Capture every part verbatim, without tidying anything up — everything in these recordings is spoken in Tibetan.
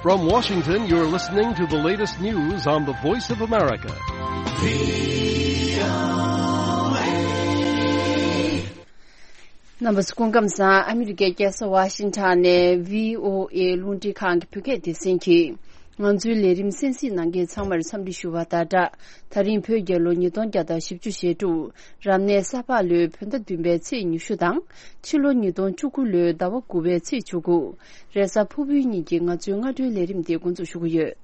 From Washington, you're listening to the latest news on the Voice of America. རྣམ་པ་ཚོ་སྐུ་ཁམས་བཟང་། ཨ་མི་རི་ཀའི་རྒྱལ་ས་ཝ་ཤིང་ཊོན་ནས་བྷི་ཨོ་ཨེ་རླུང་འཕྲིན་ཁང་གི་བོད་སྐད་སྡེ་ཚན་གྱིས་ང་ཚོའི་ལས་རིམ་གསན་གཟིགས་གནང་མཁན་ཚང་མར་འཚམས་འདྲི་ཞུ་བ་དང་སྦྲགས། ད་རིང་བོད་རྒྱལ་ལོ་ཉིས་སྟོང་བརྒྱ་དང་བཞི་བཅུ་ཞེ་དྲུག་རབ་གནས་ས་ཕག་ལོའི་བོད་ཟླ་བདུན་པའི་ཚེས་ཉི་ཤུ་དང་། ཕྱི་ལོ་ཉིས་སྟོང་བཅུ་དགུ་ལོའི་ཟླ་བ་དགུ་པའི་ཚེས་བཅུ་དགུ། རེས་གཟའ་ཕུར་བུའི་ཉིན་གྱི་ང་ཚོའི་སྔ་དྲོའི་ལས་རིམ་དེ་འགོ་འཛུགས་ཞུ་གི་ཡོད།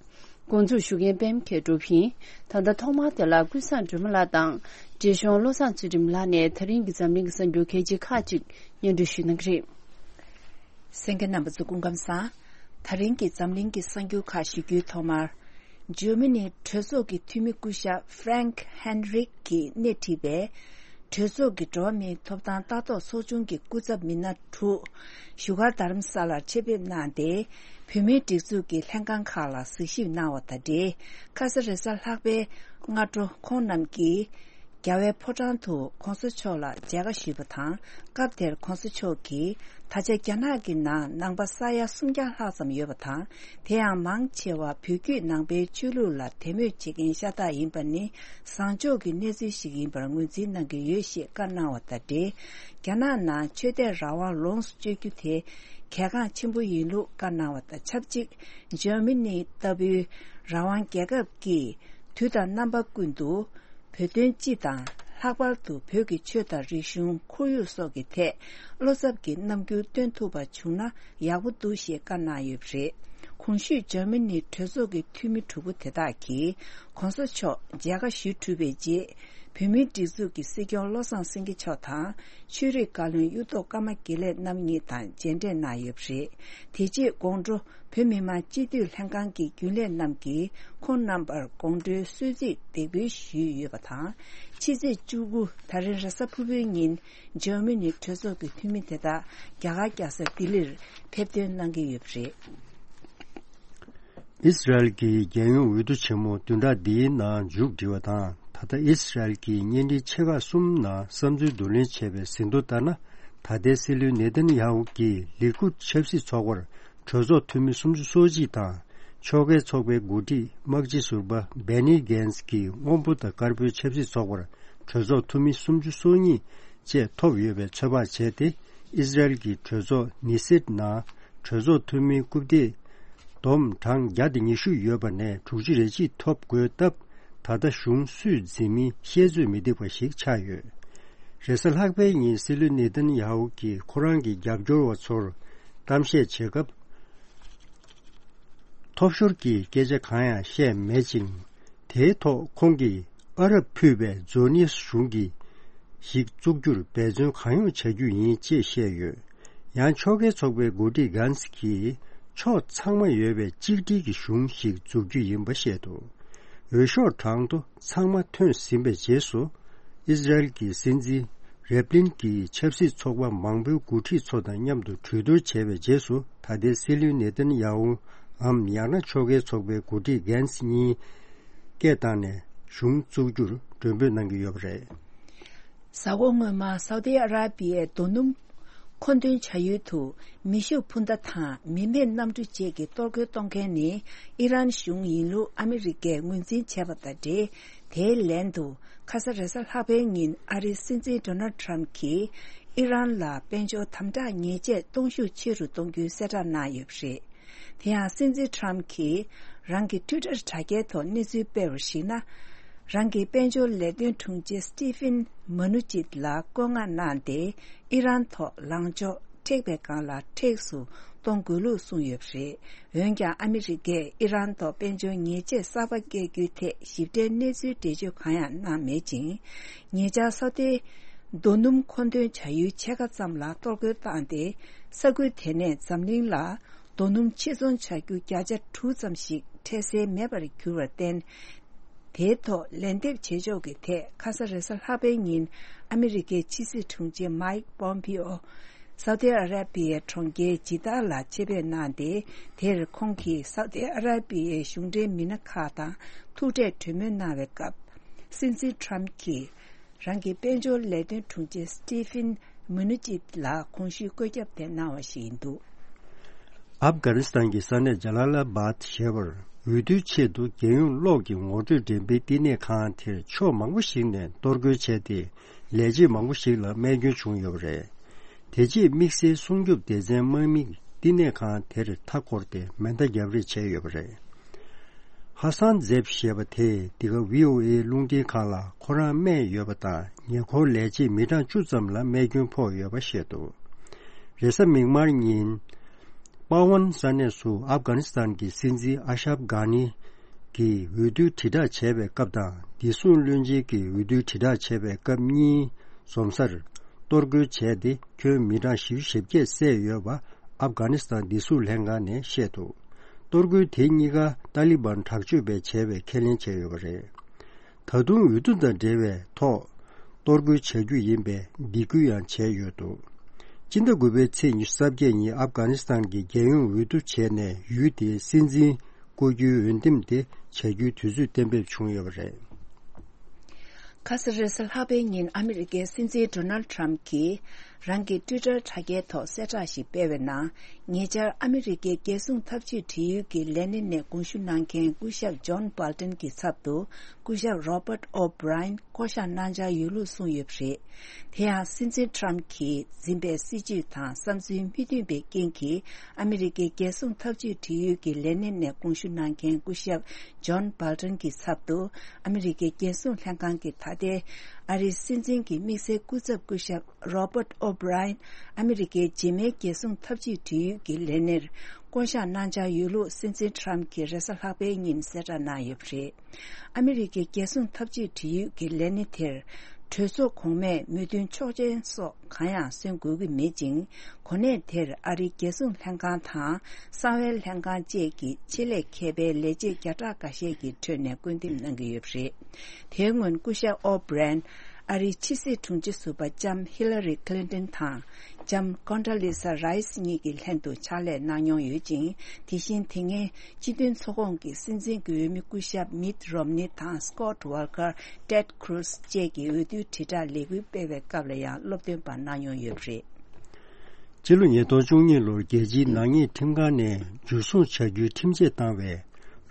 འགོ་འཛུགས་ཞུ་མཁན་པད་མ་མཁས་གྲུབ་ཡིན། ད་ལྟ་ཐོག་མར་དེ་ལ་ཀུན་བཟང་སྒྲོལ་མ་ལགས་དང་། འབྲས་གཞུང་བློ་བཟང་ཚུལ་ཁྲིམས་ལགས་ནས་ད་རིང་གི་འཛམ་གླིང་གི་གསར་འགྱུར་གལ་ཆེ་ཁག་ཅིག་སྙན་སྒྲོན་ཞུ་གནང་གི་རེད། གསན་མཁན་རྣམ་པ་ཚོ་སྐུ་ཁམས་བཟང་། ད་རིང་གི་འཛམ་གླིང་གི་གསར་འགྱུར་ཁག་ཞུ་རྒྱུའི་ཐོག་མར། འཇར་མ་ནི་གྲོས་ཚོགས་ཀྱི་འཐུས་མི་སྐུ་ཞབས་Frank Heinrich གིས་སྣེ་ཁྲིད་པའི་གྲོས་ཚོགས་ཀྱི་འགྲོ་བ་མིའི་ཐོབ་ཐང་ལྟ་རྟོག་ཚོགས་ཆུང་གི་སྐུ་ཚབ་མི་སྣ་དྲུག་བཞུགས་སྒར་རྡ་རམ་ས་ལར་ཆེད་ཕེབས་གནང་སྟེ། བོད་མིའི་སྒྲིག་འཛུགས་ཀྱི་ལྷན་ཁང་ཁག་ལ་གཟིགས་ཞིབ་གནང་བ་དང་འབྲེལ། ཁ་ས་རེས་གཟའ་ལྷག་པའི་སྔ་དྲོ་ཁོང་རྣམས་ཀྱིས་རྒྱལ་བའི་ཕོ་བྲང་དུ་༸གོང་ས་མཆོག་ལ་མཇལ་ཁ་ཞུས་པ་དང་། སྐབས་དེར་༸གོང་ས་མཆོག་གིས། ད་ཆ་རྒྱ་ནག་གི་ནང་ནང་པ་ས་ཡ་སུམ་བརྒྱ་ལྷག་ཙམ་ཡོད་པ་དང་། དེ་ཡང་མང་ཆེ་བ་བོད་བརྒྱུད་ནང་པའི་ཆོས་ལུགས་ལ་དད་མོས་བྱེད་མཁན་ཤ་སྟག་ཡིན་པ་ནི་བཟང་ཕྱོགས་ཀྱི་གནས་ཚུལ་ཞིག་ཡིན་པར་ངོས་འཛིན་གནང་གི་ཡོད་ཞེས་བཀའ་གནང་བ་དང་འབྲེལ། རྒྱ་ནག་ནང་ཆོས་དད་རང་དབང་ལོངས་སུ་སྤྱོད་རྒྱུ་དེ་གལ་འགངས་ཆེན་པོ་ཡིན་ལུགས་བཀའ་གནང་བ་དང་ཆབས་ཅིག་འཇར་མ་ནི་ལྟ་བུའི་རང་དབང་རྒྱལ་ཁབ་ཀྱིས་དུས་དང་རྣམ་པ་ཀུན་ཏུ། བོད་དོན་སྤྱི་དང་། ལྷག་པར་དུ་བོད་ཀྱི་ཆོས་དང་རིག་གཞུང་། ཁོར་ཡུག་སོགས་ཀྱི་ཐད་བློ་འཚབ་ཀྱི་རྣམ་འགྱུར་སྟོན་ཐུབ་པ་བྱུང་ན་ཡག་པོ་འདུག་ཞེས་བཀའ་གནང་ཡོད་པ་རེད། གོང་ཞུས་འཇར་མ་ནིའི་གྲོས་ཚོགས་ཀྱི་འཐུས་མི་དྲུག་པོ་དེ་དག་གིས་༸གོང་ས་མཆོག་མཇལ་ཁ་ཞུ་གྲུབ་པའི་རྗེས། བོད་མིའི་སྒྲིག་འཛུགས་ཀྱི་སྲིད་སྐྱོང་བློ་བཟང་སེང་གེ་མཆོག་དང་། ཆོས་རིག་བཀའ་བློན་གཡུ་ཐོག་ཀརྨ་དགེ་ལེགས་རྣམ་གཉིས་དང་མཇལ་འཕྲད་གནང་ཡོད་པ་རེད། དེ་རྗེས་དགོང་དྲོ། བོད་མི་མང་སྤྱི་འཐུས་ལྷན་ཁང་གི་རྒྱུན་ལས་རྣམས་ཀྱིས་ཁོང་རྣམ་པར་དགོང་དྲོའི་གསོལ་ཚིགས་འདེགས་འབུལ་ཞུས་ཡོད་པ་དང་། ཕྱི་ཚེས་བཅུ་དགུ་ད་རེས་རེས་གཟའ་ཕུར་བུའི་ཉིན་འཇར་མ་ནི་གྲོས་ཚོགས་ཀྱི་འཐུས་མི་དེ་དག་རྒྱ་གར་རྒྱལ་ས་ལྡི་ལིར་ཕེབས་ཐོན་གནང་གི་ཡོད་པ་རེད། ཨི་སི་རལ་གྱི་རྒྱལ་ཡོངས་འོས་བསྡུ་ཆེན་མོ་བདུན་ཕྲག་འདིའི་ནང་མཇུག་སྒྲིལ་བ་དང་། ད་ལྟ་ཨི་སི་རལ་གྱི་བརྙན་འཕྲིན་ཆེ་ཁག་གསུམ་ནང་བསམ་ཚུལ་བསྡུ་ལེན་བྱས་པའི་ཟིན་ཐོ་ལྟར་ན། ད་ལྟའི་སྲིད་བློན་ནེ་ཐན་ཡ་ཧུ་གྱིས་ལི་ཀུད་ཆབ་སྲིད་ཚོགས་པར། གྲོས་ཚོགས་འཐུས་མི་སུམ་ཅུ་སོ་གཅིག་དང་། ཕྱོགས་འགལ་ཚོགས་པའི་འགོ་ཁྲིད་དམག་སྤྱི་ཟུར་པ་བེ་ནི་གྷན་སི་གིས་སྔོན་པོ་དང་དཀར་པོའི་ཆབ་སྲིད་ཚོགས་པར་གྲོས་ཚོགས་འཐུས་མི་སུམ་ཅུ་སོ་གཉིས་བཅས་ཐོབ་ཡོད་པའི་ཚོད་དཔག་བྱས་ཏེ། ཨི་སི་རལ་གྱི་གྲོས་ཚོགས་ནི་སེད་ནང་གྲོས་ཚོགས་འཐུས་མི་རྐུབ་སྟེགས་བསྡོམས་གྲངས་བརྒྱ་དང་ཉི་ཤུ་ཡོད་པ་ནས་དྲུག་ཅུ་རེ་གཅིག་ཐོབ་དགོས་སྟབས། ད་ལྟ་གཞུང་སུས་འཛིན་མིན་བཤད་ཚོད་མི་ཐིག་པ་ཞིག་ཆགས་ཡོད། རེས་གཟའ་ལྷག་པའི་ཉིན་སྲིད་བློན་ནེ་ཐན་ཡ་ཧུ་གིས་ཁོ་རང་གི་རྒྱབ་སྐྱོར་བ་ཚོར་གཏམ་བཤད་བྱེད་སྐབས། ཐོབ་ཤོར་གྱི་སྐད་ཆ་གང་ཡང་བཤད་མེད་ཅིང་། དེའི་ཐོག་ཁོང་གིས་ཨ་རབ་ཕུད་པའི་ཛོ་ནིས་གཞུང་གི་ཞིག་བཙུགས་རྒྱུར་འབད་བརྩོན་གང་ཡོང་བྱ་རྒྱུ་ཡིན་ཅེས་བཤད་ཡོད། ཡང་ཕྱོགས་འགལ་ཚོགས་པའི་འགོ་ཁྲིད་གྷན་སི་གིས་ཕྱོགས་ཚང་མ་ཡོད་པའི་གཅིག་སྒྲིལ་གྱི་གཞུང་ཞིག་འཛུགས་རྒྱུ་ཡིན་པ་བཤད་འདུག་འོས་ཤོག་གྲངས་ཐོ་ཚང་མ་ཐོན་ཟིན་པའི་རྗེས་སུ། ཨི་སི་རལ་གྱི་སྲིད་འཛིན་རེབ་ལིན་གྱིས་ཆབ་སྲིད་ཚོགས་པ་མང་པོའི་འགོ་ཁྲིད་ཚོ་དང་མཉམ་དུ་གྲོས་བསྡུར་བྱས་པའི་རྗེས་སུ། ད་ལྟའི་སྲིད་བློན་ནེ་ཐན་ཡ་ཧུའམ་ཡང་ན་ཕྱོགས་འགལ་ཚོགས་པའི་འགོ་ཁྲིད་གྷན་སི་གཉིས་སྐད་བཏང་ནས་གཞུང་བཙུགས་རྒྱུར་མགྲོན་འབོད་གནང་གི་ཡོད་པ་རེད། གཟའ་འཁོར་སྔོན་མ་སའུ་ཏི་ཨ་ར་པི་ཡའི་རྡོ་སྣུམ་མཁོ་འདོན་བྱ་ཡུལ་དུ་མེ་ཤུགས་འཕུར་མདའ་དང་མི་མེད་གནམ་གྲུ་བཅས་ཀྱིས་གཏོར་རྒོལ་གཏོང་མཁན་ནི་ཨི་རན་གཞུང་ཡིན་ལུགས་ཨ་མི་རི་ཀས་ངོས་འཛིན་བྱས་པ་དང་འབྲེལ། དེའི་ལན་དུ་ཁ་ས་རེས་གཟའ་ལྷག་པའི་ཉིན་ཨ་རིའི་སྲིད་འཛིན་ཌོ་ནལ་ཊམ་གྱིས་ཨི་རན་ལ་དཔལ་འབྱོར་དམ་དྲག་ཉེས་ཆད་གཏོང་ཤུགས་ཆེ་རུ་གཏོང་རྒྱུའི་གསལ་བསྒྲགས་གནང་ཡོད་པ་རེད། དེ་ཡང་སྲིད་འཛིན་ཊམ་གྱིས་རང་གི་ཊུའི་ཊར་དྲ་རྒྱའི་ཐོག་གནས་ཚུལ་སྤེལ་བར་གཞིགས་ན། རང་གི་དཔལ་འབྱོར་ལས་དོན་དྲུང་ཆེ་སི་ཊི་ཕིན་མ་ནུ་ཅིད་ལ་བཀོད་མངགས་གནང་སྟེ་ཨི་རན་ཐོག་ལངས་ཕྱོགས་མཁྲེགས་པའི་སྒང་ལ་མཁྲེགས་སུ་གཏོང་དགོས་ལུགས་གསུངས་ཡོད་པ་རེད། འོན་ཀྱང་ཨ་མི་རི་ཀས་ཨི་རན་ཐོག་དཔལ་འབྱོར་ཉེས་ཆད་གསར་པ་བཀལ་རྒྱུའི་ཐད་ཞིབ་ཕྲའི་གནས་ཚུལ་འགྲེལ་བརྗོད་གང་ཡང་གནང་མེད་ཅིང་། ཉེ་ཆར་སའུ་ཏི་རྡོ་སྣུམ་མཁོ་འདོན་བྱ་ཡུལ་ཕྱེད་ཀ་ཙམ་ལ་གཏོར་རྒོལ་བཏང་སྟེ། ས་ཁུལ་དེ་ནས་འཛམ་གླིང་ལ་རྡོ་སྣུམ་ཕྱིར་ཚོང་བྱ་རྒྱུ་བརྒྱ་ཆ་དྲུག་ཙམ་ཞིག་འཕྲལ་སེལ་མེད་པར་གྱུར་བར་བརྟེན། དེའི་ཐོག་ལན་འདེབས་བྱེད་ཕྱོགས་ཀྱི་ཐད་ཁ་ས་རེས་གཟའ་ལྷག་པའི་ཉིན་ཨ་མི་རི་ཀའི་ཕྱི་སྲིད་དྲུང་ཆེ་མའིག་པོམ་པི་ཨོ་སའུ་ཏི་ཨ་ར་པི་ཡའི་གྲོང་ཁྱེར་ཇི་ཏཱ་ལ་ཆེད་ཕེབས་གནང་སྟེ། དེར་ཁོང་གིས་སའུ་ཏི་ཨ་ར་པི་ཡའི་གཞུང་འབྲེལ་མི་སྣ་ཁག་དང་ཐུག་འཕྲད་གྲོས་མོལ་གནང་བའི་སྐབས། སྲིད་འཛིན་ཊམ་གྱིས་རང་གི་དཔལ་འབྱོར་ལས་དོན་དྲུང་ཆེ་སི་ཊི་ཕིན་མུ་ནུ་ཅིད་ལ་གོང་ཞུས་བཀོད་ཁྱབ་དེ་གནང་བ་ཞིག་ཡིན་འདུག་ཨབ་གྷ་ནི་སི་ཐན་གྱི་ས་གནས་ཇ་ལ་ལ་བཱད་ཞེས་པར་འོས་བསྡུའི་ཆེད་དུ་རྒྱལ་ཡོངས་གློག་གི་ངོ་སྤྲོད་འགྲེམས་སྤེལ་བསྟི་གནས་ཁང་དེར་ཕྱོགས་མང་པོ་ཞིག་ནས་གཏོར་རྒོལ་བྱས་ཏེ། ལས་བྱེད་མང་པོ་ཞིག་ལ་རྨས་སྐྱོན་བྱུང་ཡོད་པ་རེད། དེ་རྗེས་དམིགས་བསལ་སྲུང་སྐྱོབ་སྡེ་ཚན་དམག་མིས་བསྟི་གནས་ཁང་དེར་མཐའ་བསྐོར་ཏེ་མེ་མདའ་བརྒྱབ་རེས་བྱས་ཡོད་པ་རེད། ཧ་སན་ཛེབ་ཞེས་པ་དེས་འདི་ག་ཝི་ཨོ་ཨེ་རླུང་འཕྲིན་ཁང་ལ་ཁོ་རང་རྨས་ཡོད་པ་དང་ཉེ་འཁོར་ལས་བྱེད་མི་གྲངས་བཅུ་ཙམ་ལ་རྨས་སྐྱོན་ཕོག་ཡོད་པ་བཤད་འདུག་རེས་གཟའ་མིག་དམར་ཉིན། པ་ཝན་ས་གནས་སུ་ཨབ་གྷ་ནི་སི་ཐན་གྱི་སྲིད་འཛིན་ཨ་ཤབ་གྷ་ནི་གྱིས་འོས་བསྡུ་དྲིལ་བསྒྲགས་བྱས་པའི་སྐབས་དང་བདེ་སྲུང་བློན་ཆེན་གྱིས་འོས་བསྡུ་དྲིལ་བསྒྲགས་བྱས་པའི་སྐབས་གཉིས་འཛོམས་སར་གཏོར་རྒོལ་བྱས་ཏེ་ཁྱོན་མི་གྲངས་བཞི་བཅུ་ཞེ་བརྒྱད་བསད་ཡོད་པ་ཨབ་གྷ་ནི་སི་ཐན་བདེ་སྲུང་ལྷན་ཁང་ནས་བཤད་འདུག་གཏོར་རྒོལ་དེ་གཉིས་ཀ་ཏཱ་ལི་བན་དྲག་སྤྱོད་པས་བྱས་པའི་ཁས་ལེན་བྱས་ཡོད་པ་རེད། ད་དུང་འོས་བསྡུ་དང་འབྲེལ་བའི་ཐོག་གཏོར་རྒོལ་བྱ་རྒྱུ་ཡིན་པའི་འབོད་སྐུལ་ཡང་བྱས་ཡོད་འདུག་སྤྱི་ཟླ་དགུ་པའི་ཚེས་ཉི་ཤུ་རྩ་བརྒྱད་ཉིན་ཨབ་གྷ་ནི་སི་ཐན་གྱི་རྒྱལ་ཡོངས་འོས་བསྡུ་བྱས་ནས་ཡུལ་དེའི་སྲིད་འཛིན་བསྐོ་རྒྱུའི་འོས་འདེམས་དེ་བྱ་རྒྱུའི་དུས་ཚོད་གཏན་འབེབས་བྱུང་ཡོད་པ་རེད། ཁ་ས་རེས་གཟའ་ལྷག་པའི་ཉིན་ཨ་མི་རི་ཀའི་སྲིད་འཛིན་ཌོ་ནལ་ཌི་ཊརམ་ཕི་གྱིས་རང་གི་ཊུའི་ཊར་དྲ་རྒྱའི་ཐོག་གསལ་བསྒྲགས་ཤིག་སྤེལ་བའི་ནང་། ཉེ་ཆར་ཨ་མི་རི་ཀའི་རྒྱལ་སྲུང་འཐབ་ཇུས་འབྲེལ་ཡོད་ཀྱི་ལས་སྣེ་ནས་དགོངས་ཞུ་གནང་མཁན་སྐུ་ཞབས་ཇོན་སྦལ་ཏན་གྱི་ཚབ་ཏུ་སྐུ་ཞབས་རོ་པར་ཨོ་བྷི་རའེན་བསྐོ་གཞག་གནང་འཆར་ཡོད་ལུགས་གསུངས་ཡོད་པ་རེད། དེ་ཡང་སྲིད་འཛིན་ཊརམ་ཕི་གྱིས་འཛིན་པའི་སྲིད་བྱུས་དང་བསམ་ཚུལ་མི་མཐུན་པའི་རྐྱེན་གྱིས་ཨ་མི་རི་ཀའི་རྒྱལ་སྲུང་འཐབ་ཇུས་འབྲེལ་ཡོད་ཀྱི་ལས་སྣེ་ནས་དགོངས་ཞུ་གནང་མཁན་སྐུ་ཞབས་ཇོན་སྦལ་ཏན་གྱི་ཚབ་ཏུ་ཨ་མི་རི་ཀའི་རྒྱལ་སྲུང་ལྷན་ཁང་གི་ད་ལྟའི་ཨ་རིའི་སྲིད་འཛིན་གྱི་དམིགས་བསལ་སྐུ་ཚབ་སྐུ་ཞབས་རོ་པར་ཨོ་བྷི་རའེན་ཨ་མི་རི་ཀའི་རྗེས་མའི་རྒྱལ་སྲུང་འཐབ་ཇུས་འབྲེལ་ཡོད་ཀྱི་ལས་སྣེར་བསྐོ་གཞག་གནང་འཆར་ཡོད་ལུགས་སྲིད་འཛིན་ཊརམ་གྱིས་རེས་གཟའ་ལྷག་པའི་ཉིན་གསལ་བསྒྲགས་གནང་ཡོད་པ་རེད། ཨ་མི་རི་ཀའི་རྒྱལ་སྲུང་འཐབ་ཇུས་འབྲེལ་ཡོད་ཀྱི་ལས་སྣེ་དེར་གྲོས་ཚོགས་གོང་མས་མོས་མཐུན་ཆོག་མཆན་སོགས་གང་ཡང་སོན་དགོས་ཀྱི་མེད་ཅིང་། གོ་གནས་དེར་ཨ་རིའི་རྒྱལ་སྲུང་ལྷན་ཁང་དང་གསང་བའི་ལྷན་ཁང་བཅས་ཀྱི་ཆེད་ལས་མཁས་པའི་ལས་བྱེད་བརྒྱ་ཕྲག་འགའ་ཤས་ཀྱི་ཁྲོད་ནས་བསྐོ་འདེམས་གནང་གི་ཡོད་པ་རེད། དེའི་སྔོན་སྐུ་ཞབས་ཨོ་བྷི་རན་ཨ་རིའི་ཕྱི་སྲིད་དྲུང་ཆེ་ཟུར་པ་ལྕམ་ཧི་ལ་རི་ཁི་ལིན་ཏོན་དང་ལྕམ་ཀོན་ཌ་ལི་ས་རའི་སི་གཉིས་ཀྱི་ལྷན་དུ་ཕྱག་ལས་གནང་མྱོང་ཡོད་ཅིང་། དེ་བཞིན་དེ་སྔའི་སྤྱི་མཐུན་ཚོགས་ཁོངས་ཀྱི་སྲིད་འཛིན་གྱི་འོས་མི་སྐུ་ཞབས་མིད་རོམ་ནི་དང་སྐོད་ཝོལ་ཀར། ཊེད་ཁུ་རུ་སི་བཅས་ཀྱིས་འོས་བསྡུའི་དྲིལ་བསྒྲགས་ལས་འགུལ་སྤེལ་བའི་སྐབས་ལ་ཡང་སློབ་སྟོན་པ་གནང་མྱོང་ཡོད་པ་རེད། ཕྱི་ལོ་ཉིས་སྟོང་བཅུ་གཉིས་ལོར་རྒྱལ་སྤྱིའི་ནག་ཉེས་ཁྲིམས་ཁང་ནས་འཇུ་བཟུང་བྱ་རྒྱུའི་ཁྲིམས་ཆད་བཏང་བའི་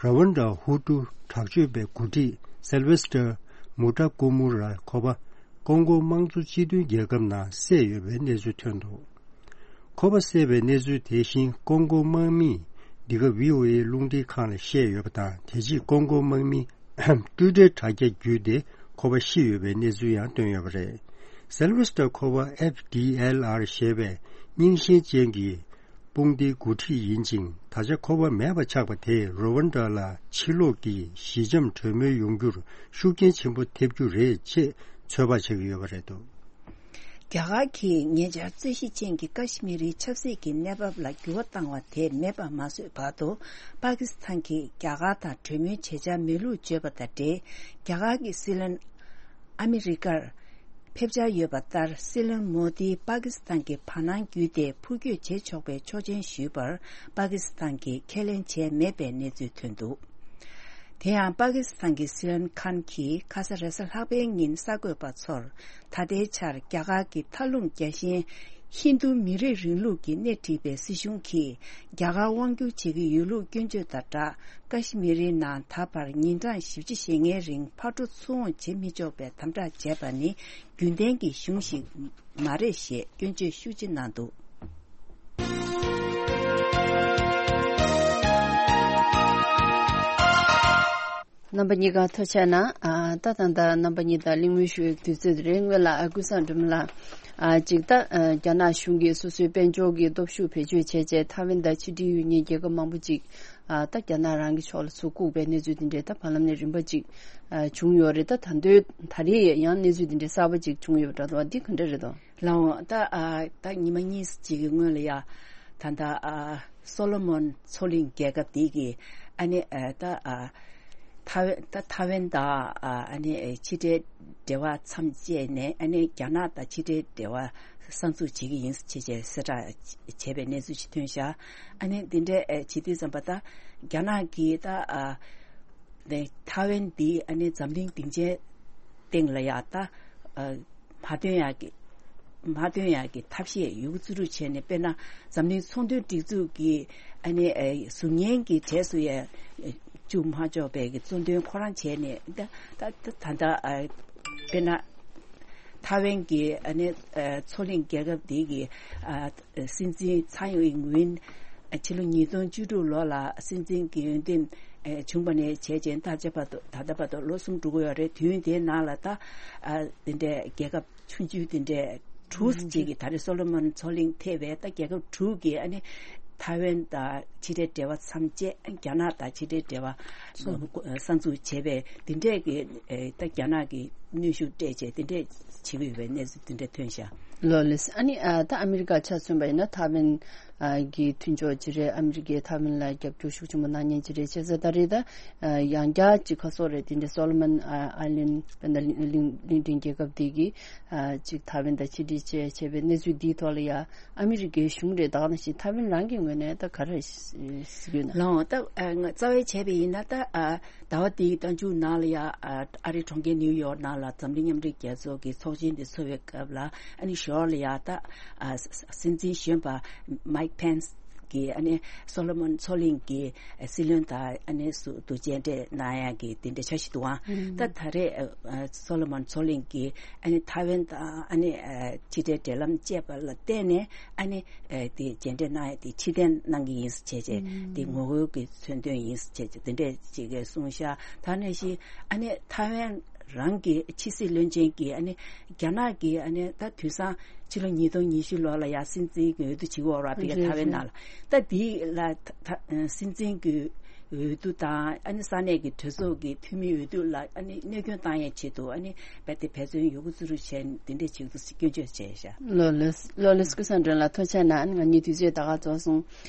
ར་ཝན་ཌ་ཧུ་ཏུ་དྲག་སྤྱོད་པའི་འགོ་ཁྲིད་སེལ་ཝེ་སི་ཏར་མུ་ཏྲ་ཀུ་མུ་ར་ཁོ་པ་ཀོང་གོ་དམངས་གཙོ་སྤྱི་མཐུན་རྒྱལ་ཁབ་ནང་བསད་ཡོད་པའི་གནས་ཚུལ་ཐོན་འདུག་ཁོ་པ་བསད་པའི་གནས་ཚུལ་དེ་བཞིན་ཀོང་གོ་དམག་མིས་འདི་ག་ཝི་ཨོ་ཨེ་རླུང་འཕྲིན་ཁང་ལ་བཤད་ཡོད་པ་དང་། དེ་རྗེས་ཀོང་གོ་དམག་མིས་ཊུའི་ཊར་དྲ་རྒྱ་བརྒྱུད་དེ་ཁོ་པ་ཤི་ཡོད་པའི་གནས་ཚུལ་ཡང་བཏོན་ཡོད་པ་རེད། སེལ་ཝེ་སི་ཏར་ཁོ་པ་ཨེཕ་ཌི་ཨེལ་ཨར་ཞེས་པའི་རྙིང་ཞེན་ཅན་གྱི་དཔུང་སྡེའི་འགོ་ཁྲིད་ཡིན་ཅིང་། ད་ཆ་ཁོ་པ་མེད་པ་ཆགས་པ་དེས་ར་ཝན་ཌ་ལ་ཕྱི་ལོགས་ཀྱི་ཞི་འཇམ་གྲོས་མོལ་ཡོང་རྒྱུར་ཤུགས་རྐྱེན་ཆེན་པོ་ཐེབས་རྒྱུ་རེད་ཅེས་ཚོད་དཔག་བྱེད་ཀྱི་ཡོད་པ་རེད་འདུག་རྒྱ་གར་གྱིས་ཉེ་ཆར་རྩོད་གཞི་ཅན་གྱི་ཀ་ཤི་མི་རིའི་ཆབ་སྲིད་ཀྱི་གནས་བབ་ལ་འགྱུར་བ་བཏང་བ་དེ་མེད་པར་མ་བཟོས་བར་དུ། པ་ཀི་སི་ཐན་གྱིས་རྒྱ་གར་དང་གྲོས་མོལ་བྱེད་འཆར་མེད་ལུགས་བརྗོད་པ་དང་འབྲེལ། རྒྱ་གར་གྱི་སྲིད་བློན་ཨ་མི་རི་ཀར་ཕེབས་འཆར་ཡོད་པ་ལྟར། སྲིད་བློན་མོ་དིས་པ་ཀི་སི་ཐན་གྱི་བར་སྣང་བརྒྱུད་དེ་འཕུར་སྐྱོད་བྱེད་ཆོག་པའི་ཆོག་མཆན་ཞུས་པར། པ་ཀི་སི་ཐན་གྱིས་ཁས་ལེན་བྱས་མེད་པའི་གནས་ཚུལ་ཐོན་འདུག་དེ་ཡང་པ་ཀི་སི་ཐན་གྱི་སྲིད་བློན་ཁཱན་གྱིས་ཁ་ས་རེས་གཟའ་ལྷག་པའི་ཉིན་གསར་འགོད་པ་ཚོར། ད་ལྟའི་ཆར་རྒྱ་གར་གྱི་མཐའ་ལྷུང་རྒྱལ་ཞེན་ཧིན་རྡུ་མི་རིགས་རིང་ལུགས་ཀྱིས་སྣེ་ཁྲིད་པའི་སྲིད་གཞུང་གིས་རྒྱ་གར་དབང་བསྒྱུར་བྱེད་ཀྱི་ཡོད་ལུགས་སྐྱོན་བརྗོད་དང་སྦྲགས། ཀ་ཤི་མི་རིའི་ནང་ད་བར་ཉིན་གྲངས་བཞི་བཅུ་ཞེ་ལྔའི་རིང་ཕར་འགྲོ་ཚུར་འོང་བྱེད་མི་ཆོག་པའི་དམ་དྲག་བྱས་པ་ནི་རྒྱུན་ལྡན་གྱི་གཞུང་ཞིག་མ་རེད་ཞེས་སྐྱོན་བརྗོད་ཤུགས་ཆེ་གནང་འདུག་རྣམ་པ་གཉིས་ཀ་ཐུགས་རྗེ་གནང་། ཨ། ད་ད་ལྟ་རྣམ་པ་གཉིས་དང་གླེང་མོལ་ཞུ་བའི་དུས་ཚོད་རེད། སྔོན་ལ་ཨ་ཀུན་བཟང་སྒྲོལ་མ་ལགས། ཨ། ཅིག་ད་ཨ། རྒྱ་ནག་གཞུང་གིས་སོ་སོའི་དཔལ་འབྱོར་གྱི་སྟོབས་ཤུགས་བེད་སྤྱོད་བྱས་རྗེས་ཐའེ་ཝན་དང་ཕྱི་འབྲེལ་ཡོད་མཁན་རྒྱལ་ཁབ་མང་པོ་ཅིག་ཨ། ད་རྒྱ་ནག་རང་གི་ཕྱོགས་ལ་ཚུར་བཀུག་པའི་གནས་ཚུལ་དེ་འདྲའི་ད་བར་ལམ་ནས་རིམ་པ་ཅིག་ཨ། བྱུང་ཡོད་རེད། ད་ད་དུང་ད་རེས་ཡང་གནས་ཚུལ་དེ་འདྲའི་གསར་པ་ཅིག་བྱུང་ཡོད་པ་འདྲ་འདུག་འདི་ག་འདྲ་རེད་དོ། ལགས་འོང་། ད་ཨ། ད་ཉི་མ་གཉིས་ཅིག་གི་སྔོན་ལ་ཡ། ད་ལྟ་ཨ། སོ་ལོ་མོན་མཚོ་གླིང་རྒྱལ་ཁབ་འདི་གི་ཨ་ནི་ཨ། ད་ཨ། ཐའེ་ཝན། ད་ཐའེ་ཝན་དང་ཨ། ཨ་ནི་ཕྱི་འབྲེལ་འབྲེལ་བ་མཚམས་བཅད་ནས། ཨ་ནི་རྒྱ་ནག་དང་ཕྱི་འབྲེལ་འབྲེལ་བ་གསར་འཛུགས་བྱེད་ཀྱི་ཡིན་ཞེས་གསལ་བསྒྲགས་བྱས་པའི་གནས་ཚུལ་ཞིག་ཐོན་ཤག་ཨ་ནི་འདི་འདྲའི་ཨ། བྱེད་དུས་ཙམ་པ། ད་རྒྱ་ནག་གིས་ད་ཨ། ནས་ཐའེ་ཝན་འདི་ཨ་ནི་འཛམ་གླིང་སྡིངས་ཆའི་སྟེང་ལ་ཡ་ད་ཨ། མ་ཐོན་ཡག་གི་ མ་ཐོན་ཡག་གི་ཐབས་ཤེས་ཡོད་རྒུ་བརྩི་རུ་བྱས་ནས། དཔེར་ན་འཛམ་གླིང་ཚོང་དོན་སྒྲིག་འཛུགས་ཀྱི་ཨ་ནི་ཨེ་གཟུགས་བརྙན་གྱི་གྲས་སུ་ཡང་བཅུག་མ་ཆོག་པའི་གི་གཙོ་འདོན་ཁོ་རང་བྱས་ནས། ད་ད་ད་ད་ཨ་དཔེར་ན་ཐའེ་ཝན་གྱི་ཨ་ནི་ཨ་མཚོ་གླིང་རྒྱལ་ཁབ་འདི་གི་ཨ་སྲིད་འཛིན་ཚའེ་ཨིང་ཝེན་ཨ་ཕྱི་ལོ་ཉིས་སྟོང་བཅུ་དྲུག་ལོ་ལ་སྲིད་འཛིན་གྱི་འོས་འདེམས་ཨ་བྱུང་བ་ནས་བྱས་རྗེས་ད་ཆ་བར་དུ་ད་ལྟ་བར་དུ་ལོ་གསུམ་འགྲོ་གི་ཡོད་རེད། དུས་ཡུན་དེའི་ནང་ལ་ད་ཨ་དེ་འདྲའི་རྒྱལ་ཁབ་ཆུང་ཆུང་དེ་འདྲའི་དྲུག་ཅིག་གིས་ད་རེས་སོ་ལོ་མོན་མཚོ་གླིང་ཐེ་བའི་ད་རྒྱལ་ཁབ་དྲུག་གིས་ཨ་ནི་ཐའེ་ཝན་དང་ཕྱི་འབྲེལ་འབྲེལ་བ་མཚམས་བཅད། རྒྱ་ནག་དང་ཕྱི་འབྲེལ་འབྲེལ་བ་གསར་འཛུགས་བྱས་པའི་དེ་འདྲས་ཀྱི་ཨེ་ད་རྒྱ་ནག་གི་གནོན་ཤུགས་སྤྲད་བྱས་དེ་འདྲས་བྱེད་ཀྱི་ཡོད་པའི་གནས་ཚུལ་དེ་འདྲས་ཐོན་ཤག་ལོ་ལེས། ཨ་ནི་ཨ་ད་ཨ་མི་རི་ཀ་ཆ་མཚོན་པ་ཡིན་ན་ཐའེ་ཝན་ཨ་གི་མཐུན་ཕྱོགས་ཅིག་རེད། ཨ་མི་རི་ཀས་ཐའེ་ཝན་ལ་རྒྱབ་སྐྱོར་ཤུགས་ཆེན་པོ་གནང་མཁན་ཅིག་རེད། བྱས་ཙང་ད་རེས་ད་ཨ་ཡང་བསྐྱར་ཅིག་ཁ་སོ་རེད། དེ་འདྲའི་སོ་ལོ་མོན་ཨ་ཨའི་ལན་དཔེར་ན་གླིང་གླིང་གླིང་ཕྲན་རྒྱལ་ཁབ་དེ་གིས་ཨ་ཅིག་ཐའེ་ཝན་དང་ཕྱི་འབྲེལ་བཅས་བྱས་པའི་གནས་ཚུལ་འདིའི་ཐོག་ལ་ཡ་ཨ་མི་རི་ཀའི་གཞུང་རེད། ད་ག་ནང་བཞིན་ཐའེ་ཝན་རང་གི་ངོས་ནས་ད་ག་རེ་གཟིགས་ཡོད་ན། ལའང་ད་ཨ་ང་རྩ་བའི་བྱས་པ་ཡིན་ན་ད་ཨ་ཟླ་བ་འདིའི་མདང་མཇུག་ནང་ལ་ཡ་ཨ་ཨ་རིའི་གྲོང་ཁྱེར་ནིའུ་ཡོག་ནང་ལ་འཛམ་གླིང་མཉམ་འབྲེལ་རྒྱལ་ཚོགས་ཀྱི་ཚོགས་ཆེན་དེ་ཚོགས་པའི་སྐབས་ལ་ཨ་ནི་ཞོར་ལ་ཡ་ད་ཨ་སྲིད་འཛིན་གཞོན་པ་མའིག་ཕེན་སི་གིས་ཨ་ནི་སོ་ལོ་མོན་མཚོ་གླིང་གི་སྲིད་བློན་དང་ཨ་ནི་སུ་དུ་མཇལ་འཕྲད་གནང་ཡག་གི་དེ་འདྲ་འཆར་གཞི་འདུག་ཨང་། ད་ད་རེས་ཨ་སོ་ལོ་མོན་མཚོ་གླིང་གིས་ཨ་ནི་ཐའེ་ཝན་དང་ཨ་ནི་ཨ་ཕྱི་འབྲེལ་འབྲེལ་ལམ་བཅད་པ་ལ་བརྟེན་ནས་ཨ་ནི་ཨ་དེ་མཇལ་འཕྲད་གནང་ཡག་དེ་ཕྱིར་འཐེན་གནང་གི་ཡིན་ཟེར་བྱས་བྱས། དེ་ངོ་རྒོལ་གྱི་མཚོན་དོན་ཡིན་ཟེར་བྱས་བྱས་དེ་འདྲས་ཅིག་གིས་གསུངས་ཤག་ད་ནང་བཞིན་ཨ་ནི་ཐའེ་ཝན་རང་གི་ཕྱི་སྲིད་བློན་ཆེན་གྱིས་ཨ་ནི་རྒྱ་ནག་གིས་ཨ་ནི་ད་དུས་སང་ཕྱི་ལོ་ཉིས་སྟོང་ཉི་ཤུ་ལོ་ལ་ཡ་སྲིད་འཛིན་གྱི་འོས་བསྡུ་བྱེད་ཀྱི་ཡོད་རེད་བ། ཕ་གི་རེད་ཐའེ་ཝན་རེད། ནང་ལ་ད་འདི་ལ་ད་ད་སྲིད་འཛིན་གྱི་འོས་བསྡུ་དང་ཨ་ནི་ས་གནས་ཀྱི་གྲོས་ཚོགས་ཀྱི་འཐུས་མི་འོས་བསྡུ་ལ་ཨ་ནི་གནོད་སྐྱོན་བཏང་ཡའི་ཆེད་དུ་ཨ་ནི་རྦད་དེ་འབད་བརྩོན་ཡོད་རྒུ་བརྩི་རུ་བྱས་ནས་འདི་འདྲས་བྱེད་དུ་སྐྱོན་བརྗོད་བྱས་ཤག་ལོ་ལེས་ལོ་ལེས་སྐུ་གསུམ་འདྲེན་ལ་ཐུགས་རྗེ་གནང་། ང་གཉིས་དུས་ཚོད་ད་ག་རྫོགས་སོང་།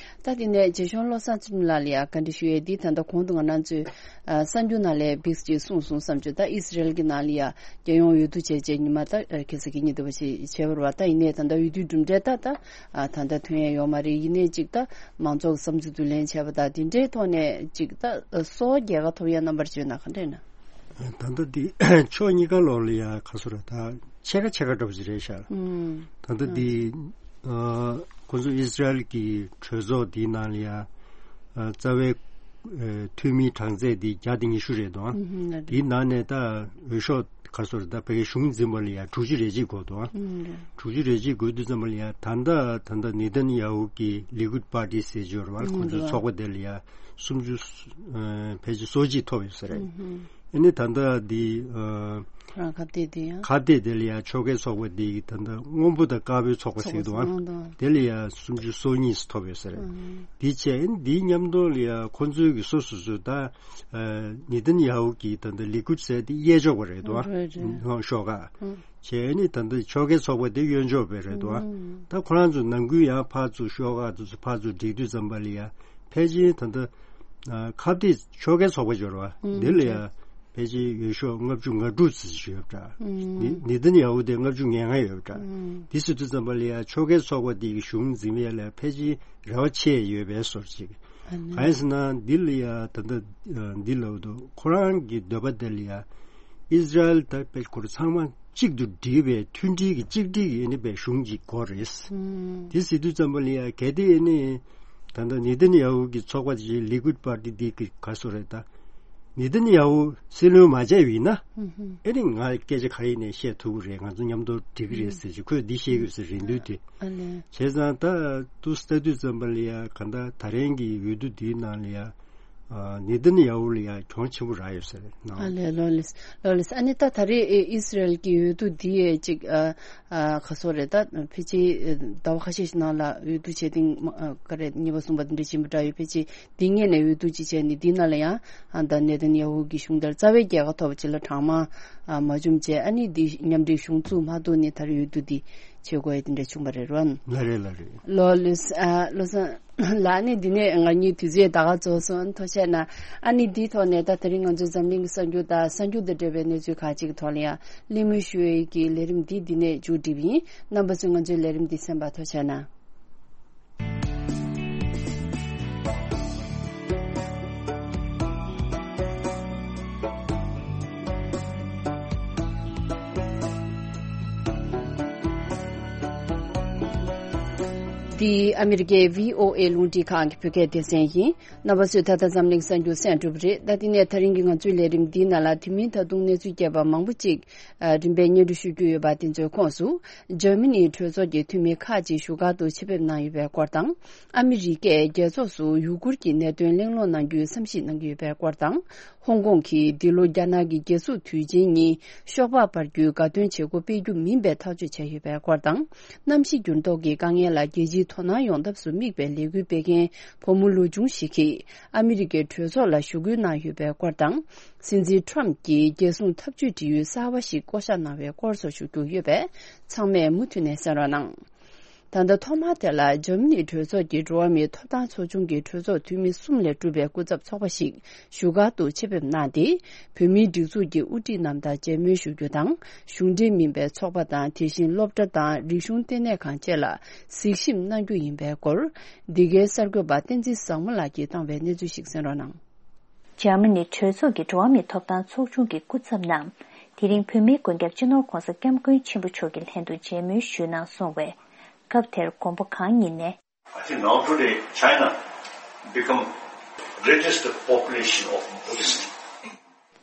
ད་དེ་ནས་རྗེ་གཞུང་བློ་བཟང་ཚུལ་ཁྲིམས་ལགས་ལ་ཡང་བཀའ་འདྲི་ཞུ་ཡས་འདི་ད་ལྟ་གོང་དུ་ང་རང་ཚོས་ཨ་གསར་འགྱུར་ནང་ལས་བིགས་ཅིག་གསུངས་སོང་བསམ་བྱུང་། ད་ཨི་སི་རེལ་གྱི་ནང་ལ་ཡང་རྒྱལ་ཡོངས་འོས་བསྡུ་བྱས་རྗེས་ཉི་མ་ད་ཨ་ཁ་སང་གི་ཉིན་དུ་བ་ཞིག་བྱས་པ་རེད་བ། ད་ཡིན་ནའི་ད་ལྟ་འོས་བསྡུའི་གྲུབ་འབྲས་ད་ད་ཨ་ད་ལྟ་ཐོན་ཡས་ཡོད་མ་རེད། ཡིན་ནའི་ཅིག་ད་མང་ཚོགས་ཀྱི་བསམ་ཚུལ་བསྡུ་ལེན་བྱས་པ་དང་དེ་འདྲའི་ཐོག་ནས་ཅིག་ད་གསོ་བ་རྒྱལ་ཁ་ཐོབ་ཡས་རྣམ་པར་བརྗོད་ན་ག་འདྲས་ན། ད་ལྟ་འདི་ཕྱོགས་གཉིས་ཀ་ལོག་ལ་ཡ་ཁ་སོ་ར་ད་ཕྱེད་ཀ་ཕྱེད་ཀ་འདྲ་པོ་ཞིག་རེད་ཤག་ད་ལྟ་འདི་ཨ་ཁོ་ཚོ་ཨི་སི་རལ་གྱི་གྲོས་ཚོགས་འདིའི་ནང་ལ་ཡ་ཨ་རྩ་བའི་ཨ་འཐུས་མིའི་གྲངས་ཚད་འདི་བརྒྱ་དང་ཉི་ཤུ་རེད་དོ། འདིའི་ནང་ནས་ད་འོས་ཤོག་ཁ་སོ་ར་ད་ཕ་གིའི་གཞུང་འཛིན་པ་ལ་ཡ་དྲུག་ཅུ་རེ་གཅིག་དགོས་དོ། དྲུག་ཅུ་རེ་གཅིག་དགོས་དུས་ཙམ་པ་ལ་ཡ་ད་ལྟ་ད་ལྟ་ནེ་ཐན་ཡ་ཧུ་གི་ལི་ཀུད་པར་ཏི་ཟེར་གྱི་ཡོད་རེད་བ། ཁོ་ཚོའི་ཚོགས་པ་དེ་ལ་ཡ་སུམ་ཅུ་ཨ་ཕལ་ཆེར་སོ་གཅིག་ཐོབ་ཡོད་ས་རེད། ཨ་ནི་ད་ལྟ་འདི་ཨ་ཁ་གཏད་དེ་ཡང་ཁ་གཏད་དེ་ལ་ཡང་ཕྱོགས་འགལ་ཚོགས་པ་འདི་ད་ལྟ་སྔོན་པོ་དང་དཀར་པོའི་ཚོགས་པ་ཟེར་གྱི་འདུག་ཨང་། དེ་ལ་ཡང་སུམ་ཅུ་སོ་གཉིས་ཐོབ་ཡོད་ས་རེད། འདི་བྱས་ཨ་ནི་འདིའི་མཉམ་དུ་ལ་ཡང་ཁོ་ཚོའི་གི་སོ་སོ་སོ་ད་ཨ་ནེ་ཐན་ཡ་ཧུ་གི་ད་ལྟ་ལི་ཀུད་ཟེར་དེ་གཡས་ཕྱོགས་པ་རེད་འདུག་ཨ། ཤོག་ཁག་བྱས་ཨ་ནི་ད་ལྟ་ཕྱོགས་འགལ་ཚོགས་པ་དེ་གཡོན་ཕྱོགས་པ་རེད་འདུག་ཨ། ད་ཁོ་རང་ཚོ་ནམ་རྒྱུན་ཡང་ཕར་ཚུར་ཤོག་ཁག་དེ་ཚོ་ཕར་ཚུར་སྒྲིག་དུས་ཙམ་པ་ལ་ཡང་ཕལ་ཆེར་ད་ལྟ་ཨ་ཁ་གཏད་ཕྱོགས་འགལ་ཚོགས་པ་འབྱོར་བ་འདི་ལ་ཡང་ཕལ་ཆེར་འོས་ཤོག་ལྔ་བཅུ་ང་དྲུག་ཙམ་ཞིག་ཡོད་པ་འདྲ། ནེ་ཐན་ཡ་ཧུ་དེ་ལྔ་བཅུ་ང་ལྔ་ཡོད་པ་འདྲ། འདི་ཟེར་དུས་ཙམ་པ་ལ་ཡང་ཕྱོགས་འགལ་ཚོགས་པ་འདི་གི་གཞུང་འཛིན་ཡས་ལ་ཕལ་ཆེར་རེ་བ་ཆེ་ཡོད་པའི་བཟོ་འདྲ་ཅིག་གང་ཡིན་ཟེར་ན་འདི་ལ་ཡང་ད་ལྟ་འདི་ལབ་འདུག་ཁོ་རང་གི་འདོད་པ་དེ་ལ་ཡང་ཨི་སི་རལ་དང་པེ་ཁོ་རང་ཚང་མ་གཅིག་ཏུ་སྒྲིལ་བའི་མཐུན་སྒྲིལ་གྱི་གཅིག་སྒྲིལ་གྱི་ཨ་ནི་པའི་གཞུང་གཅིག་དགོས་རེད། དེ་ཟེར་དུས་ཙམ་པ་ལ་ཡང་གལ་ཏེ་ཨ་ནི་ད་ལྟ་ནེ་ཐན་ཡ་ཧུ་གི་ཚོགས་པ་དེ་ལི་ཀུད་པར་ཏི་འདི་གི་ག་སོ་རེད་ད། ནེ་ཐན་ཡ་ཧུ་སྲིད་བློན་མ་བྱས་པ་ཡིན་ན་ཨ་ནི་ང་སྐད་ཆ་ག་རེ་ཡིན་ནའི་བཤད་ཐུབ་ཀྱི་རེད། ང་ཚོ་མཉམ་དུ་འགྲིག་གི་རེད་ཟེར་གྱི་ཁོས་འདི་བཤད་ཀྱི་ཡོད་ཟེར་རེད་འདུག་དེ། ཨ་ལས། བྱས་ཙང་ད་དུ་ལྟ་དུས་ཙམ་པ་ལ་ཡ་ག་ད་ད་རེས་ཀྱི་འོས་བསྡུ་འདིའི་ནང་ལ་ཡ་ཨ་ནེ་ཐན་ཡ་ཧུ་ལ་ཡ་གྱོང་ཆེན་པོ་རག་ཡོད་ས་རེད་ནང་། ཨ་ལས། ལོ་ལེས་ལོ་ལེས། ཨ་ནི་ད་ད་རེས་ཨི་སི་རལ་གྱི་འོས་བསྡུ་འདི་ཡ་ཅིག་ཨ་ཨ་ག་སོ་རེད་ད། ཕལ་ཆེར་ཟླ་བ་ཁ་ཤས་ཤིག་ནང་ལ་འོས་བསྡུ་བྱས་ཏེ་ག་རེ་གཉིས་པ་གསུམ་པ་འདི་འདྲ་ཕྱིན་པ་འདྲ་ཡོད། ཕལ་ཆེར་འདི་སྔོན་ནས་འོས་བསྡུ་ཅིག་བྱས་ནས་འདི་ནང་ལ་ཡང་ཨ་ད་ནེ་ཐན་ཡ་ཧུ་གི་གཞུང་དེར་རྩ་བའི་རྒྱལ་ཁ་ཐོབ་ཅིག་ལ་གྲངས་མང་མ་བྱུང་བྱས། ཨ་ནི་འདི་མཉམ་འབྲེལ་གཞུང་བཙུགས་མ་ཐུབ་ནས་ད་རེས་འོས་བསྡུ་འདི་བྱེད་དགོས་ཡ་འདི་འདྲ་བྱུང་བ་རེད་རོ། ལ་རེད་ལ་རེད། ལོ་ལེས་ཨ་ལོ་སང་ལ་ནི་འདི་ནས་ང་གཉིས་དུས་ཚོད་ད་ག་རྫོགས་སོང་། ཐུགས་རྗེ་གནང་། ཨ་ནི་འདིའི་ཐོག་ནས་ད་དེ་རིང་ང་ཚོའི་འཛམ་གླིང་གི་གསར་འགྱུར་དང་གསར་འགྱུར་དང་འབྲེལ་བའི་གནས་ཚུལ་ཁག་ཅིག་གི་ཐོག་ལ་ཡང་གླེང་མོལ་ཞུ་བའི་གི་ལས་རིམ་འདི་འདི་ནས་མཇུག་སྒྲིལ་བ་ཡིན། རྣམ་པ་ཚོས་ང་ཚོའི་ལས་རིམ་འདི་གསན་པར་ཐུགས་རྗེ་གནང་། འདི་ཨ་མི་རི་ཀའི་བྷི་ཨོ་ཨེ་རླུང་འཕྲིན་ཁང་གི་བོད་སྐད་སྡེ་ཚན་ཡིན། རྣམ་པ་ཚོས་ད་ལྟ་འཛམ་གླིང་གསར་འགྱུར་གསན་གྲུབ་རེད། ད་དེ་ནས་ད་རིང་གི་ང་ཚོའི་ལས་རིམ་འདིའི་ནང་ལ་དེ་མིན་ད་དུང་གནས་ཚུལ་རྒྱས་པ་མང་པོ་ཅིག་ཨ་རིམ་པས་སྙན་སྒྲོན་ཞུ་རྒྱུ་ཡོད་པ། དེ་ཚོའི་ཁོངས་སུ་འཇར་མ་ནིའི་གྲོས་ཚོགས་ཀྱི་འཐུས་མི་ཁག་ཅིག་བཞུགས་སྒར་དུ་ཆེད་ཕེབས་གནང་ཡོད་པའི་སྐོར་དང་། ཨ་མི་རི་ཀས་རྒྱལ་ཚོགས་སུ་ཡུ་གུར་གྱི་གནད་དོན་གླེང་སློང་གནང་རྒྱུའི་བསམ་གཞིག་གནང་གི་ཡོད་པའི་སྐོར་དང་། ཧོང་ཀོང་གིས་འདི་ལོ་རྒྱ་ནག་གི་རྒྱལ་སྲུང་དུས་ཆེན་ཉིན་ཤོག་སྦག་སྤར་རྒྱུའི་དགའ་སྟོན་བྱེད་སྒོ་སྤེལ་རྒྱུ་མིན་པའི་ཐག་གཅོད་བྱས་ཡོད་པའི་སྐོར་དང་། གནམ་གཤིས་འགྱུར་ལྡོག་གི་དཀའ་ངལ་ལ་རྒྱལ་སྤྱིའི་དོ་སྣང་ཡོང་ཐབས་སུ་དམིགས་པའི་ལས་འགུལ་སྤེལ་མཁན་བུ་མོ་ལོ་ཆུང་ཞིག་གིས་ཨ་མི་རི་ཀའི་གྲོས་ཚོགས་ལ་ཞུ་སྐུལ་གནང་ཡོད་པའི་སྐོར་དང་། སྲིད་འཛིན་ཊམ་གྱིས་རྒྱལ་སྲུང་ཐབས་ཇུས་འབྲི་ཡུལ་གསར་བ་ཞིག་བསྐོ་བཞག་གནང་བའི་སྐོར་སོགས་ཞུ་རྒྱུ་ཡོད་པས། ཚང་མས་མུ་མཐུད་ནས་གསན་རོགས་གནང་། ད་ལྟ་ཐོག་མར་དེ་ལ་འཇར་མ་ནིའི་གྲོས་ཚོགས་ཀྱི་འགྲོ་བ་མིའི་ཐོབ་ཐང་ཚོགས་ཆུང་གི་གྲོས་ཚོགས་འཐུས་མི་གསུམ་ལས་གྲུབ་པའི་སྐུ་ཚབ་ཚོགས་པ་ཞིག་བཞུགས་སྒར་དུ་ཆེད་ཕེབས་གནང་སྟེ། བོད་མིའི་སྒྲིག་འཛུགས་ཀྱི་དབུ་ཁྲིད་རྣམས་དང་མཇལ་མོལ་ཞུ་རྒྱུ་དང་། གཞུང་འབྲེལ་མིན་པའི་ཚོགས་པ་དང་། དེ་བཞིན་སློབ་གྲྭ་དང་རིག་གཞུང་ལྟེ་གནས་ཁང་བཅས་ལ་གཟིགས་ཞིབ་གནང་རྒྱུ་ཡིན་པའི་སྐོར། འདི་གའི་གསར་འགོད་པ་བསྟན་འཛིན་བཟང་མོ་ལགས་ཀྱིས་བཏང་བའི་གནས་ཚུལ་ཞིག་གསན་རོགས་གནང་། འཇར་མ་ནི་གྲོས་ཚོགས་ཀྱི་འགྲོ་བ་མིའི་ཐོབ་ཐང་ཚོགས་ཆུང་གི་སྐུ་ཚབ་རྣམས། དེ་རིང་བོད་མིའི་མགོན་སྐྱབས་སྤྱི་ནོར་༸གོང་ས་༸སྐྱབས་མགོན་ཆེན་པོ་མཆོག་གི་ལྷན་དུ་མཇལ་མོལ་ཞུས་གནང་སོང་བས། སྐབས་དེར་མགོན་པོ་གང་ཉིད་ནས། I think now today China become greatest population of Buddhist.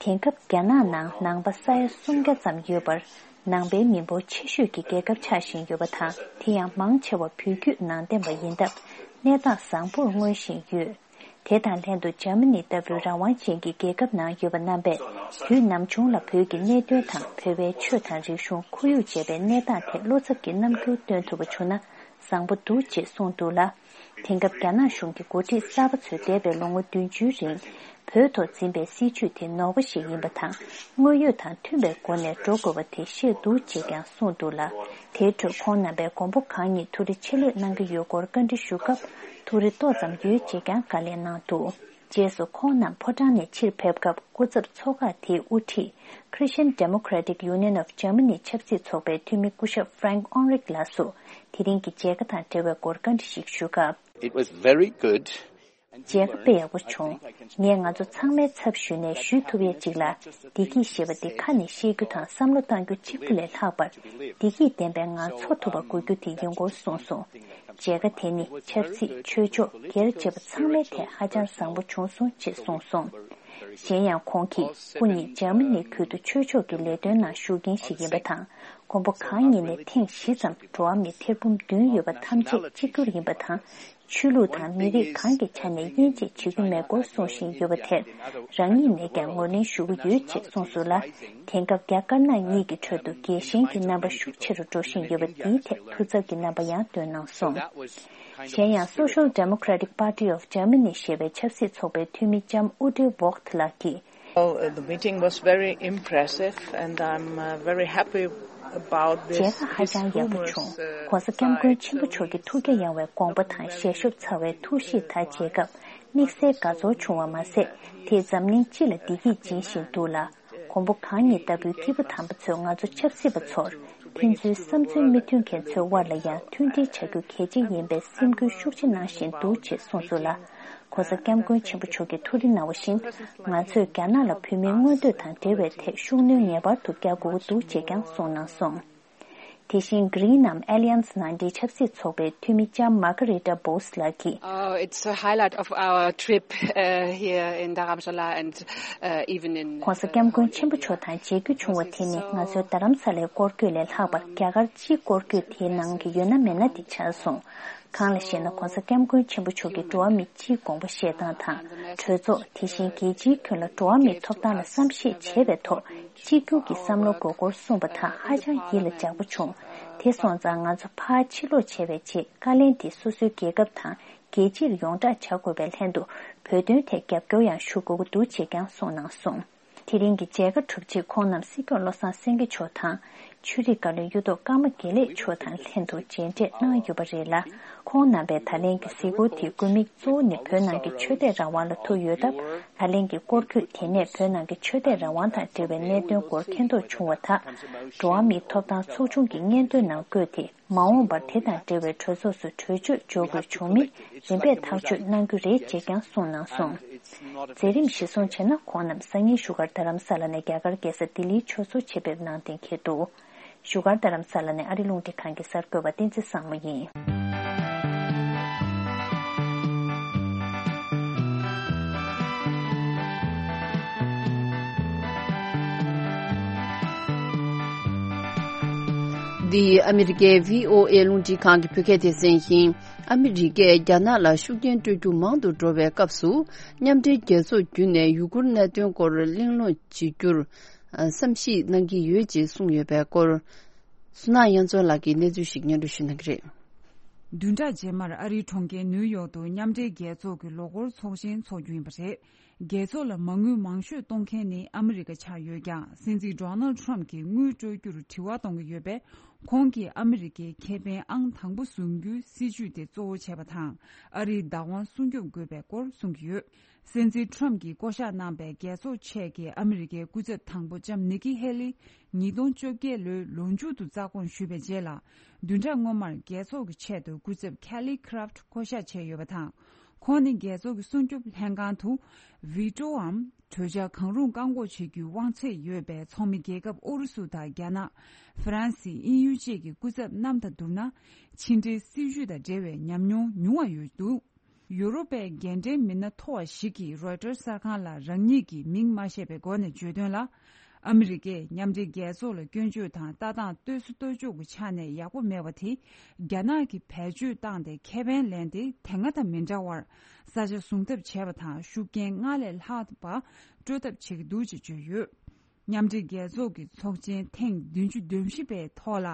དེང་སྐབས་རྒྱ་ནག་ནང་ནང་པ་ས་ཡ་སུམ་བརྒྱ་ཙམ་ཡོད་པར། ནང་པའི་མི་འབོར་ཆེ་ཤོས་ཀྱི་རྒྱལ་ཁབ་ཆགས་བཞིན་ཡོད་པ་དང་། དེ་ཡང་མང་ཆེ་བ་བོད་བརྒྱུད་ནང་བསྟན་པ་ཡིན་སྟབས། གནས་སྟངས་བཟང་པོར་མངོན་བཞིན་ཡོད། དེ་དང་ལྷན་དུ་འཇར་མ་ནི་ལྟ་བུའི་རང་དབང་ཅན་གྱི་རྒྱལ་ཁབ་ནང་ཡོད་པ་རྣམ་པས། དུས་ནམ་བྱུང་ལ་བོད་ཀྱི་གནད་དོན་དང་། བོད་པའི་ཆོས་དང་རིག་གཞུང་། ཁོར་ཡུག་བཅས་པའི་གནས་སྟངས་ཐད་བློ་འཚབ་ཀྱི་རྣམ་འགྱུར་སྟོན་ཐུབ་པ་བྱུང་ན་བཟང་པོ་འདུག་ཅེས་གསུངས་འདུག་ལ། དེང་སྐབས་རྒྱ་ནག་གཞུང་གི་འགོ་ཁྲིད་གསར་པ་ཚོས་འདས་པའི་ལོ་ངོ་བདུན་ཅུའི་རིང་བོད་ཐོག་འཛིན་པའི་སྲིད་བྱུས་དེ་ནོར་བ་ཞིག་ཡིན་པ་དང་། དངོས་ཡོད་དང་མཐུན་པའི་སྒོ་ནས་འགྲོ་དགོས་པ་དེ་ཤེས་འདུག་ཅེས་ཀྱང་གསུངས་འདུག་ལ། དེའི་ཁྲོད་ཁོང་རྣམ་པས་མགོན་པོ་གང་ཉིད་ཐུགས་རེ་ཆེ་ལེགས་གནང་གི་ཡོད་སྐོར་བཀའ་འདྲི་ཞུ་སྐབས། ཐུགས་རེ་ཏོག་ཙམ་ཡོད་ཅེས་ཀྱང་བཀའ་ལན་གནང་འདུག་རྗེས་སུ་ཁོང་རྣམས་ཕོ་བྲང་ནས་ཕྱིར་ཕེབས་སྐབས། སྐུ་ཚབ་ཚོགས་ཁག་དེའི་དབུ་ཁྲིད། Christian Democratic Union of Germany ཆབ་སྲིད་ཚོགས་པའི་འཐུས་མི་སྐུ་ཞབས་Frank Enrich ལགས་སུ། དེ་རིང་གི་མཇལ་ཁ་དང་འབྲེལ་བའི་སྐོར་བཀའ་འདྲི་ཞིག་ཞུ་སྐབས། It was very good. མཇལ་ཁ་དཔེ་ཡག་པོ་བྱུང་། ངས་ང་ཚོ་ཚང་མའི་ཚབ་ཞུས་ནས་ཞུ་ཐུབ་ཡས་ཅིག་ལ། བདེ་སྐྱིད་ཞེས་པ་འདི་ཁ་ནས་བཤད་རྒྱུ་དང་བསམ་བློ་གཏང་རྒྱུ་གཅིག་པུ་ལས་ལྷག་པར། བདེ་སྐྱིད་ལྡན་པའི་ངང་འཚོ་ཐུབ་པ་དགོས་རྒྱུ་དེ་ཡིན་སྐོར་གསུངས་སོང་། མཇལ་ཁ་དེ་ནི་ཆབ་སྲིད། ཆོས་ཕྱོགས། སྒེར་བཅས་པ་ཚང་མའི་ཐད་ཧ་ཅང་བཟང་པོ་བྱུང་སོང་ཅེས་གསུངས་སོང་། གཞན་ཡང་ཁོང་གིས། སྐུ་ཉིད་འཇར་མ་ནིའི་ཁུལ་དུ་ཆོས་ཕྱོགས་ཀྱི་ལས་དོན་ནང་ཞུགས་མཁན་ཞིག་ཡིན་པ་དང་། མགོན་པོ་གང་ཉིད་ནས་ཐེངས་བཞི་ཙམ་འགྲོ་བ་མི་ཐེར་འབུམ་བདུན་ཡོད་པ་ཐམས་ཅད་གཅིག་གྱུར་ཡིན་པ་དང་། ཆོས་ལུགས་དང་མི་རིགས་གང་གི་ཆ་ནས་དབྱེ་འབྱེད་བྱེད་ཀྱི་མེད་སྐོར་གསུང་བཞིན་ཡོད་པ་དེར། རང་ཉིད་ནས་ཀྱང་ངོས་ལེན་ཞུ་གི་ཡོད་ཅེས་གསུངས་སོང་ལ། དེང་སྐབས་རྒྱ་དཀར་ནག་གཉིས་ཀྱི་ཁྲོད་དུ་རྒྱལ་ཞེན་གྱི་རྣམ་པ་ཤུགས་ཆེ་རུ་འགྲོ་བཞིན་ཡོད་པ་འདིའི་ཐད་ཐུགས་འཚབ་ཀྱི་རྣམ་པ་ཡང་བཏོན་གནང་སོང་། གཞན་ཡང་Social Democratic Party of Germany ཞེས་པའི་ཆབ་སྲིད་ཚོགས་པའི་འཐུས་མི་ལྕམ་ཨུ་ཌེ་ཝོག་ཐི་ལགས་ཀྱིས། Well, uh, the meeting was very impressive, and I'm uh, very happy about this. མཇལ་ཁ་ཧ་ཅང་ཡག་པོ་བྱུང་། ༸གོང་ས་༸སྐྱབས་མགོན་ཆེན་པོ་མཆོག་གི་ཐུགས་རྒྱ་ཡངས་པའི་དགོངས་པ་དང་ཞལ་ཤོབ་ཚ་བའི་ཐུགས་གཤིས་དང་མཇལ་སྐབས། དམིགས་བསལ་དགའ་ཚོར་བྱུང་བ་མ་ཟད། དེས་འཛམ་གླིང་སྤྱི་ལ་བདེ་སྐྱིད་སྦྱིན་བཞིན་འདུག་ལ། མགོན་པོ་གང་ཉིད་ལྟ་བུའི་སྐྱེས་བུ་དམ་པ་ཚོས་ང་ཚོ་ཆབ་སྲིད་པ་ཚོར། ཕན་ཚུན་བསམ་ཚུལ་མི་མཐུན་མཁན་ཚོའི་དབར་ལ་ཡང་མཐུན་སྒྲིལ་བྱ་རྒྱུ་གལ་ཆེ་ཡིན་པའི་སེམས་འགུལ་ཤུགས་ཆེ་གནང་བཞིན་འདུག་ཅེས་གསུངས་སོང་ལ། ༸གོང་ས་༸སྐྱབས་མགོན་ཆེན་པོ་མཆོག་གིས་ཐུགས་རེ་གནང་བ་བཞིན། ང་ཚོས་རྒྱ་ནག་ལ་བོད་མིའི་མངོན་འདོད་དང་འབྲེལ་བའི་ཐད་ཤུགས་སྣོན་ངེས་པར་དུ་རྒྱག་དགོས་ཀྱི་འདུག་ཅེས་ཀྱང་གསུངས་གནང་སོང་། དེ་བཞིན་Green Nam Alliance ནང་འདྲེན་ཆབ་སྲིད་ཚོགས་པའི་འཐུས་མི་ལྕམ་Margarita Bose ལགས་ཀྱིས། Oh, it's a highlight of our trip uh, here in Dharamshala and uh, even in. ༸གོང་ས་༸སྐྱབས་མགོན་ཆེན་པོ་མཆོག་དང་མཇལ་རྒྱུ་བྱུང་བ་དེ་ནི་ང་ཚོའི་རྡ་རམ་ས་ལའི་སྐོར་སྐྱོད་ལས་ལྷག་པར་རྒྱ་གར་སྤྱིའི་སྐོར་སྐྱོད་དེའི་ནང་གི་ཡོད་ན་མེད་ན་དེ་ཆགས་སོང་། གང་ལ་ཞེ་ན། ༸གོང་ས་༸སྐྱབས་མགོན་ཆེན་པོ་མཆོག་གིས་འགྲོ་བ་མིའི་སྤྱིའི་དགོངས་པ་བཞེས་སྟངས་དང་། གྲོས་ཚོགས། དེ་བཞིན་རྒྱལ་སྤྱིའི་ཁྱོན་ལ་འགྲོ་བ་མིའི་ཐོབ་ཐང་ལ་བསམ་ཤེས་བྱེད་པའི་ཐོག་གཅིག་གྱུར་གྱི་བསམ་བློ་དགོས་སྐོར་གསུངས་པ་དག་ཧ་ཅང་ཡིད་ལ་འཇགས་པོ་བྱུང་། དེ་སོང་ཙང་ང་ཚོ་ཕར་ཕྱིར་ལོག་བྱས་པའི་རྗེས། བཀའ་ལན་དེ་སོ་སོའི་རྒྱལ་ཁབ་དང་རྒྱལ་སྤྱིར་ཡོངས་བསྒྲགས་བྱ་དགོས་པའི་ལྷན་དུ། བོད་དོན་ཐད་རྒྱབ་སྐྱོར་ཡང་ཞུ་དགོས་ཀྱི་འདུག་ཅེས་ཀྱང་གསུངས་གནང་སོང་། དེ་རིང་གི་མཇལ་ཁ་གྲུབ་རྗེས་ཁོང་རྣམས་སྲིད་སྐྱོང་བློ་བཟང་སེང་གེ་མཆོག་དང་། ཆོས་རིག་བཀའ་བློན་གཡུ་ཐོག་ཀརྨ་དགེ་ལེགས་མཆོག་དང་ལྷན་དུ་མཇལ་འཕྲད་གནང་ཡོད་པ་རེད་ལ། ཁོང་རྣམ་པས་ད་ལན་གྱི་གཟིགས་སྐོར་དེའི་དགོས་དམིགས་གཙོ་བོ་ནི་བོད་ནང་གི་ཆོས་དད་རང་དབང་ལ་ཐུག་ཡོད་སྟབས། ད་ལན་གྱི་སྐོར་སྐྱོད་དེ་ནས་བོད་ནང་གི་ཆོས་དད་རང་དབང་དང་འབྲེལ་བའི་གནད་དོན་སྐོར་མཁྱེན་རྟོགས་བྱུང་བ་དག་འགྲོ་བ་མིའི་ཐོབ་ཐང་ཚོགས་ཆུང་གི་སྙན་ཐོའི་ནང་བཀོད་དེ། མ་འོངས་པར་དེ་དང་འབྲེལ་བའི་གྲོས་ཚོགས་སུ་གྲོས་ཆོད་འཇོག་དགོས་བྱུང་མིན་རིམ་པས་ཐག་གཅོད་གནང་རྒྱུ་རེད་ཅེས་ཀྱང་གསུངས་གནང་སོང་། མཛད་རིམ་གཞིར་བཟུང་བྱས་ན། ཁོང་རྣམས་སང་ཉིན་བཞུགས་སྒར་རྡ་རམ་ས་ལ་ནས་རྒྱ་གར་རྒྱལ་ས་ལྡི་ལིའི་ཕྱོགས་སུ་ཆེད་ཕེབས་གནང་གཏན་འཁེལ་འདུག་བཞུགས་སྒར་རྡ་རམ་ས་ལ་ནས་ཨ་རི་རླུང་འཕྲིན་ཁང་གི་གསར་འགོད་པ་བསྟན་འཛིན་བཟང་མོ་ཡིན། འདི་ཨ་མི་རི་ཀའི་བྷི་ཨོ་ཨེ་རླུང་འཕྲིན་ཁང་གི་བོད་སྐད་སྡེ་ཚན་ཡིན། ཨ་མི་རི་ཀས་རྒྱ་ནག་ལ་ཤུགས་རྐྱེན་སྤྲོད་རྒྱུ་མང་དུ་འགྲོ་བའི་སྐབས་སུ། མཉམ་འབྲེལ་རྒྱལ་ཚོགས་བརྒྱུད་ནས་ཡུ་གུར་གནད་དོན་སྐོར་གླེང་སློང་བྱེད་རྒྱུར་བསམ་གཞིག་གནང་གི་ཡོད་ཅེས་གསུངས་ཡོད་པའི་སྐོར། བསོད་ནམས་དབྱངས་མཚོ་ལགས་ཀྱིས་གནས་ཚུལ་ཞིག་སྙན་སྒྲོན་ཞུ་གནང་གི་རེད། བདུན་ཕྲག་རྗེས་མར་ཨ་རིའི་གྲོང་ཁྱེར་ནིའུ་ཡོག་ཏུ་མཉམ་འབྲེལ་རྒྱལ་ཚོགས་ཀྱི་ལོ་འཁོར་ཚོགས་ཆེན་འཚོགས་རྒྱུ་ཡིན་པ་རེད། རྒྱལ་ཚོགས་ལ་མ་དངུལ་མང་ཤོས་གཏོང་མཁན་ནི་ཨ་མི་རི་ཀ་ཆགས་ཡོད་ཀྱང་། སྲིད་འཛིན་ཌོ་ནལ་ཊམ་གྱིས་དངུལ་སྤྲོད་རྒྱུར་དྲི་བ་གཏོང་གི་ཡོད་པས། ཁོང་གིས་ཨ་མི་རི་ཀའི་ཁེ་ཕན་ཨང་དང་པོ་བཟུང་རྒྱུའི་སྲིད་ཇུས་དེ་གཙོ་བོ་བྱས་པ་དང་། ཨ་རིའི་བདག་དབང་སྲུང་སྐྱོབ་དགོས་པའི་སྐོར་གསུང་གི་ཡོད། སྲིད་འཛིན་ཊམ་གྱིས་བསྐོ་གཞག་གནང་པའི་རྒྱལ་ཚོགས་ཆེད་ཀྱི་ཨ་མི་རི་ཀའི་སྐུ་ཚབ་དང་པོ་ལྕམ་ནི་ཀི་ཧེ་ལི། ཉིས་སྟོང་བཅོ་བརྒྱད་ལོའི་ལོ་མཇུག་ཏུ་རྩ་དགོངས་ཞུས་པའི་རྗེས་ལ། བདུན་ཕྲག་སྔོན་མར་རྒྱལ་ཚོགས་ཀྱི་ཆེད་དུ་སྐུ་ཚབ་ཁེ་ལི་ཁི་རབ་ཊི་བསྐོ་གཞག་བྱས་ཡོད་པ་དང་། ཁོང་ནི་རྒྱལ་ཚོགས་ཀྱི་སྲུང་སྐྱོབ་ལྷན་ཁང་དུ་བྷི་ཊོའམ་གྲོས་འཆར་གང་རུང་བཀག་འགོག་བྱེད་རྒྱུའི་དབང་ཚད་ཡོད་པའི་ཚོགས་མི་རྒྱལ་ཁབ་ཨུ་རུ་སུ་དང་རྒྱ་ནག་ཧྥ་རན་སི། དབྱིན་ཡུལ་བཅས་ཀྱི་སྐུ་ཚབ་རྣམས་དང་བསྡུར་ན། ཕྱི་འབྲེལ་སྲིད་ཇུས་དང་འབྲེལ་བའི་ཉམས་མྱོང་ཉུང་བ་ཡོད་འདུག་ཡུ་རོབ་པའི་རྒན་གྲས་མི་སྣ་མཐོ་བ་ཞིག་གིས་རོའི་ཊར་གསར་ཁང་ལ་རང་ཉིད་ཀྱི་མིང་མ་བཤད་པའི་སྒོ་ནས་བརྗོད་དོན་ལ། ཨ་མི་རི་ཀས་མཉམ་འབྲེལ་རྒྱལ་ཚོགས་ལ་སྐྱོན་བརྗོད་དང་ལྟ་སྟངས་ལྟོས་སུ་ལྟོས་འཇོག་གི་ཆ་ནས་ཡག་པོ་མེད་པ་དེ། རྒྱ་ནག་གིས་བེད་སྤྱོད་བཏང་སྟེ་ཁེ་ཕན་ལེན་ཏེ་དེ་སྔ་དང་མི་འདྲ་བར་ས་ཆ་བཟུང་ཐབས་བྱས་པ་དང་། ཤུགས་རྐྱེན་སྔར་ལས་ལྷག་པ་སྤྲོད་ཐབས་བྱེད་ཀྱི་འདུག་ཅེས་བརྗོད་ཡོད། མཉམ་འབྲེལ་རྒྱལ་ཚོགས་ཀྱི་ཚོགས་ཆེན་ཐེངས་བདུན་ཅུ་དོན་བཞི་པའི་ཐོག་ལ།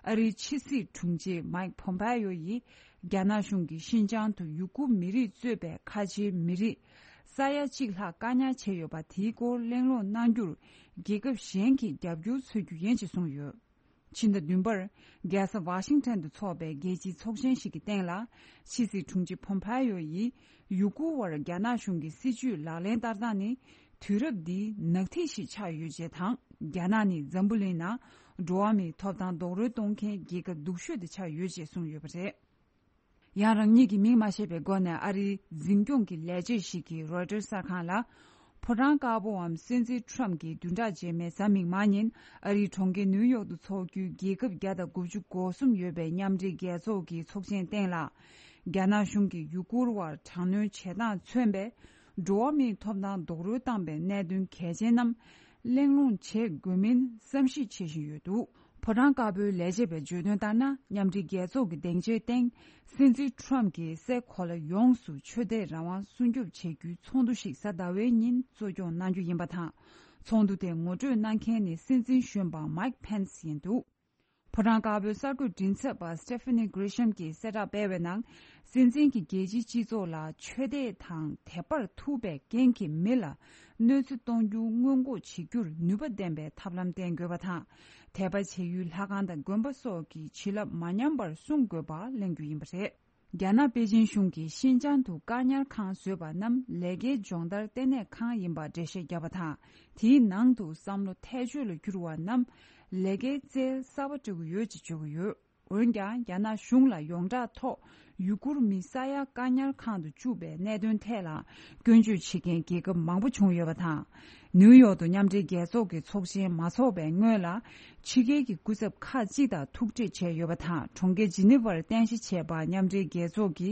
ཨ་རིའི་ཕྱི་སྲིད་དྲུང་ཆེ་མཱིག་ཕོམ་པེ་ཡོ་ཡིས། རྒྱ་ནག་གཞུང་གིས་ཤིན་ཅང་དུ་ཡུ་གུར་མི་རིགས་གཙོས་པའི་ཁ་ཆེའི་མི་རིགས་ས་ཡ་གཅིག་ལྷག་བཀག་ཉར་བྱས་ཡོད་པ་དེའི་སྐོར་གླེང་སློང་གནང་རྒྱུར། རྒྱལ་ཁབ་གཞན་གྱི་རྒྱབ་སྐྱོར་འཚོལ་རྒྱུ་ཡིན་ཅེས་གསུངས་ཡོད། ཕྱི་ཟླ་བདུན་པར། རྒྱལ་ས་ཝ་ཤིང་ཊོན་དུ་འཚོགས་པའི་རྒྱལ་སྤྱིའི་ཚོགས་ཆེན་ཞིག་གི་སྟེང་ལ། ཕྱི་སྲིད་དྲུང་ཆེ་ཕོམ་པེ་ཡོ་ཡིས། ཡུ་གུར་བར་རྒྱ་ནག་གཞུང་གི་སྲིད་ཇུས་ལག་ལེན་བསྟར་སྟངས་ནི། དུས་རབས་འདིའི་ནག་ཐིག་ཞིག་ཆགས་ཡོད་ཅེས་དང་། རྒྱ་ནག་ནི་འཛམ་བུ་གླིང་ནང་འགྲོ་བ་མིའི་ཐོབ་ཐང་རྡོག་རོལ་གཏོང་མཁན་རྒྱལ་ཁབ་སྡུག་ཤོས་དེ་ཆགས་ཡོད་ཅེས་གསུངས་ཡོད་པ་རེད། ཡང་རང་ཉིད་ཀྱི་མིང་མ་བཤད་པའི་སྒོ་ནས་ཨ་རིའི་འཛིན་སྐྱོང་གི་ལས་བྱེད་ཞིག་གིས་རོའི་ཊར་གསར་ཁང་ལ། ཕོ་བྲང་དཀར་པོའམ་སྲིད་འཛིན་ཊམ་གྱིས་བདུན་ཕྲག་རྗེས་མའི་གཟའ་མིག་དམར་ཉིན་ཨ་རིའི་གྲོང་ཁྱེར་ནིའུ་ཡོག་ཏུ་འཚོགས་རྒྱུའི་རྒྱལ་ཁབ་བརྒྱ་དང་དགུ་བཅུ་གོ་གསུམ་ཡོད་པའི་མཉམ་འབྲེལ་རྒྱལ་ཚོགས་ཀྱི་ཚོགས་ཆེན་སྟེང་ལ། རྒྱ་ནག་གཞུང་གིས་ཡུ་གུར་བར་དྲག་གནོན་བྱེད་སྟངས་མཚོན་པའི་འགྲོ་བ་མིའི་ཐོབ་ཐང་རྡོག་རོལ་བཏང་པའི་གནད་དོན་གལ་ཆེན་རྣམས་གླེང་སློང་བྱེད་དགོས་མིན་བསམ་གཞིག་བྱེད་བཞིན་ཡོད་འདུག་ཕོ་བྲང་དཀར་པོའི་ལས་བྱེད་པས་བརྗོད་དོན་ལྟར་ན། མཉམ་འབྲེལ་རྒྱལ་ཚོགས་ཀྱི་སྡིངས་ཆའི་སྟེང་སྲིད་འཛིན་ཊམ་གྱིས་སའི་གོ་ལ་ཡོངས་སུ་ཆོས་དད་རང་དབང་སྲུང་སྐྱོབ་བྱེད་རྒྱུའི་ཚོགས་འདུ་ཞིག་གཟའ་ཟླ་བའི་ཉིན་གཙོ་སྐྱོང་གནང་རྒྱུ་ཡིན་པ་དང་། ཚོགས་འདུ་དེ་ངོ་སྤྲོད་གནང་མཁན་ནི་སྲིད་འཛིན་གཞོན་པ་མཱིག་ཕེན་སི་ཡིན་འདུག་ཕོ་བྲང་དཀར་པོའི་གསར་འགོད་མགྲིན་ཚབ་པ་སི་ཊེ་ཕི་ནི་གྷི་རི་ཤམ་གྱིས་གསལ་བསྒྲགས་སྤེལ་བའི་ནང་། སྲིད་འཛིན་གྱིས་རྒྱལ་སྤྱིའི་སྤྱི་ཚོགས་ལ་ཆོས་དད་དང་དད་པར་ཐུག་པའི་རྐྱེན་གྱིས་མི་ལ་གནོད་འཚེ་གཏོང་རྒྱུ་སྔོན་འགོག་བྱེད་རྒྱུར་ནུས་པ་ལྡན་པའི་ཐབས་ལམ་བསྟེན་དགོས་པ་དང་། དད་པ་བྱེད་ཡུལ་ལྷ་ཁང་དང་དགོན་པ་སོགས་ཀྱི་བྱིན་རླབས་མ་ཉམས་པར་སྲུང་དགོས་པ་གླེང་རྒྱུ་ཡིན་པ་རེད། རྒྱ་ནག་པེ་ཅིན་གཞུང་གིས་ཤིན་ཅང་དུ་བཀག་ཉར་ཁང་བཟོས་པ་རྣམས་ལས་ཀའི་སྦྱོང་བརྡར་ལྟེ་གནས་ཁང་ཡིན་པར་འགྲེལ་བཤད་བརྒྱབ་པ་དང་། དེའི་ནང་དུ་བསམ་བློ་ཐལ་ཆོས་ལ་གྱུར་བ་རྣམས་ལས་ཀའི་རྩལ་གསར་པ་སྤྲད་ཀྱི་ཡོད་ཅེས་བརྗོད་ཀྱི་ཡོད། འོན་ཀྱང་། རྒྱ་ནག་གཞུང་ལ་ཡོངས་གྲགས་ཐོག་ཡུ་གུར་མི་ས་ཡ་བཀག་ཉར་ཁང་དུ་བཅུག་པའི་གནད་དོན་ཐད་ལ་སྐྱོན་བརྗོད་བྱེད་མཁན་རྒྱལ་ཁབ་མང་པོ་བྱུང་ཡོད་པ་དང་། ནིའུ་ཡོག་ཏུ་མཉམ་འབྲེལ་རྒྱལ་ཚོགས་ཀྱི་ཚོགས་ཆེན་མ་འཚོགས་པའི་སྔོན་ལ། ཕྱི་རྒྱལ་གྱི་སྐུ་ཚབ་ཁག་ཅིག་དང་ཐུག་འཕྲད་བྱས་ཡོད་པ་དང་། གྲོང་ཁྱེར་ཇི་ནི་ཝར་རྟེན་གཞི་བྱས་པ་མཉམ་འབྲེལ་རྒྱལ་ཚོགས་ཀྱི་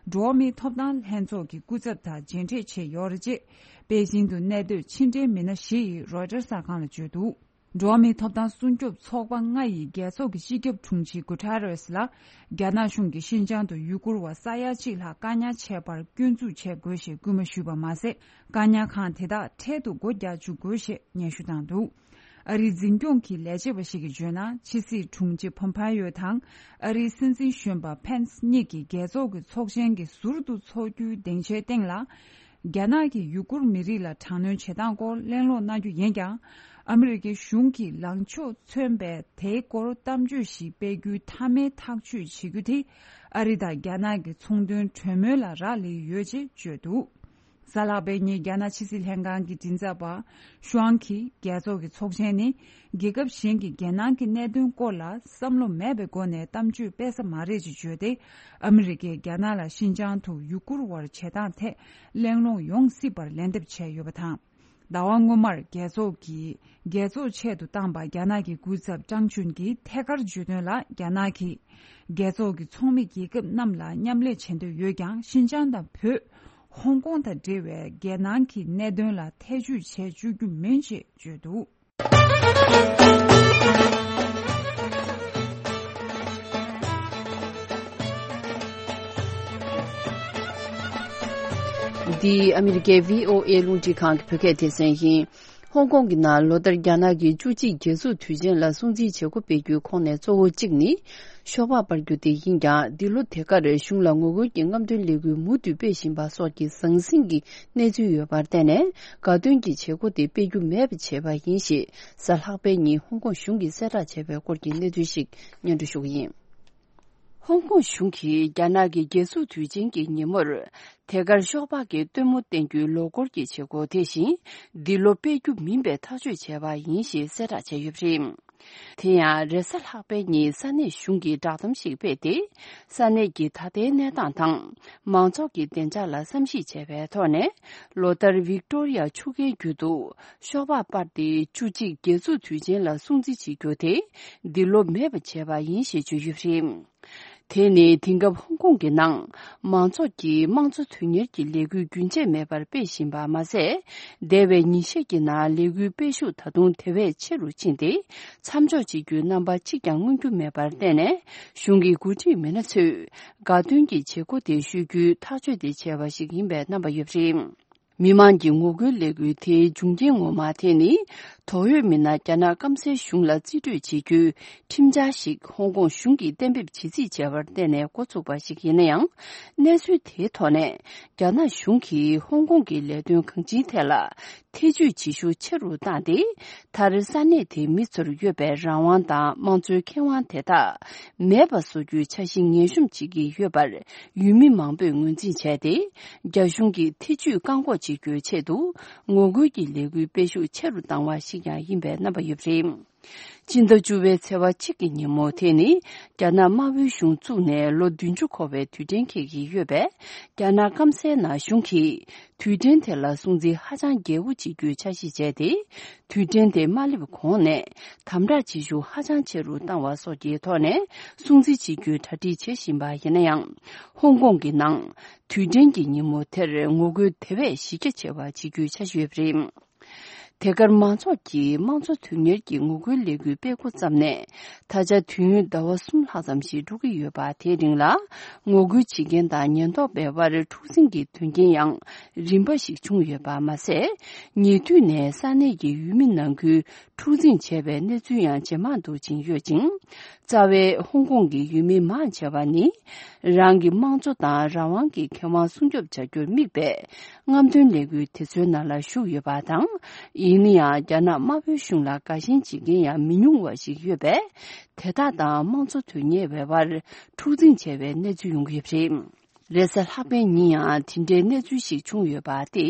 འགྲོ་བ་མིའི་ཐོབ་ཐང་ལྷན་ཚོགས་ཀྱི་སྐུ་ཚབ་དང་མཇལ་འཕྲད་བྱས་ཡོད་རེད། ཅེས་པེ་ཅིང་དུ་གནས་སྡོད་ཕྱི་འབྲེལ་མི་སྣ་བཞི་ཡིས་རོའི་ཊར་གསར་ཁང་ལ་བརྗོད་འདུག་འགྲོ་བ་མིའི་ཐོབ་ཐང་སྲུང་སྐྱོབ་ཚོགས་པ་ལྔ་ཡི་རྒྱལ་ཚོགས་ཀྱི་སྤྱི་ཁྱབ་དྲུང་ཆེ་གུ་ཐེ་རེས་ལ། རྒྱ་ནག་གཞུང་གིས་ཤིན་ཅང་དུ་ཡུ་གུར་བ་ས་ཡ་གཅིག་ལྷག་བཀག་ཉར་བྱས་པར་སྐྱོན་འཛུགས་བྱེད་དགོས་ཞེས་སྐུལ་མ་ཞུས་པ་མ་ཟད། བཀག་ཉར་ཁང་དེ་དག་འཕྲལ་དུ་སྒོ་རྒྱག་བཅུག་དགོས་ཞེས་སྙན་ཞུ་བཏང་འདུག་ཨ་རིའི་འཛིན་སྐྱོང་གི་ལས་བྱེད་པ་ཞིག་གིས་བརྗོད་ན། ཕྱི་སྲིད་དྲུང་ཆེ་ཕོམ་པེ་ཡོ་དང་ཨ་རིའི་སྲིད་འཛིན་གཞོན་པ་ཕེན་སི་གཉིས་ཀྱིས་རྒྱལ་ཚོགས་ཀྱི་ཚོགས་ཆེན་གྱི་ཟུར་དུ་འཚོགས་རྒྱུའི་སྡིངས་ཆའི་སྟེང་ལ། རྒྱ་ནག་གིས་ཡུ་གུར་མི་རིགས་ལ་དྲག་གནོན་བྱེད་སྟངས་སྐོར་གླེང་སློང་གནང་རྒྱུ་ཡིན་ཀྱང་། ཨ་མི་རི་ཀའི་གཞུང་གིས་ལངས་ཕྱོགས་མཚོན་པའི་དེའི་སྐོར་གཏམ་བརྗོད་ཞིག་སྤེལ་རྒྱུའི་མཐའ་མའི་ཐག་གཅོད་བྱེད་རྒྱུ་དེ། ཨ་རི་དང་རྒྱ་ནག་གི་ཚོང་དོན་གྲོས་མོལ་ལ་རག་ལས་ཡོད་ཅེས་བརྗོད་འདུག་གཟའ་ལྷག་པའི་ཉིན་རྒྱ་ནག་ཕྱི་སྲིད་ལྷན་ཁང་གི་མགྲིན་ཚབ་པ་ཤུའང་གིས། རྒྱལ་ཚོགས་ཀྱི་ཚོགས་ཆེན་ནི་རྒྱལ་ཁབ་གཞན་གྱི་རྒྱལ་ནང་གི་གནད་དོན་སྐོར་ལ་བསམ་བློ་མེད་པའི་སྒོ་ནས་གཏམ་བརྗོད་སྤེལ་ས་མ་རེད་ཅེས་བརྗོད་དེ། ཨ་མི་རི་ཀས་རྒྱ་ནག་ལ་ཤིན་ཅང་དུ་ཡུ་གུར་བར་བྱེད་སྟངས་ཐད་གླེང་སློང་ཡོང་སྲིད་པར་ལན་འདེབས་བྱས་ཡོད་པ་དང་། ཟླ་བ་སྔོན་མར་རྒྱལ་ཚོགས་ཀྱི་རྒྱལ་ཚོགས་ཆེད་དུ་བཏང་པ། རྒྱ་ནག་གི་སྐུ་ཚབ་ཀྲང་ཅུན་གྱིས་ཐད་ཀར་བརྗོད་དོན་ལ། རྒྱ་ནག་གིས་རྒྱལ་ཚོགས་ཀྱི་ཚོགས་མི་རྒྱལ་ཁབ་རྣམས་ལ་མཉམ་ལས་བྱེད་འདོད་ཡོད་ཀྱང་། ཤིན་ཅང་དང་བོད། ཧོང་ཀོང་དང་འབྲེལ་བའི་རྒྱལ་ནང་གི་གནད་དོན་ལ་ཐེ་བྱུས་བྱེད་བཅུག་རྒྱུ་མིན་ཅེས་བརྗོད་འདུག་འདི་ཨ་མི་རི་ཀའི་བྷི་ཨོ་ཨེ་རླུང་འཕྲིན་ཁང་གི་བོད་སྐད་སྡེ་ཚན་ཡིན། ཧོང་ཀོང་གི་ནང་ལོ་ལྟར་རྒྱ་ནག་གི་བཅུ་གཅིག་རྒྱལ་འཛུགས་དུས་ཆེན་ལ་སྲུང་བརྩི་བྱེད་སྒོ་སྤེལ་རྒྱུའི་ཁོངས་ནས་གཙོ་བོ་གཅིག་ནི། ཤོག་སྦག་སྤར་རྒྱུ་དེ་ཡིན་ཀྱང་། འདི་ལོ་དེ་གར་གཞུང་ལ་ངོ་རྒོལ་གྱི་རྔམ་སྟོན་ལས་འགུལ་མུ་མཐུད་སྤེལ་བཞིན་པ་སོགས་ཀྱི་ཟང་ཟིང་གི་གནས་ཚུལ་ཡོད་པར་བརྟེན་ནས། དགའ་སྟོན་གྱི་བྱེད་སྒོ་དེ་སྤེལ་རྒྱུ་མེད་པ་བྱས་པ་ཡིན་ཞེས། གཟའ་ལྷག་པའི་ཉིན་ཧོང་ཀོང་གཞུང་གིས་གསལ་བསྒྲགས་བྱས་པའི་སྐོར་གྱི་གནས་ཚུལ་ཞིག་སྙན་སྒྲོན་ཞུ་གི་ཡིན། ཧོང་ཀོང་གཞུང་གིས་རྒྱ་ནག་གི་རྒྱལ་འཛུགས་དུས་ཆེན་གྱི་ཉིན་མོར། དེ་གར་ཤོག་སྦག་གི་སྟོན་མོ་བསྟན་རྒྱུའི་ལོ་འཁོར་གྱི་བྱེད་སྒོ་དེ་བཞིན། འདི་ལོ་སྤེལ་རྒྱུ་མིན་པའི་ཐག་གཅོད་བྱས་པ་ཡིན་ཞེས་གསལ་བསྒྲགས་བྱས་ཡོད་པ་རེད། དེ་ཡང་རེས་གཟའ་ལྷག་པའི་ཉིན་ས་གནས་གཞུང་གིས་བསྒྲགས་གཏམ་ཞིག་སྤེལ་ཏེ། ས་གནས་ཀྱི་ད་ལྟའི་གནས་སྟངས་དང་། མང་ཚོགས་ཀྱི་བདེ་འཇགས་ལ་བསམ་གཞིག་བྱས་པའི་ཐོག་ནས། ལོ་ལྟར་ཝིག་ཏོ་རི་ཡ་ཆུ་རྐའི་རྒྱུད་དུ་ཤོག་སྦག་སྤར་ཏེ། བཅུ་གཅིག་རྒྱལ་འཛུགས་དུས་ཆེན་ལ་སྲུང་བརྩི་བྱེད་རྒྱུ་དེ་འདི་ལོ་མེད་པ་བྱས་པ་ཡིན་ཞེས་བརྗོད་ཡོད་པ་རེད། དེ་ནི་དེང་སྐབས་ཧོང་ཀོང་གི་ནང་མང་ཚོགས་ཀྱིས་དམངས་གཙོ་དོན་གཉེར་གྱི་ལས་འགུལ་རྒྱུན་ཆད་མེད་པར་སྤེལ་བཞིན་པ་མ་ཟད། འདས་པའི་ཉིན་ཤས་ཀྱི་ནང་ལས་འགུལ་སྤེལ་ཤུགས་ད་དུང་དེ་བས་ཆེ་རུ་ཕྱིན་ཏེ། མཚམས་འཇོག་བྱེད་རྒྱུའི་རྣམ་པ་གཅིག་ཀྱང་མངོན་རྒྱུ་མེད་པར་བརྟེན་ནས། གཞུང་གི་འགོ་ཁྲིད་མི་སྣ་ཚོས་དགའ་སྟོན་གྱི་བྱེད་སྒོ་དེ་ཤོད་རྒྱུའི་ཐག་གཅོད་དེ་བྱས་པ་ཞིག་ཡིན་པའི་རྣམ་པ་ཡོད་པ་རེད། མི་མང་གི་ངོ་རྒོལ་ལས་འགུལ་དེའི་འབྱུང་རྐྱེན་ངོ་མ་དེ་ནི། དོགས་ཡོད་མི་སྣ་རྒྱ་ནག་སྐམ་སའི་གཞུང་ལ་རྩིས་སྤྲོད་བྱེད་རྒྱུའི་ཁྲིམས་འཆར་ཞིག་ཧོང་ཀོང་གཞུང་གིས་གཏན་འབེབས་བྱེད་རྩིས་བྱས་པར་བརྟེན་ནས་འགོ་ཚུགས་པ་ཞིག་ཡིན་ན་ཡང་། གནས་ཚུལ་དེའི་ཐོག་ནས་རྒྱ་ནག་གཞུང་གིས་ཧོང་ཀོང་གི་ལས་དོན་གང་ཅིའི་ཐད་ལ་ཐེ་ཇུས་བྱེད་ཤུགས་ཆེ་རུ་བཏང་སྟེ། མཐར་ས་གནས་དེའི་མི་ཚོར་ཡོད་པའི་རང་དབང་དང་དམངས་གཙོའི་ཁེ་དབང་དེ་དག་མེད་པ་བཟོ་རྒྱུའི་འཆར་གཞི་ངན་ཤོམ་བྱེད་ཀྱི་ཡོད་པར། ཡུལ་མི་མང་པོས་ངོས་འཛིན་བྱས་ཏེ། རྒྱ་གཞུང་གིས་ཐེ་ཇུས་བཀག་འགོག་བྱེད་རྒྱུའི་ཆེད་དུ། ངོ་རྒོལ་གྱི་ལས་འགུལ་སྤེལ་ཤུགས་ཆེ་རུ་བཏང་བ་ཞིག་ཀྱང་ཡིན་པའི་རྣམ་པ་ཡོད་པ་རེད། སྤྱི་ཟླ་བཅུ་པའི་ཚེས་པ་གཅིག་གི་ཉིན་མོ་དེ་ནི། རྒྱ་ནག་དམར་པོའི་གཞུང་བཙུགས་ནས་ལོ་བདུན་ཅུ་འཁོར་བའི་དུས་དྲན་འཁེལ་གྱི་ཡོད་པས། རྒྱ་ནག་སྐམ་སའི་ནང་གཞུང་གིས། དུས་དྲན་དེ་ལ་སྲུང་བརྩི་ཧ་ཅང་རྒྱས་པོ་བྱེད་རྒྱུའི་འཆར་གཞི་བྱས་ཏེ། དུས་དྲན་དེ་མ་སླེབས་གོང་ནས་དམ་དྲག་བྱེད་ཤུགས་ཧ་ཅང་ཆེ་རུ་བཏང་བ་སོགས་ཀྱི་ཐོག་ནས་སྲུང་བརྩི་བྱེད་རྒྱུའི་གྲ་སྒྲིག་བྱེད་བཞིན་པ་ཡིན་ན་ཡང་། ཧོང་ཀོང་གི་ནང་དུས་དྲན་གྱི་ཉིན་མོ་དེར་ངོ་རྒོལ་དེ་བས་གཞི་རྒྱ་ཆེ་བ་བྱེད་རྒྱུའི་འཆར་གཞི་ཡོད་པ་རེད། དེ་གར་མང་ཚོགས་ཀྱིས་དམངས་གཙོ་དོན་གཉེར་གྱི་ངོ་རྒོལ་ལས་འགུལ་སྤེལ་འགོ་བརྩམས་ནས། ད་ཆ་དུས་ཡུན་ཟླ་བ་གསུམ་ལྷག་ཙམ་ཞིག་འགྲོ་གི་ཡོད་པ། དེའི་རིང་ལ་ངོ་རྒོལ་བྱེད་མཁན་དང་ཉེན་རྟོག་པའི་དབར་འཁྲུག་ཟིང་གི་དོན་རྐྱེན་ཡང་རིམ་པ་ཞིག་བྱུང་ཡོད་པ་མ་ཟད། ཉེ་དུས་ནས་ས་གནས་ཀྱི་ཡུལ་མི་ནང་ཁུལ་འཁྲུག་འཛིང་བྱས་པའི་གནས་ཚུལ་ཡང་ཇེ་མང་དུ་ཕྱིན་ཡོད་ཅིང་། རྩ་བའི་ཧོང་ཀོང་གི་ཡུལ་མི་མང་ཆེ་བ་ནི། རང་གི་དམངས་གཙོ་དང་རང་དབང་གི་ཁེ་དབང་སྲུང་སྐྱོབ་བྱ་རྒྱུར་དམིགས་པའི་རྔམ་སྟོན་ལས་འགུལ་དེ་ཚོའི་ནང་ལ་ཞུགས་ཡོད་པ་དང་། ཡིན་ན་ཡང་། རྒྱ་ནག་དམར་པོའི་གཞུང་ལ་དགའ་ཞེན་བྱེད་མཁན་ཡང་མི་ཉུང་བ་ཞིག་ཡོད་པས། དེ་དག་དང་དམངས་གཙོ་དོན་གཉེར་བའི་དབར་འཁྲུག་འཛིང་བྱས་པའི་གནས་ཚུལ་ཡོང་གི་ཡོད་པ་རེད། རེས་གཟའ་ལྷག་པའི་ཉིན་ཡང་དེ་འདྲའི་གནས་ཚུལ་ཞིག་བྱུང་ཡོད་པ་སྟེ།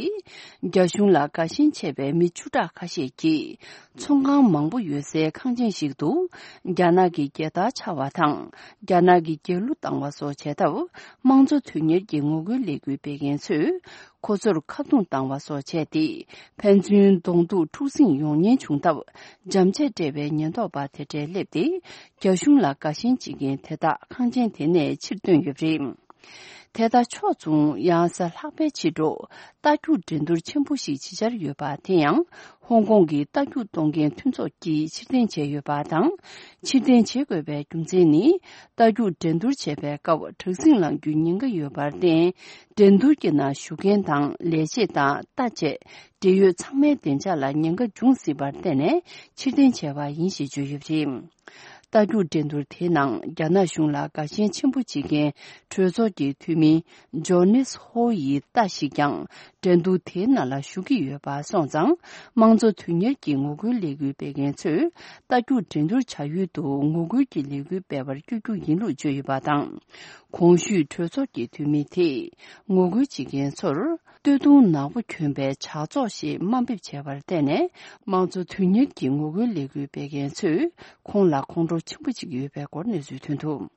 རྒྱ་གཞུང་ལ་དགའ་ཞེན་ཆེ་བའི་མི་བཅུ་ཕྲག་ཁ་ཤས་ཀྱིས། ཚོང་ཁང་མང་པོ་ཡོད་སའི་ཁང་ཆེན་ཞིག་ཏུ། རྒྱ་ནག་གི་རྒྱལ་དར་འཕྱར་བ་དང་། རྒྱ་ནག་གི་རྒྱལ་གླུ་བཏང་བ་སོགས་བྱས་སྟབས། དམངས་གཙོ་དོན་གཉེར་གྱི་ངོ་རྒོལ་ལས་འགུལ་སྤེལ་མཁན་ཚོས། ཁོ་ཚོར་ཁ་རྡུང་བཏང་བ་སོགས་བྱས་ཏེ། ཕན་ཚུན་གདོང་ཐུག་འཁྲུག་ཟིང་ཡོང་ཉེན་བྱུང་སྟབས། འཇམ་ཆས་སྤྲད་པའི་ཉེན་རྟོག་པ་དེ་འདྲས་སླེབས་ཏེ། རྒྱ་གཞུང་ལ་དགའ་ཞེན་བྱེད་མཁན་དེ་དག་ཁང་ཆེན་དེ་ནས་ཕྱིར་བཏོན་ཡོད་པ་རེད། དེ་དག་ཕྱོགས་མཚུངས། ཡང་གཟའ་ལྷག་པའི་ཕྱི་དྲོ། རྟ་རྒྱུག་འགྲན་བསྡུར་ཆེན་པོ་ཞིག་བྱེད་འཆར་ཡོད་པ། དེ་ཡང་ཧོང་ཀོང་གི་རྟ་རྒྱུག་གཏོང་མཁན་མཐུན་ཚོགས་ཀྱིས་ཕྱིར་འཐེན་བྱས་ཡོད་པ་དང་། ཕྱིར་འཐེན་བྱེད་དགོས་པའི་རྒྱུ་མཚན་ནི། རྟ་རྒྱུག་འགྲན་བསྡུར་བྱེད་པའི་སྐབས་དྲག་ཟིང་ལངས་རྒྱུའི་ཉེན་ཁ་ཡོད་པར་བརྟེན། འགྲན་བསྡུར་གྱི་ནང་ཞུགས་མཁན་དང་ལས་བྱེད་དང་། རྟ་བཅས་འབྲེལ་ཡོད་ཚང་མའི་བདེ་འཇགས་ལ་ཉེན་ཁ་འབྱུང་སྲིད་པར་བརྟེན་ནས་ཕྱིར་འཐེན་བྱས་པ་ཡིན་ཞེས་བརྗོད་ཡོད་པ་རེད། རྟ་རྒྱུག་འགྲན་བསྡུར་དེའི་ནང་རྒྱ་ནག་གཞུང་ལ་དགའ་ཞེན་ཆེན་པོ་བྱེད་མཁན་གྲོས་ཚོགས་ཀྱི་འཐུས་མི་ཇོ་ནིས་ཧོ་ཡི་རྟ་ཞིག་ཀྱང་འགྲན་བསྡུར་དེའི་ནང་ལ་ཞུགས་ཀྱི་ཡོད་པ་སོང་ཙང་། དམངས་གཙོ་དོན་གཉེར་གྱི་ངོ་རྒོལ་ལས་འགུལ་སྤེལ་མཁན་ཚོས་རྟ་རྒྱུག་འགྲན་བསྡུར་བྱ་ཡུལ་དུ་ངོ་རྒོལ་གྱི་ལས་འགུལ་སྤེལ་བར་བསྐྱོད་རྒྱུ་ཡིན་ལུགས་བརྗོད་ཡོད་པ་དང་། གོང་ཞུས་གྲོས་ཚོགས་ཀྱི་འཐུས་མི་དེས་ངོ་རྒོལ་བྱེད་མཁན་ཚོར། སྟོད་ཐུང་ནག་པོ་གྱོན་པའི་ཇག་ཚོགས་ཞེས་དམའ་འབེབས་བྱས་པར་བརྟེན་ནས། དམངས་གཙོ་དོན་གཉེར་གྱི་ངོ་རྒོལ་ལས་འགུལ་སྤེལ་མཁན་ཚོས་ཁོང་ལ་ཁོང་ཁྲོ་ཆེན་པོ་ཅིག་ཡོད་པའི་སྐོར་གནས་ཚུལ་ཐོན་འདུག།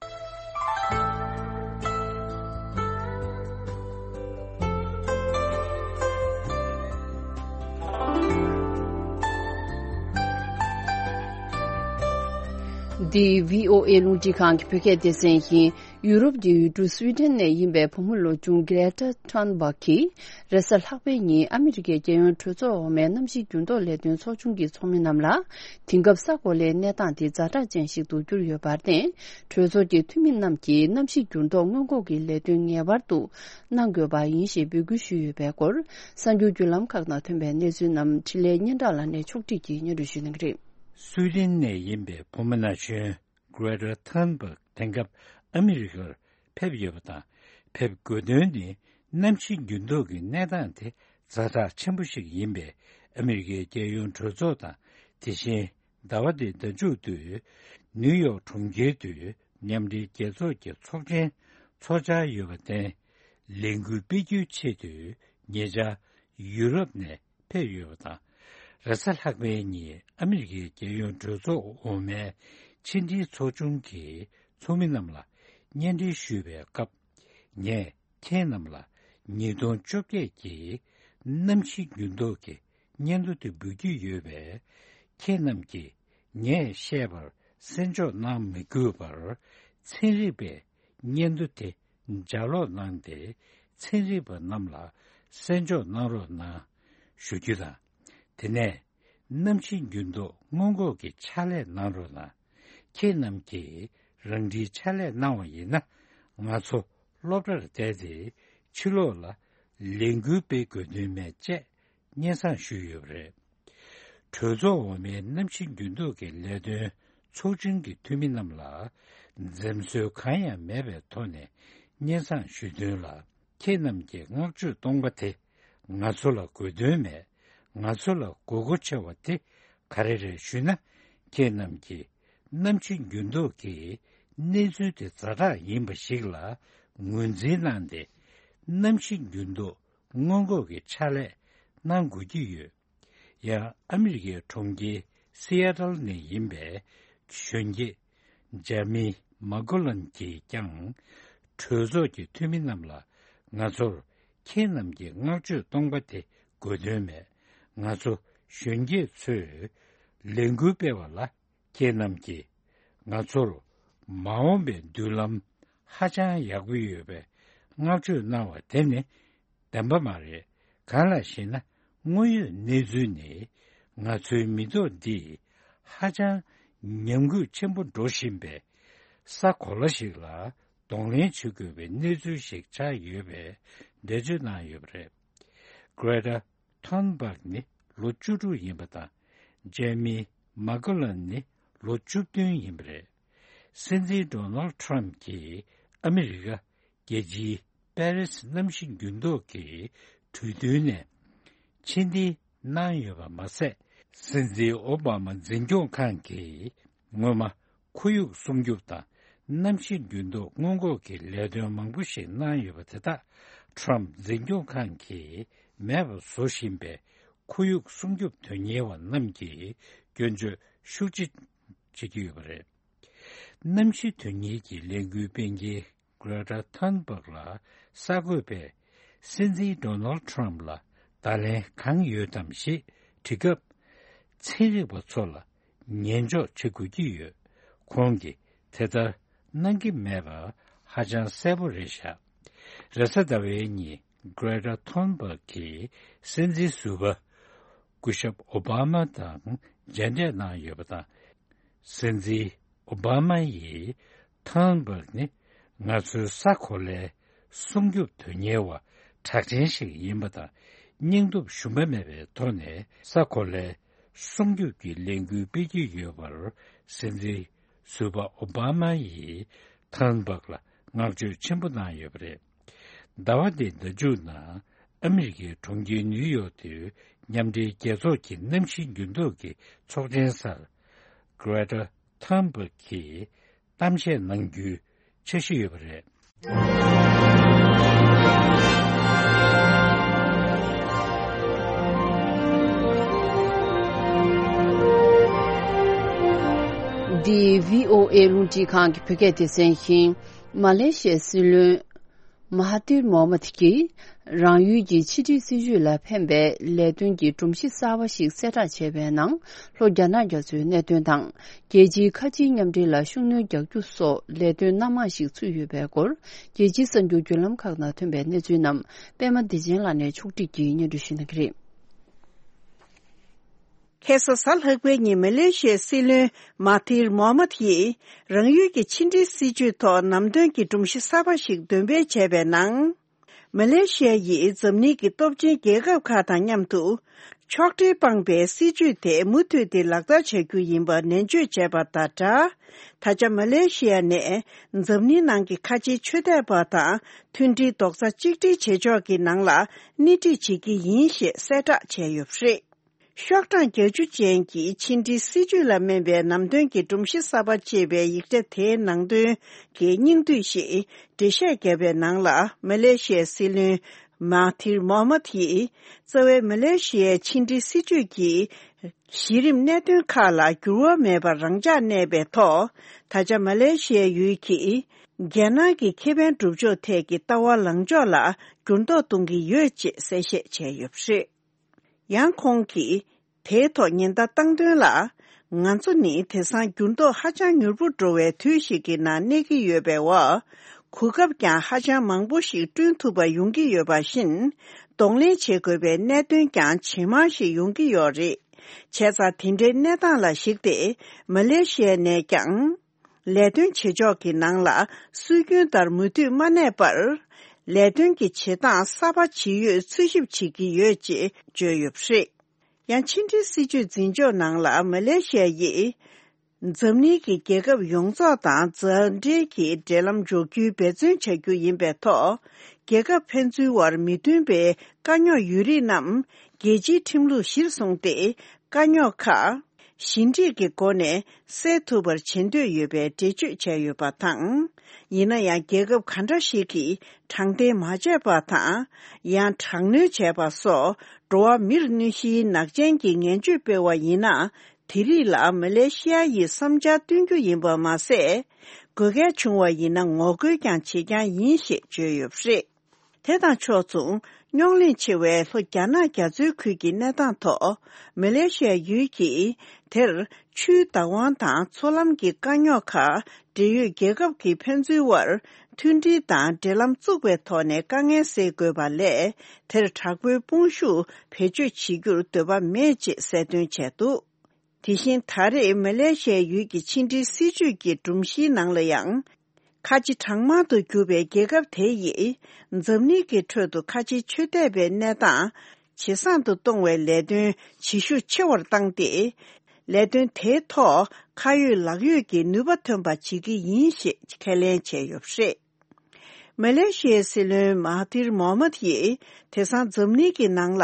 འདི་བྷི་ཨོ་ཨེ་རླུང་འཕྲིན་ཁང་གི་བོད་སྐད་སྡེ་ཚན་ཡིན། ཡུ་རོབ་ཀྱི་ཡུལ་གྲུ་སུའི་ཏན་ནས་ཡིན་པའི་བུ་མོ་ལོ་ཆུང་གྷེ་རེ་ཊ་ཐུན་སྦག་གིས་རེས་གཟའ་ལྷག་པའི་ཉིན་ཨ་མི་རི་ཀའི་རྒྱལ་ཡོངས་གྲོས་ཚོགས་འོག་མའི་གནམ་གཤིས་འགྱུར་ལྡོག་ལས་དོན་ཚོགས་ཆུང་གི་ཚོགས་མི་རྣམས་ལ་དེང་སྐབས་ས་གོ་ལའི་གནས་སྟངས་དེ་ཛ་དྲག་ཅན་ཞིག་ཏུ་གྱུར་ཡོད་པར་བརྟེན། གྲོས་ཚོགས་ཀྱི་འཐུས་མི་རྣམས་ཀྱིས་གནམ་གཤིས་འགྱུར་ལྡོག་སྔོན་འགོག་གི་ལས་དོན་ངེས་པར་དུ་གནང་དགོས་པ་ཡིན་ཞེས་འབོད་སྐུལ་ཞུས་ཡོད་པའི་སྐོར། གསར་འགྱུར་བརྒྱུད་ལམ་ཁག་ནང་ཐོན་པའི་གནས་ཚུལ་རྣམས་འཕྲིན་ལས་སྙན་གྲགས་ལགས་ནས་ཕྱོགས་སྒྲིག་གིས་སྙན་སྒྲོན་ཞུ་གནང་གི་རེད། སུའི་ཏན་ནས་ཡིན་པའི་བུ་མོ་ན་གཞོན་Greta Thunberg དེང་སྐབས་ཨ་མི་རི་ཀར་ཕེབས་ཡོད་པ་དང་། ཕེབས་དགོས་དོན་ནི་གནམ་གཤིས་འགྱུར་ལྡོག་གི་གནས་སྟངས་དེ་ཛ་དྲག་ཆེན་པོ་ཞིག་ཡིན་པས། ཨ་མི་རི་ཀའི་རྒྱལ་ཡོངས་གྲོས་ཚོགས་དང་། དེ་བཞིན་ཟླ་བ་འདིའི་ཟླ་མཇུག་ཏུ་ནིའུ་ཡོག་གྲོང་ཁྱེར་དུ་མཉམ་འབྲེལ་རྒྱལ་ཚོགས་ཀྱི་ཚོགས་ཆེན་འཚོགས་འཆར་ཡོད་པར་བརྟེན། ལས་འགུལ་སྤེལ་རྒྱུའི་ཆེད་དུ་ཉེ་ཆར་ཡུ་རོབ་ནས་ཕེབས་ཡོད་པ་དང་། རེས་གཟའ་ལྷག་པའི་ཉིན་ཨ་མི་རི་ཀའི་རྒྱལ་ཡོངས་གྲོས་ཚོགས་འོག་མའི་ཕྱི་འབྲེལ་ཚོགས་ཆུང་གི་ཚོགས་མི་རྣམས་ལ་སྙན་སྒྲོན་ཞུས་པའི་སྐབས། ངས་ཁྱེད་རྣམས་ལ་ཉིས་སྟོང་བཅོ་བརྒྱད་ཀྱི་གནམ་གཤིས་འགྱུར་ལྡོག་གི་སྙན་ཐོ་དེ་འབུལ་གྱི་ཡོད་པས། ཁྱེད་རྣམས་ཀྱིས་ངས་བཤད་པར་གསན་འཇོག་གནང་མི་དགོས་པར། ཚན་རིག་པའི་སྙན་ཐོ་དེ་ལྗགས་ཀློག་གནང་སྟེ། ཚན་རིག་པ་རྣམས་ལ་གསན་འཇོག་གནང་རོགས་གནང་ཞུ་རྒྱུ་དང་། དེ་ནས་གནམ་གཤིས་འགྱུར་ལྡོག་སྔོན་འགོག་གི་ཕྱག་ལས་གནང་རོགས་གནང་། ཁྱེད་རྣམས་ཀྱིས་རང་འཁྲིའི་ཕྱག་ལས་གནང་བ་ཡིན་ན། ང་ཚོ་སློབ་གྲྭར་བསྡད་དེ་ཕྱི་ལོགས་ལ་ལས་འགུལ་སྤེལ་དགོས་དོན་མེད་ཅེས་སྙན་སེང་ཞུས་ཡོད་པ་རེད། གྲོས་ཚོགས་འོག་མའི་གནམ་གཤིས་འགྱུར་ལྡོག་གི་ལས་དོན་ཚོགས་ཆུང་གི་འཐུས་མི་རྣམས་ལ་འཛེམ་ཟོན་གང་ཡང་མེད་པའི་ཐོག་ནས་སྙན་སེང་ཞུས་དོན་ལ། ཁྱེད་རྣམས་ཀྱི་བསྔགས་བརྗོད་གཏོང་པ་དེ་ང་ཚོ་ལ་དགོས་དོན་མེད། ང་ཚོ་ལ་དགོས་མཁོ་ཆེ་བ་དེ་ག་རེ་རེད་ཞུས་ན། ཁྱེད་རྣམས་ཀྱིས་གནམ་གཤིས་འགྱུར་ལྡོག་གི་གནས་ཚུལ་དེ་ཛ་དྲག་ཡིན་པ་ཞིག་ལ་ངོས་འཛིན་གནང་སྟེ། གནམ་གཤིས་འགྱུར་ལྡོག་སྔོན་འགོག་གི་ཕྱག་ལས་གནང་དགོས་ཀྱི་ཡོད། ཡང་ཨ་མི་རི་ཀའི་གྲོང་ཁྱེར་སི་ཨ་ཏལ་ནས་ཡིན་པའི་གཞོན་སྐྱེས་ཇ་མི་མ་ཀོ་ལན་གྱིས་ཀྱང་གྲོས་ཚོགས་ཀྱི་འཐུས་མི་རྣམས་ལ། ང་ཚོར་ཁྱེད་རྣམས་ཀྱི་བསྔགས་བརྗོད་གཏོང་པ་དེ་དགོས་དོན་མེད། ང་ཚོ་གཞོན་སྐྱེས་ཚོས་ལས་འགུལ་སྤེལ་བ་ལ། ཁྱེད་རྣམས་ཀྱིས་ང་ཚོར་མ་འོངས་པའི་མདུན་ལམ་ཧ་ཅང་ཡག་པོ་ཡོད་པའི་བསྔགས་བརྗོད་གནང་བ་དེ་ནི་བདེན་པ་མ་རེད། གང་ལགས་ཤེ་ན། དངོས་ཡོད་གནས་ཚུལ་ནི་ང་ཚོའི་མི་ཐོག་འདི་ཧ་ཅང་ཉམས་རྒུད་ཆེན་པོ་འགྲོ་བཞིན་པའི་ས་གོ་ལ་ཞིག་ལ་གདོང་ལེན་བྱེད་དགོས་པའི་གནས་ཚུལ་ཞིག་ཆགས་ཡོད་པའི་འགྲེལ་བརྗོད་གནང་ཡོད་པ་རེད། Greta Thunberg ནི་ལོ་བཅུ་དྲུག་ཡིན་པ་དང་། ཇེ་མི་མ་ཀོ་ལན་ནི་ལོ་བཅུ་བདུན་ཡིན་པ་རེད། སྲིད་འཛིན་ཌོ་ནལ་ཁྲམ་གྱིས་ཨ་མི་རི་ཀ་རྒྱལ་སྤྱིའི་པེ་རིས་གནམ་གཤིས་འགྱུར་ལྡོག་གི་གྲོས་མཐུན་ནས་ཕྱིར་འཐེན་གནང་ཡོད་པ་མ་ཟད། སྲིད་འཛིན་ཨོ་བྷ་མ་འཛིན་སྐྱོང་ཁང་གིས་སྔོན་མ་ཁོར་ཡུག་སྲུང་སྐྱོབ་དང་གནམ་གཤིས་འགྱུར་ལྡོག་སྔོན་འགོག་གི་ལས་དོན་མང་པོ་ཞིག་གནང་ཡོད་པ་དེ་དག་ཁྲམ་འཛིན་སྐྱོང་ཁང་གིས་མེད་པར་བཟོ་བཞིན་པའི་ཁོར་ཡུག་སྲུང་སྐྱོབ་དོན་གཉེར་བ་རྣམས་ཀྱིས་སྐྱོན་བརྗོད་ཤུགས་ཆེ་བྱེད་ཀྱི་ཡོད་པ་རེད། གནམ་གཤིས་དོན་གཉེར་གྱི་ལས་འགུལ་སྤེལ་མཁན་Greta Thunberg ལ་གསར་འགོད་པས་སྲིད་འཛིན་Donald Trump ལ་བརྡ་ལན་གང་ཡོད་དམ་ཞེས་དྲིས་སྐབས། ཚན་རིག་པ་ཚོ་ལ་ཉན་འཇོག་བྱེད་དགོས་ཀྱི་ཡོད། ཁོང་གིས་དེ་ལྟར་གནང་གི་མེད་པ་ཧ་ཅང་གསལ་པོ་རེད་བཞག་རེས་གཟའ་ཟླ་བའི་ཉིན་Greta Thunberg གིས་སྲིད་འཛིན་ཟུར་པ་སྐུ་ཞབས་ཨོ་བྷ་མ་དང་མཇལ་འཕྲད་གནང་ཡོད་པ་དང་། སྲིད་འཛིན་ཨོ་བྷ་མ་ཡིས་Thunberg ནི་ང་ཚོའི་ས་གོ་ལའི་སྲུང་སྐྱོབ་དོན་གཉེར་བ་གྲགས་ཅན་ཞིག་ཡིན་པ་དང་། སྙིང་སྟོབས་ཞུམ་པ་མེད་པའི་ཐོག་ནས་ས་གོ་ལའི་སྲུང་སྐྱོབ་ཀྱི་ལས་འགུལ་སྤེལ་གྱི་ཡོད་པར་སྲིད་འཛིན་ཟུར་པ་ཨོ་བྷ་མ་ཡིས་Thunberg ལ་བསྔགས་བརྗོད་ཆེན་པོ་གནང་ཡོད་པ་རེད། ཟླ་བ་འདིའི་ཟླ་མཇུག་ནང་ཨ་མི་རི་ཀའི་གྲོང་ཁྱེར་ནིའུ་ཡོག་ཏུ་མཉམ་འབྲེལ་རྒྱལ་ཚོགས་ཀྱི་གནམ་གཤིས་འགྱུར་ལྡོག་གི་ཚོགས་ཆེན་སར་Greta Thunberg གིས་གཏམ་བཤད་གནང་རྒྱུའི་འཆར་གཞི་ཡོད་པ་རེད། འདི་བྷི་ཨོ་ཨེ་རླུང་འཕྲིན་ཁང་གི་བོད་སྐད་སྡེ་ཚན་ཡིན། མ་ལེ་ཤི་ཡའི་སྲིད་བློན་ མ་ཧ་ཏིར་མོ་ཧ་མད་ཀྱིས་རང་ཡུལ་གྱི་ཕྱི་འབྲེལ་སྲིད་ཇུས་ལ་ཕན་པའི་ལས་དོན་གྱི་སྒྲོམ་གཞི་གསར་པ་ཞིག་གསལ་བསྒྲགས་བྱས་པའི་ནང་། ལྷོ་རྒྱ་ནག་རྒྱ་མཚོའི་གནད་དོན་དང་། རྒྱལ་སྤྱིའི་ཁ་ཆེའི་མཉམ་འབྲེལ་ལ་ཤུགས་སྣོན་རྒྱག་རྒྱུ་སོགས་ལས་དོན་སྣ་མང་ཞིག་ཚུད་ཡོད་པའི་སྐོར། རྒྱལ་སྤྱིའི་གསར་འགྱུར་བརྒྱུད་ལམ་ཁག་ནང་ཐོན་པའི་གནས་ཚུལ་རྣམས་པད་མ་བདེ་ཆེན་ལགས་ནས་ཕྱོགས་སྒྲིག་གིས་སྙན་སྒྲོན་ཞུ་གནང་གི་རེད། ཁ་སང་གཟའ་ལྷག་པའི་ཉིན་མ་ལེ་ཤི་ཡའི་སྲིད་བློན་མ་ཧ་ཐིར་མོ་ཧ་མད་ཡིས་རང་ཡུལ་གྱི་ཕྱི་འབྲེལ་སྲིད་ཇུས་ཐོག་ནམ་དོན་གྱི་སྒྲོམ་གཞི་གསར་པ་ཞིག་འདོན་སྤེལ་བྱས་པའི་ནང་། མ་ལེ་ཤི་ཡ་ཡིས་འཛམ་གླིང་གི་སྟོབས་ཆེན་རྒྱལ་ཁབ་ཁག་དང་མཉམ་དུ་ཕྱོགས་འབྲེལ་སྤངས་པའི་སྲིད་ཇུས་དེ་མུ་མཐུད་དེ་ལག་བསྟར་བྱ་རྒྱུ་ཡིན་པ་ནན་བརྗོད་བྱས་པ་དང་སྦྲགས། ད་ཆ་མ་ལེ་ཤི་ཡ་ནས་འཛམ་གླིང་ནང་གི་ཁ་ཆེའི་ཆོས་དད་པ་དང་མཐུན་སྒྲིལ་རྡོག་རྩ་གཅིག་སྒྲིལ་བྱེད་ཕྱོགས་ཀྱི་ནང་ལ་སྣེ་ཁྲིད་བྱེད་ཀྱི་ཡིན་ཞེས་གསལ་བསྒྲགས་བྱས་ཡོད་པ་རེད། ཤོག་གྲངས་བརྒྱད་ཅུ་ཅན་གྱི་ཕྱི་འབྲེལ་སྲིད་ཇུས་ལ་སྨན་པའི་ནམ་དོན་གྱི་སྒྲོམ་གཞི་གསར་པ་ཅེས་པའི་ཡིག་ཆ་དེའི་ནང་དོན་གྱི་སྙིང་བསྡུས་ཤིག་འགྲེལ་བཤད་བརྒྱབ་པའི་ནང་ལ། མ་ལེ་ཤི་ཡའི་སྲིད་བློན་མ་ཧ་ཐིར་མོ་ཧ་མད་ཡིས་རྩ་བའི་མ་ལེ་ཤི་ཡའི་ཕྱི་འབྲེལ་སྲིད་ཇུས་ཀྱི་གཞི་རིམ་གནད་དོན་ཁག་ལ་འགྱུར་བ་མེད་པར་རང་འཇགས་གནས་པའི་ཐོག། ད་ཆ་མ་ལེ་ཤི་ཡའི་ཡུལ་གྱིས་རྒྱལ་ནང་གི་ཁེ་ཕན་སྒྲུབ་ཕྱོགས་ཐད་ཀྱི་ལྟ་བ་ལངས་ཕྱོགས་ལ་འགྱུར་ལྡོག་གཏོང་གི་ཡོད་ཅེས་གསལ་བཤད་བྱས་ཡོད་པ་རེད། ཡང་ཁོང་གིས་དེའི་ཐོག་ཉེན་བརྡ་བཏང་དོན་ལ། ང་ཚོ་ནི་དེང་སང་འགྱུར་ལྡོག་ཧ་ཅང་མྱུར་པོ་འགྲོ་བའི་དུས་ཤིག་གི་ནང་གནས་ཀྱི་ཡོད་པའི་འོག། གོ་སྐབས་ཀྱང་ཧ་ཅང་མང་པོ་ཞིག་བསྐྲུན་ཐུབ་པ་ཡོང་གི་ཡོད་པ་བཞིན། གདོང་ལེན་བྱེད་དགོས་པའི་གནད་དོན་ཀྱང་ཇེ་མང་ཞིག་ཡོང་གི་ཡོད་རེད། བྱས་ཙང་དེ་འདྲའི་གནས་སྟངས་ལ་གཞིགས་ཏེ། མ་ལེ་ཤི་ཡ་ནས་ཀྱང་། ལས་དོན་བྱེད་ཕྱོགས་ཀྱི་ནང་ལ་སྲོལ་རྒྱུན་ལྟར་མུ་མཐུད་མ་གནས་པར། ལས་དོན་གྱི་བྱེད་སྟངས་གསར་པ་ཇི་ཡོད་འཚོལ་ཞིབ་བྱེད་ཀྱི་ཡོད་ཅེས་བརྗོད་ཡོད་པ་རེད། ཡང་ཕྱི་འབྲེལ་སྲིད་ཇུས་འཛིན་ཕྱོགས་ནང་ལ་མ་ལེ་ཤི་ཡ་ཡིས། འཛམ་གླིང་གི་རྒྱལ་ཁབ་ཡོངས་རྫོགས་དང་མཛའ་འབྲེལ་གྱི་འབྲེལ་ལམ་འཇོག་རྒྱུའི་འབད་བརྩོན་བྱ་རྒྱུ་ཡིན་པའི་ཐོག། རྒྱལ་ཁབ་ཕན་ཚུན་དབར་མི་མཐུན་པའི་དཀའ་རྙོག་ཡོད་རིགས་རྣམས་རྒྱལ་སྤྱིའི་ཁྲིམས་ལུགས་གཞིར་བཟུང་སྟེ། དཀའ་རྙོག་ཁག་ཞི་འགྲིག་གི་སྒོ་ནས་སེལ་ཐུབ་པར་བྱེད་འདོད་ཡོད་པའི་འགྲེལ་བརྗོད་བྱས་ཡོད་པ་དང་། ཡིན་ན་ཡང་རྒྱལ་ཁབ་ག་འདྲ་ཞིག་གིས་དྲང་བདེན་མ་བྱས་པ་དང་། ཡང་དྲག་གནོན་བྱས་པ་སོགས་འགྲོ་བ་མིར་གནོད་གཞིའི་ནག་ཅན་གྱི་ངན་བྱུས་སྤེལ་བ་ཡིན་ན། དེ་རིགས་ལ་མ་ལེ་ཤི་ཡ་ཡིས་བསམ་འཆར་བཏོན་རྒྱུ་ཡིན་པ་མ་ཟད། དགོས་གལ་བྱུང་བ་ཡིན་ན་ངོ་རྒོལ་ཀྱང་བྱེད་རྐྱང་ཡིན་ཞེས་བརྗོད་ཡོད་པ་རེད། དེ་དང་ཕྱོགས་མཚུངས། རྙོག་གླེང་ཆེ་བའི་ལྷོ་རྒྱ་ནག་རྒྱ་མཚོའི་ཁུལ་གྱི་གནས་སྟངས་ཐོག། མ་ལེ་ཤི་ཡ་ཡུལ་གྱིས་དེར་ཆུའི་བདག་དབང་དང་མཚོ་ལམ་གྱི་དཀའ་རྙོག་ཁག་འབྲེལ་ཡོད་རྒྱལ་ཁབ་ཀྱི་ཕན་ཚུན་དབར་མཐུན་སྒྲིལ་དང་འབྲེལ་ལམ་བཙུགས་པའི་ཐོག་ནས་དཀའ་ངལ་སེལ་དགོས་པ་ལས། དེར་དྲག་པོའི་དཔུང་ཤུགས་བེད་སྤྱོད་བྱེད་རྒྱུར་འདོད་པ་མེད་ཅེས་གསལ་སྟོན་བྱས་འདུག། དེ་བཞིན་ད་རེས་མ་ལེ་ཤི་ཡའི་ཡུལ་གྱི་ཕྱི་འབྲེལ་སྲིད་ཇུས་ཀྱི་སྒྲོམ་གཞིའི་ནང་ལ་ཡང་། ཁ་ཆེ་གྲངས་མང་དུ་གྱུར་པའི་རྒྱལ་ཁབ་དེ་ཡིས་འཛམ་གླིང་གི་ཁྲོད་དུ་ཁ་ཆེའི་ཆོས་དད་པའི་གནས་སྟངས་ཇེ་བཟང་དུ་གཏོང་བའི་ལས་དོན་ཇེ་ཤུགས་ཆེ་བར་བཏང་སྟེ། ལས་དོན་དེའི་ཐོག་ཁ་ཡོད་ལག་ཡོད་ཀྱི་ནུས་པ་ཐོན་པ་བྱེད་ཀྱི་ཡིན་ཞེས་ཁས་ལེན་བྱས་ཡོད་པ་རེད། མ་ལེ་ཤི་ཡའི་སྲིད་བློན་མ་ཧ་ཐིར་མོ་ཧ་མད་ཡིས་དེང་སང་འཛམ་གླིང་གི་ནང་ལ་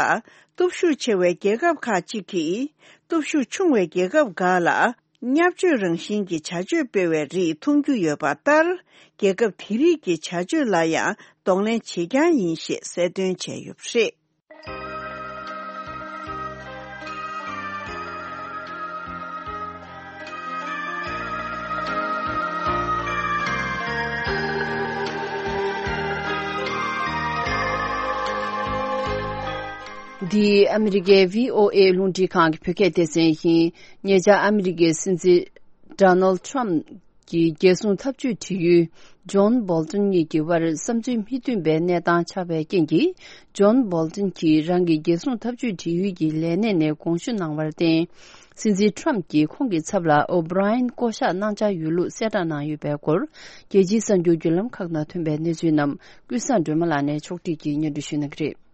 སྟོབས་ཤུགས་ཆེ་བའི་རྒྱལ་ཁབ་ཁག་ཅིག་གིས་སྟོབས་ཤུགས་ཆུང་བའི་རྒྱལ་ཁབ་འགའ་ལ་བརྙས་བཅོས་རང་བཞིན་གྱི་བྱ་སྤྱོད་སྤེལ་བའི་རིགས་མཐོང་རྒྱུ་ཡོད་པ་ལྟར། རྒྱལ་ཁབ་དེ་རིགས་ཀྱི་བྱ་སྤྱོད་ལ་ཡང་གདོང་ལེན་བྱེད་རྐྱང་ཡིན་ཞེས་གསལ་སྟོན་བྱས་ཡོད་པ་རེད། འདི་ཨ་མི་རི་ཀའི་བྷི་ཨོ་ཨེ་རླུང་འཕྲིན་ཁང་གི་བོད་སྐད་སྡེ་ཚན་ཡིན། ཉེ་ཆར་ཨ་མི་རི་ཀའི་སྲིད་འཛིན་ཌོ་ནལ་ཊམ་གྱི་རྒྱལ་སྲུང་འཐབ་ཇུས་དྲི་ཡུལ་ཇོན་བྷོལ་ཏོན་གཉིས་ཀྱི་དབར་བསམ་ཚུལ་མི་མཐུན་པའི་གནས་སྟངས་ཆགས་པའི་རྐྱེན་གྱིས། ཇོན་བྷོལ་ཏོན་གྱིས་རང་གི་རྒྱལ་སྲུང་འཐབ་ཇུས་དྲི་ཡུལ་གྱི་ལས་གནས་ནས་དགོངས་ཞུ་གནང་བར་བརྟེན། སྲིད་འཛིན་ཊམ་གྱིས་ཁོང་གི་ཚབ་ལ་ཨོ་བྷི་རའི་ཡན་བསྐོ་གཞག་གནང་འཆར་ཡོད་ལུགས་གསལ་བསྒྲགས་གནང་ཡོད་པའི་སྐོར། རྒྱལ་སྤྱིའི་གསར་འགྱུར་བརྒྱུད་ལམ་ཁག་ནང་ཐོན་པའི་གནས་ཚུལ་རྣམས་ཀུན་བཟང་སྒྲོལ་མ་ལགས་ནས་ཕྱོགས་སྒྲིག་གིས་སྙན་སྒྲོན་ཞུ་གནང་གི་རེད།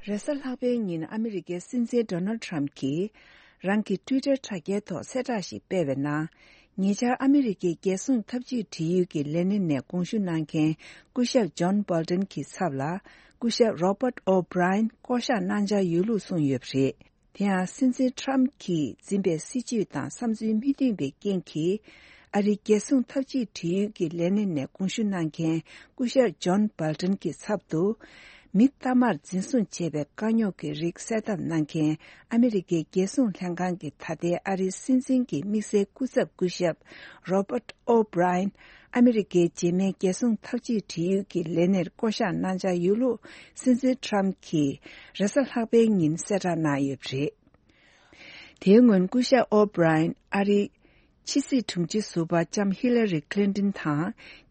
རེས་གཟའ་ལྷག་པའི་ཉིན་ཨ་མི་རི་ཀའི་སྲིད་འཛིན་ཌོ་ནལ་ཊམ་གྱིས་རང་གི་ཊུའི་ཊར་དྲ་རྒྱའི་ཐོག་གསལ་བསྒྲགས་ཤིག་སྤེལ་བའི་ནང་། ཉེ་ཆར་ཨ་མི་རི་ཀའི་རྒྱལ་སྲུང་འཐབ་ཇུས་དྲི་ཡུལ་གྱི་ལས་སྣེ་ནས་དགོངས་ཞུ་གནང་མཁན་སྐུ་ཞབས་ཇོན་བྷོལ་ཏོན་གྱི་ཚབ་ལ་སྐུ་ཞབས་རོ་བྷར་ཨོ་བྷི་རའི་ཡན་བསྐོ་གཞག་གནང་འཆར་ཡོད་ལུགས་གསུངས་ཡོད་པ་རེད། དེ་ཡང་སྲིད་འཛིན་ཊམ་གྱིས་འཛིན་པའི་སྲིད་བྱུས་དང་བསམ་ཚུལ་མི་མཐུན་པའི་རྐྱེན་གྱིས། ཨ་རིའི་རྒྱལ་སྲུང་འཐབ་ཇུས་དྲི་ཡུལ་གྱི་ལས་སྣེ་ནས་དགོངས་ཞུ་གནང་མཁན་སྐུ་ཞབས་ཇོན་བྷོལ་ཏོན་གྱི་ཚབ་ཏུ། མི་གཏའ་མར་འཛིན་བཟུང་བྱས་པའི་དཀའ་རྙོག་གི་རིགས་གསལ་བསྡམས་གནང་མཁན་ཨ་མི་རི་ཀའི་རྒྱལ་སྲུང་ལྷན་ཁང་གི་ད་ལྟའི་ཨ་རིའི་སྲིད་འཛིན་གྱི་དམིགས་བསལ་སྐུ་ཚབ་སྐུ་ཞབས་རོ་བྷར་ཨོ་བྷི་རའི་ཡན་ ཨ་མི་རི་ཀའི་རྗེས་མའི་རྒྱལ་སྲུང་འཐབ་ཇུས་འབྲེལ་ཡོད་ཀྱི་ལས་སྣེར་བསྐོ་གཞག་གནང་འཆར་ཡོད་ལུགས་སྲིད་འཛིན་ཊམ་གྱིས་རེས་གཟའ་ལྷག་པའི་ཉིན་གསལ་བསྒྲགས་གནང་ཡོད་པ་རེད། དེའི་སྔོན་སྐུ་ཞབས་ཨོ་བྷི་རའི་ཡན་ཨ་རིའི་ཕྱི་སྲིད་དྲུང་ཆེ་ཟུར་པ་ལྕམ་ཧི་ལ་རི་ཁི་ལིན་ཏོན་དང་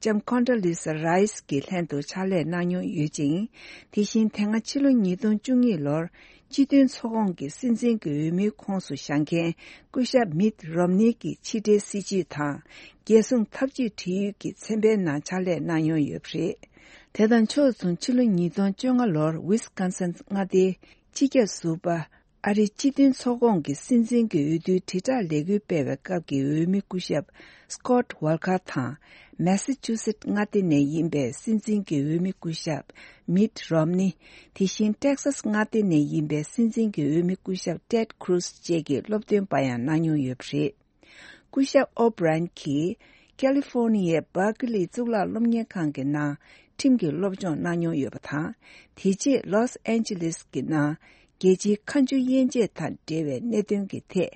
ལྕམ་ཀོན་ཌོ་ལི་ས་རའི་སི་གི་ལྷན་དུ་ཕྱག་ལས་གནང་མྱོང་ཡོད་ཅིང་། དེ་བཞིན་དེ་སྔ་ཕྱི་ལོ་ཉིས་སྟོང་བཅུ་གཉིས་ལོར་སྤྱི་མཐུན་ཚོགས་ཁོངས་ཀྱི་སྲིད་འཛིན་གྱི་འོས་མིའི་ཁོངས་སུ་བཞེངས་མཁན་སྐུ་ཞབས་མིད་རོམ་ནི་གི་ཕྱི་འབྲེལ་སྲིད་བྱུས་དང་རྒྱལ་སྲུང་འཐབ་ཇུས་འབྲེལ་ཡོད་ཀྱི་ཚན་པའི་ནང་ཕྱག་ལས་གནང་མྱོང་ཡོད་པ་རེད། དེ་དང་ཕྱོགས་མཚུངས་ཕྱི་ལོ་ཉིས་སྟོང་བཅོ་ལྔ་ལོར་ཝི་སི་ཀོན་སིན་མངའ་སྡེའི་སྤྱི་ཁྱབ་ཟུར་པ། ཨ་རིའི་སྤྱི་མཐུན་ཚོགས་ཁོངས་ཀྱི་སྲིད་འཛིན་གྱི་འོས་བསྡུའི་དྲིལ་བསྒྲགས་ལས་འགུལ་སྤེལ་བའི་སྐབས་ཀྱི་འོས་མི་སྐུ་ཞབས་སི་ཀོད་ཝོལ་ཀར་དང་། མེ་སི་ཅུ་སེཊ་མངའ་སྡེ་ནས་ཡིན་པའི་སྲིད་འཛིན་གྱི་འོས་མི་སྐུ་ཞབས་མིད་རོམ་ནི། དེ་བཞིན་ཏེག་སཱས་མངའ་སྡེ་ནས་ཡིན་པའི་སྲིད་འཛིན་གྱི་འོས་མི་སྐུ་ཞབས་ཏེད་ཁུ་རུ་སི་བཅས་ཀྱིས་སློབ་སྟོན་པ་ཡང་གནང་མྱོང་ཡོད་པ་རེད། སྐུ་ཞབས་ཨོ་བྷི་རན་གྱིས་ཀ་ལི་ཧྥོར་ནི་ཡའི་སྦར་ཀི་ལི་གཙུག་ལག་སློབ་གཉེར་ཁང་གི་ནང་ཁྲིམས་ཀྱི་སློབ་སྦྱོང་གནང་མྱོང་ཡོད་པ་དང་། དེ་རྗེས་ལོས་ཨན་ཇི་ལིས་ཀྱི་ནང་རྒྱལ་སྤྱིའི་ཁ་མཆུ་དབྱེ་འབྱེད་དང་འབྲེལ་བའི་གནད་དོན་གྱི་ཐད་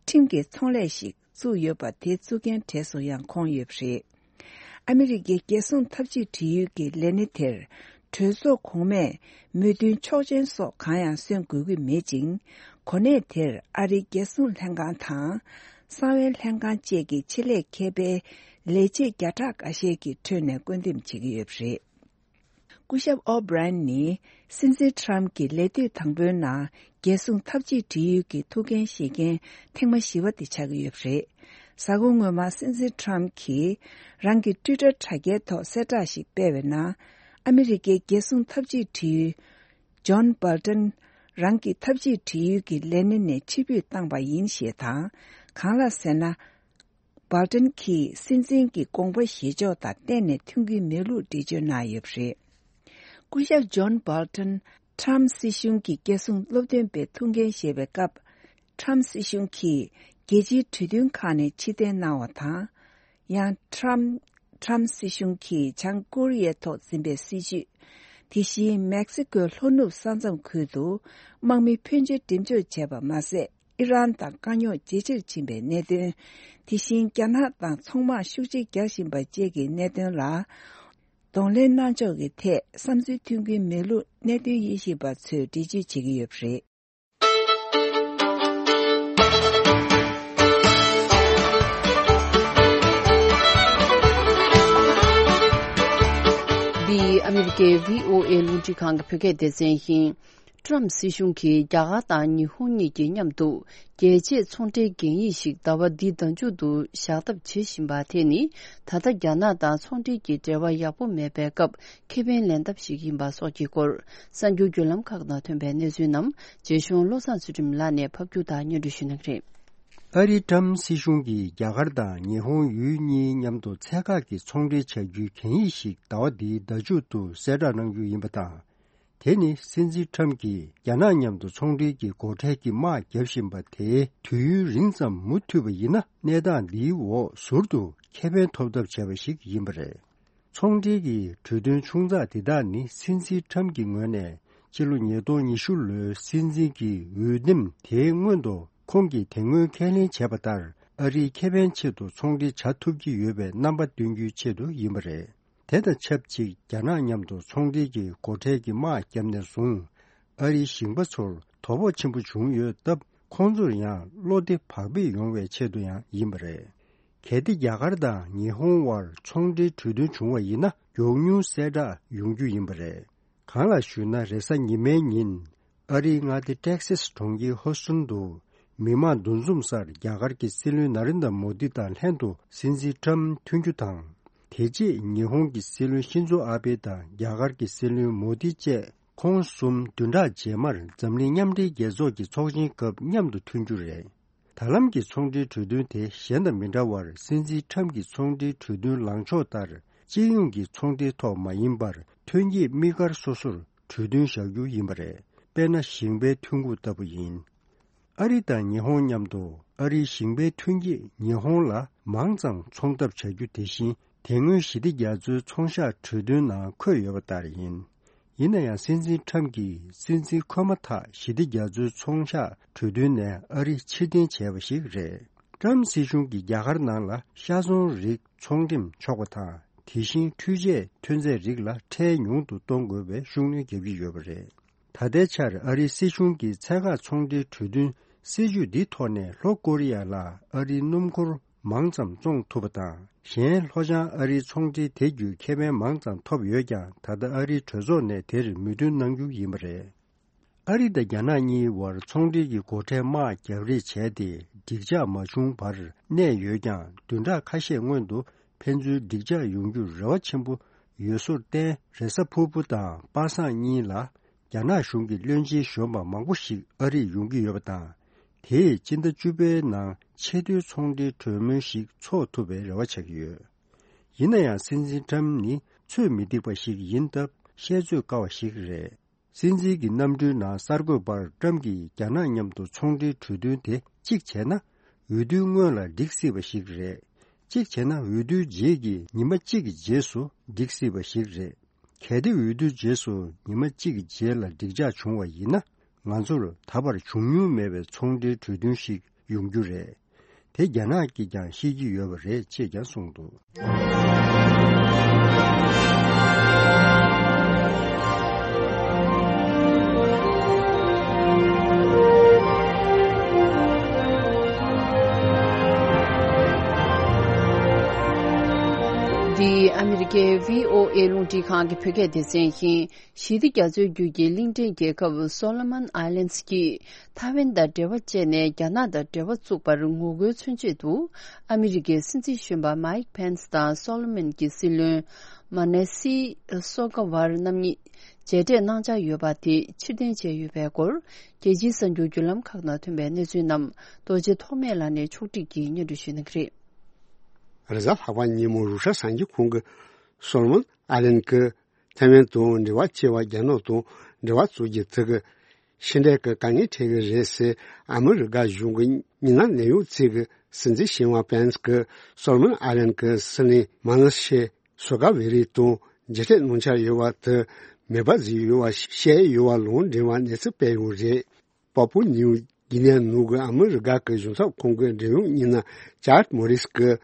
ཁྲིམས་ཀྱི་ཚོང་ལས་ཤིག་བཙུགས་ཡོད་པ་དེ་བཙུགས་མཁན་གྲས་སུ་ཡང་ཁོང་ཡོད་པ་རེད། ཨ་མི་རི་ཀའི་རྒྱལ་སྲུང་འཐབ་ཇུས་འབྲེལ་ཡོད་ཀྱི་ལས་སྣེ་དེར་གྲོས་ཚོགས་གོང་མས་མོས་མཐུན་ཆོག་མཆན་སོགས་གང་ཡང་སོན་དགོས་ཀྱི་མེད་ཅིང་། གོ་གནས་དེར་ཨ་རིའི་རྒྱལ་སྲུང་ལྷན་ཁང་དང་། གསང་བའི་ལྷན་ཁང་བཅས་ཀྱི་ཆེད་ལས་མཁས་པའི་ལས་བྱེད་བརྒྱ་ཕྲག་འགའ་ཤས་ཀྱི་ཁྲོད་ནས་བསྐོ་འདེམས་བྱེད་ཀྱི་ཡོད་པ་རེད། སྐུ་ཞབས་ཨོ་བྷི་རན་ནི་སྲིད་འཛིན་ཊམ་གྱི་ལས་དུས་དང་པོའི་ནང་རྒྱལ་སྲུང་འཐབ་ཇུས་འབྲེལ་ཡོད་ཀྱི་ཐུགས་འགན་བཞེས་མཁན་ཐེངས་མ་བཞི་པ་དེ་ཆགས་ཀྱི་ཡོད་པ་རེད། གཟའ་འཁོར་སྔོན་མ་སྲིད་འཛིན་ཊམ་གྱིས་རང་གི་ཊུའི་ཊར་དྲ་རྒྱའི་ཐོག་གསལ་བསྒྲགས་ཤིག་སྤེལ་བའི་ནང་། ཨ་མི་རི་ཀའི་རྒྱལ་སྲུང་འཐབ་ཇུས་འབྲེལ་ཡོད་ཇོན་སྦལ་ཏན་རང་གི་འཐབ་ཇུས་འབྲེལ་ཡོད་ཀྱི་ལས་སྣེ་ནས་ཕྱིར་འབུད་བཏང་པ་ཡིན་ཞེས་དང་། གང་ལགས་ཟེར་ན། སྦལ་ཏན་གྱིས་སྲིད་འཛིན་གྱི་དགོངས་པ་བཞེས་ཕྱོགས་དང་གཏན་ནས་མཐུན་གྱི་མེད་ལུགས་འགྲེལ་བརྗོད་གནང་ཡོད་པ་རེད། སྐུ་ཞབས་ཇོན་སྦལ་ཏན་ཊམ་སྲིད་གཞུང་གི་རྒྱལ་སྲུང་སློབ་སྟོན་པའི་ཐུགས་འགན་བཞེས་པའི་སྐབས། ཊམ་སྲིད་གཞུང་གིས་རྒྱལ་སྤྱིའི་གྲོས་མཐུན་ཁག་ནས་ཕྱིར་འཐེན་གནང་བ་དང་། ཡང་ཊམ་ཊམ་སྲིད་གཞུང་གིས་བྱང་ཀོ་རི་ཡའི་ཐོག་འཛིན་པའི་སྲིད་བྱུས། དེ་བཞིན་མེག་སི་ཀོའི་ལྷོ་ནུབ་ས་མཚམས་ཁུལ་དུ་དམག་མི་འཕོན་ཆེ་འགྲེམས་འཇོག་བྱས་པ་མ་ཟད། ཨི་རན་དང་དཀའ་རྙོག་ཇེ་ཆེར་ཕྱིན་པའི་གནད་དོན། དེ་བཞིན་རྒྱ་ནག་དང་ཚོང་དམག་ཤུགས་ཆེ་རྒྱག་བཞིན་པ་བཅས་ཀྱི་གནད་དོན་ལ་གདོང་ལེན་གནང་ཕྱོགས་ཀྱི་ཐད་བསམ་ཚུལ་མཐུན་གྱི་མེད་ལུགས་གནད་དོན་དབྱེ་ཞིབ་པ་ཚོས་འགྲེལ་བརྗོད་བྱེད་ཀྱི་ཡོད་པ་རེད། འདི་ཨ་མི་རི་ཀའི་བྷི་ཨོ་ཨེ་རླུང་འཕྲིན་ཁང་གི་བོད་སྐད་སྡེ་ཚན་ཡིན། ཀྲམ་སྲིད་གཞུང་གིས་རྒྱ་གར་དང་ཉི་ཧོང་གཉིས་ཀྱི་མཉམ་དུ་རྒྱལ་གཅེས་ཚོང་འབྲེལ་གན་ཡིག་ཞིག་ཟླ་བ་འདིའི་ཟླ་མཇུག་ཏུ་བཞག་ཐབས་བྱེད་བཞིན་པ་དེ་ནི། ད་ལྟ་རྒྱ་ནག་དང་ཚོང་འབྲེལ་གྱི་འབྲེལ་བ་ཡག་པོ་མེད་པའི་སྐབས་ཁེ་ཕན་ལེན་ཐབས་ཤིག་ཡིན་པ་སོགས་ཀྱི་སྐོར། གསར་འགྱུར་བརྒྱུད་ལམ་ཁག་ནང་ཐོན་པའི་གནས་ཚུལ་རྣམས་རྗེ་གཞུང་བློ་བཟང་ཚུལ་ཁྲིམས་ལགས་ནས་ཕབ་སྒྱུར་དང་སྙན་སྒྲོན་ཞུ་གནང་གི་རེད། ཨ་རིའི་ཀྲམ་སྲིད་གཞུང་གིས་རྒྱ་གར་དང་ཉི་ཧོང་ཡུལ་གཉིས་མཉམ་དུ་ཚད་བཀག་གི་ཚོང་འབྲེལ་བྱ་རྒྱུའི་གན་ཡིག་ཞིག་ཟླ་བ་འདིའི་ཟླ་མཇུག་ཏུ་གསལ་བསྒྲགས་གནང་རྒྱུ་ཡིན་པ་དང་། དེ་ནི་སྲིད་འཛིན་ཁྲམ་གྱིས་རྒྱ་ནག་མཉམ་དུ་ཚོང་འབྲེལ་གྱི་སྒོ་ཁྲལ་གྱི་དམག་བརྒྱབ་བཞིན་པ་དེ་དུས་ཡུན་རིང་ཙམ་མུ་མཐུད་པ་ཡིན་ན། གནས་སྟངས་འདིའི་འོག་ཟུར་དུ་ཁེ་ཕན་ཐོབ་ཐབས་བྱས་པ་ཞིག་ཡིན་པ་རེད། ཚོང་འབྲེལ་གྱི་གྲོས་མཐུན་ཆུང་ཙག་འདི་དག་ནི་སྲིད་འཛིན་ཁྲམ་གྱི་ངོས་ནས་ཕྱི་ལོ་ཉིས་སྟོང་ཉི་ཤུ་ལོའི་སྲིད་འཛིན་གྱི་འོས་འདེམས་དེའི་སྔོན་དུ་ཁོང་གིས་དེ་སྔོན་ཁས་ལེན་བྱས་པ་ལྟར། ཨ་རིའི་ཁེ་ཕན་ཆེད་དུ་ཚོང་འབྲེལ་བྱ་ཐུབ་ཀྱི་ཡོད་པའི་རྣམ་པ་སྟོན་རྒྱུའི་ཆེད་དུ་ཡིན་པ་རེད། དེ་དང་ཆབས་ཅིག་རྒྱ་ནག་མཉམ་དུ་ཚོང་འབྲེལ་གྱི་སྒོ་ཁྲལ་གྱི་དམག་བརྒྱབ་ནས་བཟུང་། ཨ་རིའི་ཞིང་པ་ཚོར་དོ་ཕོག་ཆེན་པོ་བྱུང་ཡོད་སྟབས། ཁོང་ཚོར་ཡང་བློ་བདེ་བག་ཕེབས་ཡོང་བའི་ཆེད་དུ་ཡང་ཡིན་པ་རེད། གལ་ཏེ་རྒྱ་གར་དང་ཉི་ཧོང་དབར་ཚོང་འབྲེལ་གྲོས་མཐུན་བྱུང་བ་ཡིན་ན། མགྱོགས་མྱུར་གསལ་བསྒྲགས་ཡོང་རྒྱུ་ཡིན་པ་རེད། གང་ལགས་ཞུས་ན། རེས་གཟའ་ཉི་མའི་ཉིན། ཨ་རིའི་མངའ་སྡེ་ཏེག་སེས་གྲོང་ཁྱེར་ཧོ་སུན་དུ། མི་མང་འདུ་འཛོམས་སར་རྒྱ་གར་གྱི་སྲིད་བློན་ན་རེན་དྲ་མོ་དི་དང་ལྷན་དུ་སྲིད་འཛིན་ཁྲམ་ཐུག་རྒྱུ་དང་། དེ་རྗེས་ཉི་ཧོང་གི་སྲིད་བློན་ཤིན་ཛོ་ཨ་བྷེ་དང་རྒྱ་གར་གྱི་སྲིད་བློན་མོ་དི་བཅས་ཁོང་གསུམ་བདུན་ཕྲག་རྗེས་མར་འཛམ་གླིང་མཉམ་འབྲེལ་རྒྱལ་ཚོགས་ཀྱི་ཚོགས་ཆེན་སྐབས་མཉམ་དུ་ཐུག་རྒྱུ་རེད། ད་ལམ་གྱི་ཚོང་འབྲེལ་གྲོས་མཐུན་དེ་གཞན་དང་མི་འདྲ་བར། སྲིད་འཛིན་ཁྲམ་གྱི་ཚོང་འབྲེལ་གྲོས་མཐུན་ལངས་ཕྱོགས་ལྟར། སྤྱི་ཡོངས་ཀྱི་ཚོང་འབྲེལ་ཐོག་མ་ཡིན་པར། ཐོན་སྐྱེད་དམིགས་བཀར་སོ་སོར་གྲོས་མཐུན་བཞག་རྒྱུ་ཡིན་པ་རེད། དཔེར་ན། ཞིང་པའི་ཐོན་ཁུངས་ལྟ་བུ་ཡིན། ཨ་རི་དང་ཉི་ཧོང་མཉམ་དུ། ཨ་རིའི་ཞིང་པའི་ཐོན་སྐྱེད་ཉི་ཧོང་ལ་མང་ཙམ་ཚོང་ཐབས་བྱ་རྒྱུ་དེ་བཞིན། དེ་སྔོན་ཞི་བདེ་རྒྱ་མཚོའི་ཚོང་གཤགས་གྲོས་མཐུན་ནང་འཁོད་ཡོད་པ་ལྟར་ཡིན། ཡིན་ན་ཡང་། སྲིད་འཛིན་ཁྲམ་གྱིས་སྲིད་འཛིན་འཁོད་མ་ཐག་ཞི་བདེ་རྒྱ་མཚོའི་ཚོང་གཤགས་གྲོས་མཐུན་ནས་ཨ་རི་ཕྱིར་འཐེན་བྱས་པ་ཞིག་རེད། ཏྲམ་སྲིད་གཞུང་གིས་རྒྱ་གར་ནང་ལ་ཤ་ཚོང་རིགས་ཚོང་འགྲེམས་ཆོག་པ་དང་། དེ་བཞིན་འཕྲུལ་ཆས་ཐོན་རྫས་རིགས་ལ་ཁྲལ་ཉུང་དུ་གཏོང་དགོས་པའི་ཤུགས་སྣོན་རྒྱག་གི་ཡོད་པ་རེད། ད་ལྟའི་ཆར་ཨ་རིའི་སྲིད་གཞུང་གིས་ཚད་བཀག་ཚོང་འབྲེལ་གྲོས་མཐུན་སྲིད་ཇུས་འདིའི་ཐོག་ནས་ལྷོ་ཀོ་རི་ཡ་ལ་ཨ་རིའི་སྣུམ་འཁོར་མང་ཙམ་བཙོང་ཐུབ་པ་དང་། གཞན་ལྷོ་བྱང་ཨ་རིའི་ཚོང་འབྲེལ་དེ་བརྒྱུད་ཁེ་ཕན་མང་ཙམ་ཐོབ་ཡོད་ཀྱང་། ད་ལྟ་ཨ་རིའི་གྲོས་ཚོགས་ནས་དེར་མོས་མཐུན་གནང་རྒྱུ་ཡིན་པ་རེད། ཨ་རི་དང་རྒྱ་ནག་གཉིས་བར་ཚོང་འབྲེལ་གྱི་སྒོ་ཁྲལ་དམག་རྒྱག་རེས་བྱས་ཏེ། འགྲིག་འཇགས་མ་བྱུང་བར་གནས་ཡོད་ཀྱང་། བདུན་ཕྲག་ཁ་ཤས་སྔོན་དུ་ཕན་ཚུན་འགྲིག་འཇགས་ཡོང་རྒྱུར་རེ་བ་ཆེན་པོ་ཡོད་བཟོར་བརྟེན། རེས་གཟའ་ཕུར་བུ་དང་པ་སངས་གཉིས་ལ་རྒྱ་ནག་གཞུང་གི་བློན་ཆེན་གཞོན་པ་མང་པོ་ཞིག་ཨ་རིར་ཡོང་གི་ཡོད་པ་དང་། དེས་སྤྱི་ཟླ་བཅུ་པའི་ནང་ཆེས་མཐོའི་ཚོང་འབྲེལ་གྲོས་མོལ་ཞིག་འཚོགས་ཐུབ་པའི་རེ་བ་བྱེད་ཀྱི་ཡོད། ཡིན་ན་ཡང་། སྲིད་འཛིན་ཏྲམ་ནི་ཚོད་མི་འདེགས་པ་ཞིག་ཡིན་སྟབས། བཤད་ཚོད་དཀའ་བ་ཞིག་རེད། སྲིད་འཛིན་གྱི་གནམ་གྲུའི་ནང་གསར་འགོད་པར། ཏྲམ་གྱིས་རྒྱ་ནག་མཉམ་དུ་ཚོང་འབྲེལ་གྲོས་མཐུན་དེ་གཅིག་བྱས་ན། འོས་བསྡུའི་སྔོན་ལ་འགྲིག་སྲིད་པ་ཞིག་རེད། གཅིག་བྱས་ན། འོས་བསྡུའི་རྗེས་ཀྱི་ཉི་མ་གཅིག་གི་རྗེས་སུ་འགྲིག་སྲིད་པ་ཞིག་རེད། གལ་ཏེ་འོས་བསྡུའི་རྗེས་སུ་ཉི་མ་གཅིག་གི་རྗེས་ལ་འགྲིག་འཇགས་བྱུང་བ་ཡིན་ན། ང་ཚོར་ད་བར་བྱུང་མྱོང་མེད་པའི་ཚོང་འབྲེལ་གྲོས་མཐུན་ཞིག་ཡོང་རྒྱུ་རེད། དེ་རྒྱ་ནག་གིས་ཀྱང་ཤེས་ཀྱི་ཡོད་པ་རེད་ཅེས་ཀྱང་གསུངས་འདུག། འདི་ཨ་མི་རི་ཀའི་བྷི་ཨོ་ཨེ་རླུང་འཕྲིན་ཁང་གི་བོད་སྐད་སྡེ་ཚན་ཡིན། ཞི་བདེ་རྒྱ་མཚོའི་རྒྱུད་ཀྱི་གླིང་ཕྲན་རྒྱལ་ཁབ་སོ་ལོ་མོན་ཨའི་ལན་གྱིས་ཐའེ་ཝན་དང་འབྲེལ་བ་བཅད་ནས་རྒྱ་ནག་དང་འབྲེལ་བ་བཙུགས་པར་ངོ་རྒོལ་མཚོན་ཆེད་དུ། ཨ་མི་རི་ཀའི་སྲིད་འཛིན་གཞོན་པ་མའིག་ཕེན་སི་དང་སོ་ལོ་མོན་གྱི་སྲིད་བློན་མ་ནེ་སི་སོ་ཀ་བར་རྣམ་གཉིས་མཇལ་འཕྲད་གནང་འཆར་ཡོད་པ་དེ་ཕྱིར་འཐེན་བྱས་ཡོད་པའི་སྐོར། རྒྱལ་སྤྱིའི་གསར་འགྱུར་བརྒྱུད་ལམ་ཁག་ནང་ཐོན་པའི་གནས་ཚུལ་རྣམས་རྡོ་རྗེ་ཐོགས་མེད་ལགས་ནས་ཕྱོགས་སྒྲིག་གིས་སྙན་སྒྲོན་ཞུ་གནང་གི་རེད། རེས་གཟའ་ལྷག་པ་ཉིན་མོ་རུ་ཤ་སངས་རྒྱས་ཁོང་གིས་སོ་ལོ་མོན་ཨ་ལན་གྱི་ཐའེ་ཝན་དང་འབྲེལ་བ་བཅད་པར་རྒྱ་ནག་དང་འབྲེལ་བ་བཙུགས་རྒྱུ་དེ་གིས་ཕྱི་འབྲེལ་གྱི་དཀའ་ངལ་འཕྲད་ཀྱི་རེད་ཟེར། ཨ་མི་རི་ཀ་གཞུང་གི་མི་སྣ་གནད་ཡོད་ཅིག་གིས་སྲིད་འཛིན་གཞོན་པ་ཕེན་སི་གིས་སོ་ལོ་མོན་ཨ་ལན་གྱི་སྲིད་བློན་མ་ནེ་སི་སོ་ཀ་བེ་རི་དང་མཇལ་འཕྲད་གནང་འཆར་ཡོད་པ་དེ་མེད་པ་བཟོས་ཡོད་པ་བཤད་ཡོད་པ་ལུང་འདྲེན་པ་གནས་ཚུལ་སྤེལ་ཡོད་རེད། པ་པུ་ནིའུ་གྷི་ནའི་ནང་གི་ཨ་མི་རི་ཀ་གི་གཞུང་ཚབ་ཁང་གི་འབྲེལ་ཡོད་མི་སྣ་ཅཱར་མོ་རིས་ཀྱིས་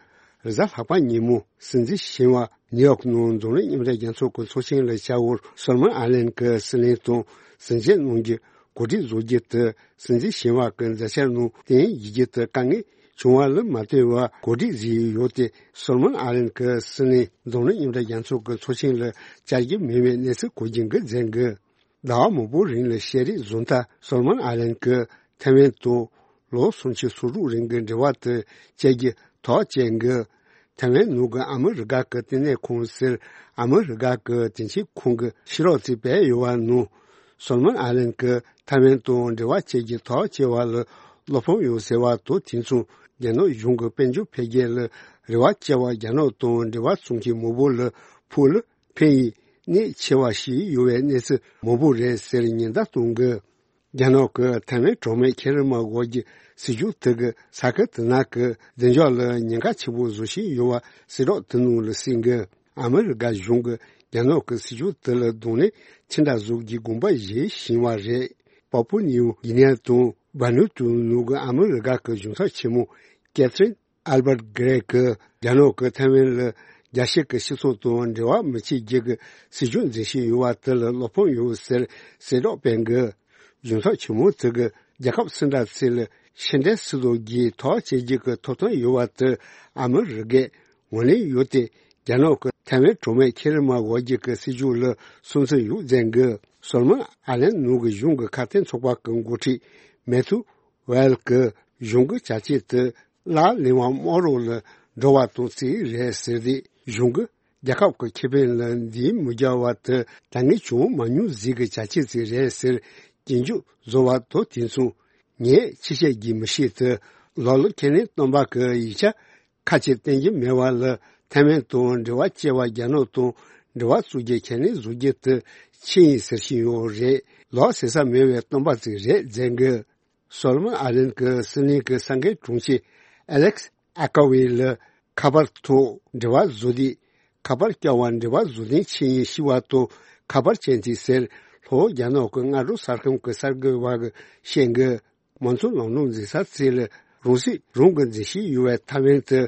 རེས་གཟའ་ལྷག་པ་ཉིན་མོ་སྲིད་འཛིན་གཞོན་པ་ནིའུ་ཡོག་ནང་འཛམ་གླིང་མཉམ་འབྲེལ་རྒྱལ་ཚོགས་ཀྱི་ཚོགས་ཆེན་ལ་བཅར་བར་སོ་ལོ་མོན་ཨའི་ལན་གྱི་སྲིད་བློན་དང་ཟིན་བྲིས་གནང་རྒྱུ་གོ་སྒྲིག་བཟོ་རྒྱུ་དེ་སྲིད་འཛིན་གཞོན་པ་གི་མཛད་འཆར་ནང་བསྟན་ཡིན་རྒྱུ་དེ་དཀའ་ངལ་བྱུང་བ་ལ་མ་ལྟོས་པར་གོ་སྒྲིག་བཟོས་ཡོད་དེ། སོ་ལོ་མོན་ཨའི་ལན་གྱི་སྲིད་བློན་འཛམ་གླིང་མཉམ་འབྲེལ་རྒྱལ་ཚོགས་ཀྱི་ཚོགས་ཆེན་ལ་བཅར་རྒྱུ་མིན་པའི་གནས་ཚུལ་གོ་རྒྱུ་འགའ་མཛད་འགོ། ཟླ་བ་མང་པོའི་རིང་ལ་བཤད་རེས་བཟོ་མཐར་སོ་ལོ་མོན་ཨའི་ལན་གྱིས་ཐའེ་ཝན་དང་ལོ་སུམ་ཅུ་སོ་དྲུག་རིང་གི་འབྲེལ་བ་དེ་བཅད་རྒྱུ་ཐག་བཅད་འགོ། ཐའེ་ཝན་ནང་གི་ཨ་མི་རི་ཀ་གི་བསྟི་གནས་ཁང་ཟེར་ཨ་མི་རི་ཀ་གི་དེང་ཕྱིན་ཁང་གི་ཕྱི་རོལ་ཅིག་སྤེལ་ཡོད་པ་ནང་། སོ་ལོ་མོན་ཨའི་ལན་གྱིས་ཐའེ་ཝན་དང་འབྲེལ་བ་བཅད་རྒྱུ་ཐག་བཅད་པ་ལ་བློ་ཕམ་ཡོད་ཟེར་བ་དང་། དེ་མཚུངས་རྒྱ་ནག་གཞུང་གི་དཔལ་འབྱོར་འཕེལ་རྒྱས་ལ་རེ་བ་བཅད་པ། རྒྱ་ནག་དང་འབྲེལ་བ་བཙུགས་མཁན་མང་པོ་ལ་ཕུགས་ལ་ཕན་ཡོན་གནད་ཆེ་བ་ཞིག་ཡོད་པའི་གནས་ཚུལ་མང་པོ་རེད་ཟེར་ཉེན་བརྡ་གཏོང་གི། རྒྱ་ནག་གི་ཐའེ་ཝན་གྲོགས་མེད་ཁེ་རི་མ་འོག་གི་སྲིད་ཇུས་དེ་གིས་ས་ཁུལ་དེ་ནང་གི་བདེ་འཇགས་ལ་ཉེན་ཁ་ཆེན་པོ་བཟོ་བཞིན་ཡོད་པ་གསལ་བསྒྲགས་དེ་ནང་ལ་གསལ་གི། ཨ་མི་རི་ཀ་གཞུང་གིས་རྒྱ་ནག་གི་སྲིད་ཇུས་དེ་ལ་གདོང་ལེན་ཅི་འདྲ་བཟོ་རྒྱུའི་དགོངས་པ་བཞེས་བཞིན་པ་རེད། པ་པུ་ནིའུ་གྷི་ནེ་དང་བྷ་ནུ་ཏུ་ནུ་གི་ཨ་མི་རི་ཀ་གི་གཞུང་ཚབ་ཆེན་མོ་ཀེ་ཐི་རིན་ཨལ་བྷར་གྷི་རེ་གིས་རྒྱ་ནག་གིས་ཐའེ་ཝན་ལ་རྒྱལ་སྤྱི་གི་སྤྱི་ཚོགས་དང་འབྲེལ་བ་མི་བྱེད་རྒྱུ་གི་སྲིད་ཇུས་འཛིན་བཞིན་ཡོད་པ་དེ་ལ་བློ་ཕམ་ཡོད་ཟེར་གསལ་བསྒྲགས་སྤེལ་གི། གཞུང་ཚབ་ཆེན་མོ་དེ་གིས་རྒྱལ་ཁབ་སུ་འདྲ་ཞིག་ལ་ཕྱི་འབྲེལ་སྲིད་དོན་གྱི་ཐག་བཅད་རྒྱུ་གི་ཐོབ་ཐང་ཡོད་པ་དེ་ཨ་མི་རི་ཀས་ངོས་ལེན་ཡོད་དེ། རྒྱ་ནག་གིས་ཐའེ་ཝན་གྲོགས་མེད་ཁེ་རི་མ་འོག་གི་སྲིད་ཇུས་ལ་སུན་གཙེར་ཡོད་མཛད་གི། སོ་ལོ་མོན་ཨ་ལན་ནང་གི་གཞུང་གི་ཁ་གཏད་ཚོགས་པ་གི་འགོ་ཁྲིད་མེ་ཐུ་ཝེལ་གྱིས་གཞུང་གི་བྱ་སྤྱོད་དེ་ལག་ལེན་པ་རྨོག་རོགས་ལ་འགྲོ་བ་དང་རྩིས་རེད་ཟེར་ཏེ། གཞུང་གིས་རྒྱལ་ཁབ་ཀྱི་ཁེ་ཕན་ལ་འཛེམ་མི་རྒྱག་པ་དེ་ད་སྔ་བྱུང་མ་མྱོང་ཟིག་གི་བྱ་སྤྱོད་ཅིག་རེད་ཟེར་སྐྱོན་བརྗོད་བཟོ་བ་དང་། དེ་མཚུངས་ངས་ཅི་བཤད་རྒྱུ་མི་ཤེས་ཏེ། ལོ་ལོ་ཁེ་ནེ་སྟོན་པ་གི་ཡིག་ཆ་ཁ་ཅིག་བསྟན་གྱི་མེད་པ་ལ། ཐའེ་ཝན་དང་འབྲེལ་བ་བཅད་པ། རྒྱ་ནག་དང་འབྲེལ་བ་བཙུགས་རྒྱུ་ཁས་ལེན་བཟོ་རྒྱུ་དེ་ཆི་ཡིན་ཟེར་བཞིན་ཡོད་རེད། ལོ་ཟེར་ས་མེད་པའི་སྟོན་པ་ཅིག་རེད་མཛད་གི། སོ་ལོ་མོན་ཨ་ལན་གྱི་སྲིད་བློན་གྱི་ས་འགན་དྲུང་ཆེ་ཨ་ལེག་སི་ཨ་ཀ་ཝེ་ལ་ཁ་པར་ཐོག་འབྲེལ་བ་བཟོ་དུས། ཁ་པར་བསྐྱར་བ་འབྲེལ་བ་བཟོ་དོན་ཆི་ཡིན་ཤེས་པ་དང་། ཁ་པར་ཅན་དེ་ཟེར་ལྷོ་རྒྱ་ནག་གི་སྔ་དྲོ་གསར་ཁང་གི་གསར་འགོད་པ་གིས་བཤད་གི། མང་གཙོ་ལམ་ལུགས་འཛིན་ས་ཅིག་ལ་ གྲོང་གསེབ་རང་གི་འཛིན་བྱེད་ཡོད་པའི་ཐའེ་ཝན་དུ་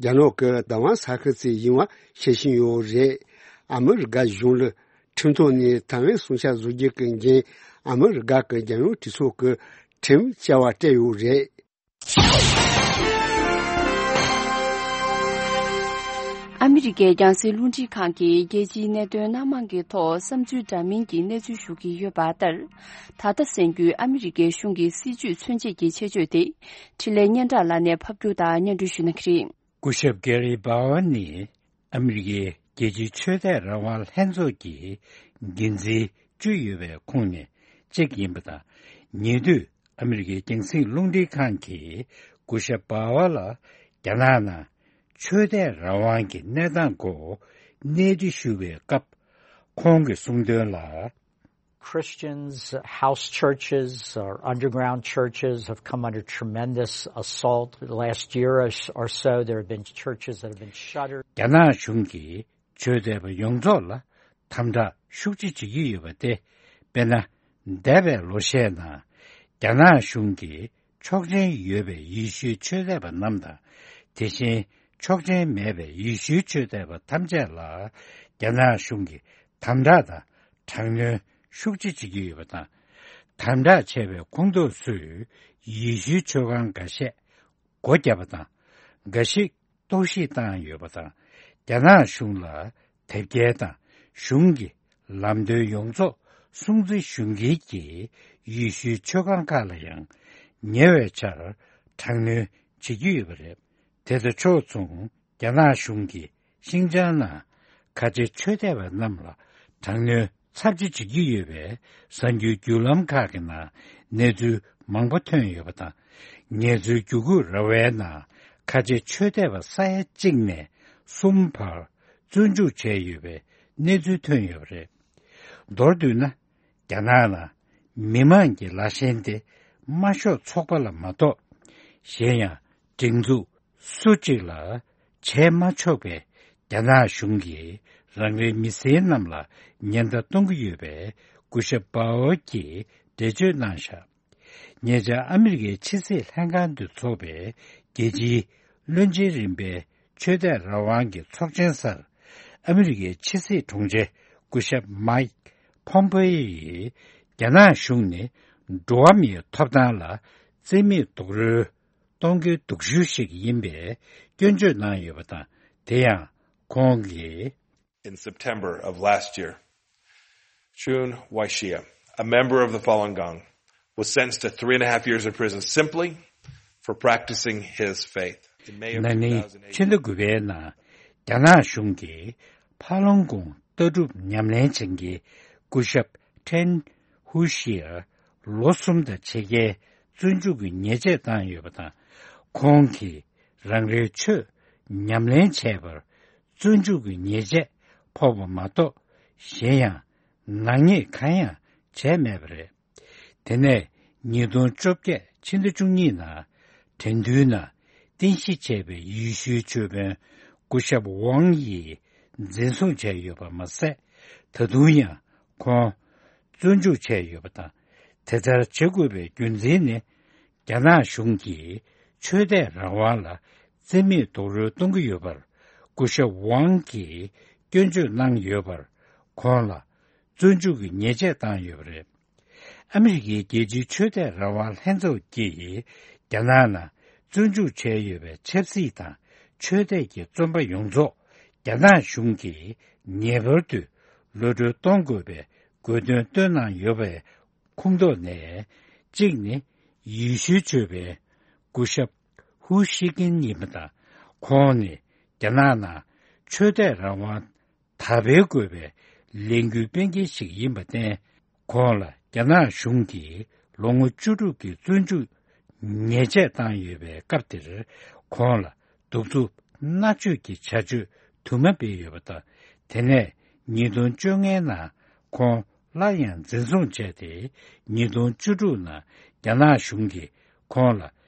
རྒྱ་ནག་གི་བདག་དབང་ས་ཁུལ་ཅིག་ཡིན་པ་ཤེས་བཞིན་ཡོད་རེད། ཨ་མི་རི་ཀ་གཞུང་ལ་ཁྲིམས་ཐོག་ནས་ཐའེ་ཝན་སྲུང་སྐྱོབ་བཟོ་རྒྱུ་གི་འགན་ཨ་མི་རི་ཀ་གི་རྒྱལ་ཡོངས་གྲོས་ཚོགས་ཀྱི་ཁྲིམས་བཅའ་བ་སྤྲད་ཡོད་རེད། ཨ་མི་རི་ཀའི་རྒྱང་སྲིང་རླུང་འཕྲིན་ཁང་གིས་རྒྱལ་སྤྱིའི་གནད་དོན་སྣ་མང་གི་ཐོག་བསམ་ཚུལ་འདྲ་མིན་གྱི་གནས་ཚུལ་ཞུ་གི་ཡོད་པ་ལྟར། ད་ལྟ་གསན་རྒྱུའི་ཨ་མི་རི་ཀའི་གཞུང་གི་སྲིད་ཇུས་མཚོན་བྱེད་ཀྱི་ཆེད་བརྗོད་དེ། འཕྲིན་ལས་སྙན་གྲགས་ལགས་ནས་ཕབ་སྒྱུར་དང་སྙན་སྒྲོན་ཞུ་གནང་གི་རེད། སྐུ་ཞབས་Gary Bauer ནི་ཨ་མི་རི་ཀའི་རྒྱལ་སྤྱིའི་ཆོས་དད་རང་དབང་ལྷན་ཚོགས་ཀྱི་འགན་འཛིན་བཅུ་ཡོད་པའི་ཁོངས་ནས་གཅིག་ཡིན་པ་དང་། ཉེ་དུས་ཨ་མི་རི་ཀའི་རྒྱང་སྲིང་རླུང་འཕྲིན་ཁང་གིས་སྐུ་ཞབས་Bauer ལ་རྒྱ་ནག་ནང་ཆོས་དད་རང་དབང་གི་གནས་སྟངས་སྐོར་གནས་འདྲི་ཞུ་བའི་སྐབས། ཁོང་གིས་གསུངས་དོན་ལ། Christians, house churches or underground churches have come under tremendous assault. The last year or s- or so, there have been churches that have been shuttered. རྒྱ་ནག་གཞུང་གིས་ཆོས་དད་པ་ཡོངས་རྫོགས་ལ་དམ་དྲག་ཤུགས་ཆེ་བྱེད་ཀྱི་ཡོད་པ་སྟེ། དཔེར་ན། འདས་པའི་ལོ་ཤས་ནང་རྒྱ་ནག་གཞུང་གིས་ཆོག་མཆན་ཡོད་པའི་ཡེ་ཤུའི་ཆོས་དད་པ་རྣམས་དང་། དེ་བཞིན་ཆོག་མཆན་མེད་པའི་ཡེ་ཤུའི་ཆོས་དད་པ་ཐམས་ཅད་ལ་རྒྱ་ནག་གཞུང་གིས་དམ་དྲག་དང་། དྲག་གནོན་ཤུགས་ཆེ་བྱེད་ཀྱི་ཡོད་པ་དང་། དམ་དྲག་བྱས་པའི་ཁོངས་གཏོགས་ཚོས་ཡེ་ཤུའི་མཆོད་ཁང་འགའ་ཤས་སྒོ་བརྒྱབ་པ་དང་། འགའ་ཞིག་གཏོར་བཤིག་བཏང་ཡོད་པ་དང་། རྒྱ་ནག་གཞུང་ལ་དེབ་སྐྱེལ་དང་གཞུང་གི་ལམ་སྟོན་ཡོངས་རྫོགས་སྲུང་བརྩི་ཞུ་མཁན་གྱི་ཡེ་ཤུའི་མཆོད་ཁང་ཁག་ལ་ཡང་ཉེ་བའི་ཆར་དྲག་གནོན་བྱེད་ཀྱི་ཡོད་པ་རེད། དེ་དང་ཕྱོགས་མཚུངས། རྒྱ་ནག་གཞུང་གིས་ཤིན་ཅང་ནང་ཁ་ཆེ་ཆོས་དད་པ་རྣམས་ལ་དྲག་གནོན་ཚབས་ཆེ་བྱེད་ཀྱི་ཡོད་པའི་གསར་འགྱུར་བརྒྱུད་ལམ་ཁག་གི་ནང་གནས་ཚུལ་མང་པོ་ཐོན་ཡོད་པ་དང་། ངལ་རྩོལ་བརྒྱུད་སྐུལ་ར་བའི་ནང་ཁ་ཆེ་ཆོས་དད་པ་ས་ཡ་གཅིག་ནས་གསུམ་བར་བཙོན་འཇུག་བྱས་ཡོད་པའི་གནས་ཚུལ་ཐོན་ཡོད་པ་རེད། མདོར་བསྡུས་ན། རྒྱ་ནག་ནང་མི་མང་གི་ལ་ཞེན་དེ་དམར་ཤོག་ཚོགས་པ་ལ་མ་གཏོགས་གཞན་ཡང་སྒྲིག་འཛུགས་སུ་གཅིག་ལ་བྱས་མ་ཆོག་པའི་རྒྱ་ནག་གཞུང་གིས་རང་རེའི་མི་སེར་རྣམས་ལ་ཉེན་བརྡ་གཏོང་གི་ཡོད་པའི་སྐུ་ཞབས་པའོ་གིས་འགྲེལ་བརྗོད་གནང་བཞག་ཉེ་ཆར་ཨ་མི་རི་ཀའི་ཕྱི་སྲིད་ལྷན་ཁང་དུ་འཚོགས་པའི་རྒྱལ་སྤྱིའི་བློན་ཆེན་རིམ་པའི་ཆོས་དད་རང་དབང་གི་ཚོགས་ཆེན་སར། ཨ་མི་རི་ཀའི་ཕྱི་སྲིད་དྲུང་ཆེ་སྐུ་ཞབས་མའིག་ཕོམ་པེ་ཡིས། རྒྱ་ནག་གཞུང་ནི་འགྲོ་བ་མིའི་ཐོབ་ཐང་ལ་བརྩི་མེད་རྡོག་རོལ་གཏོང་མཁན་སྡུག་ཤོས་ཤིག་ཡིན་པའི་སྐྱོན་བརྗོད་གནང་ཡོད་པ་དང་། དེ་ཡང་ཁོང་གིས། In September of last year, Chun Waishia, a member of the Falun Gong, was sentenced to three and a half years in prison simply for practicing his faith. In May of ན་ནིང་ཕྱི་ཟླ་དགུ་པའི་ནང་རྒྱ་ནག་གཞུང་གིས་ཕ་ལོང་གུང་ལྟ་གྲུབ་ཉམས་ལེན་བྱེད་མཁན་སྐུ་ཞབས་ཁྲེན་ཧུ་ཤིར་ལོ་གསུམ་དང་ཕྱེད་ཀའི་བཙོན་འཇུག་གི་ཉེས་ཆད་བཏང་ཡོད་པ་དང་། ཁོང་གིས་རང་རེའི་ཆོས་ཉམས་ལེན་བྱས་པར་བཙོན་འཇུག་གི་ཉེས་ཆད་ཕོག་པ་མ་གཏོགས་གཞན་ཡང་ནག་ཉེས་གང་ཡང་བྱས་མེད་པ་རེད། དེ་ནས་ཉིས་སྟོང་བཅོ་བརྒྱད་ཕྱི་ཟླ་བཅུ་གཉིས་ནང་དྲན་འདུན་ནང་རྟེན་གཞི་བྱས་པའི་ཡེ་ཤུའི་ཆོས་དཔོན་སྐུ་ཞབས་ཝང་ཡིས་འཛིན་བཟུང་བྱས་ཡོད་པ་མ་ཟད། ད་དུང་ཡང་ཁོང་བཙོན་འཇུག་བྱས་ཡོད་པ་དང་། དེ་ལྟར་བྱེད་དགོས་པའི་རྒྱུ་མཚན་ནི། རྒྱ་ནག་གཞུང་གིས་ཆོས་དད་རང་དབང་ལ་བརྩི་མེད་རྡོག་རོལ་གཏོང་གི་ཡོད་པར་སྐུ་ཞབས་ཝང་གིས་སྐྱོན་བརྗོད་གནང་ཡོད་པར། ཁོང་ལ་བཙོན་འཇུག་གི་ཉེས་ཆད་བཏང་ཡོད་པ་རེད། ཨ་མི་རི་ཀའི་རྒྱལ་སྤྱིའི་ཆོས་དད་རང་དབང་ལྷན་ཚོགས་ཀྱིས་རྒྱ་ནག་ནང་བཙོན་འཇུག་བྱས་ཡོད་པའི་ཆབ་སྲིད་དང་ཆོས་དད་ཀྱི་བཙོན་པ་ཡོངས་རྫོགས་རྒྱ་ནག་གཞུང་གིས་ངེས་པར་དུ་གློད་གྲོལ་གཏོང་དགོས་པའི་དགོས་འདུན་བཏོན་གནང་ཡོད་པའི་ཁོངས་གཏོགས་ནས་གཅིག་ནི་ཡེ་ཤུའི་ཆོས་པའི་སྐུ་ཞབས་ཧུ་ཤི་ཀིན་ཡིན་པ་དང་། ཁོང་ནི་རྒྱ་ནག་ནང་ཆོས་དད་རང་དབང་དར་སྤེལ་དགོས་པའི་ལས་འགུལ་སྤེལ་མཁན་ཞིག་ཡིན་པར་བརྟེན། ཁོང་ལ་རྒྱ་ནག་གཞུང་གིས་ལོ་ངོ་བཅུ་དྲུག་གི་བཙོན་འཇུག་ཉེས་ཆད་བཏང་ཡོད་པའི་སྐབས་དེར། ཁོང་ལ་གདུག་རྩུབ་མནར་གཅོད་ཀྱི་བྱ་སྤྱོད་དུ་མ་སྤེལ་ཡོད་པ་དང་། དེ་ནས་ཉིས་སྟོང་བཅོ་ལྔའི་ནང་ཁོང་སླར་ཡང་འཛིན་བཟུང་བྱས་ཏེ། ཉིས་སྟོང་བཅུ་དྲུག་ནང་རྒྱ་ནག་གཞུང་གིས་ཁོང་ལ་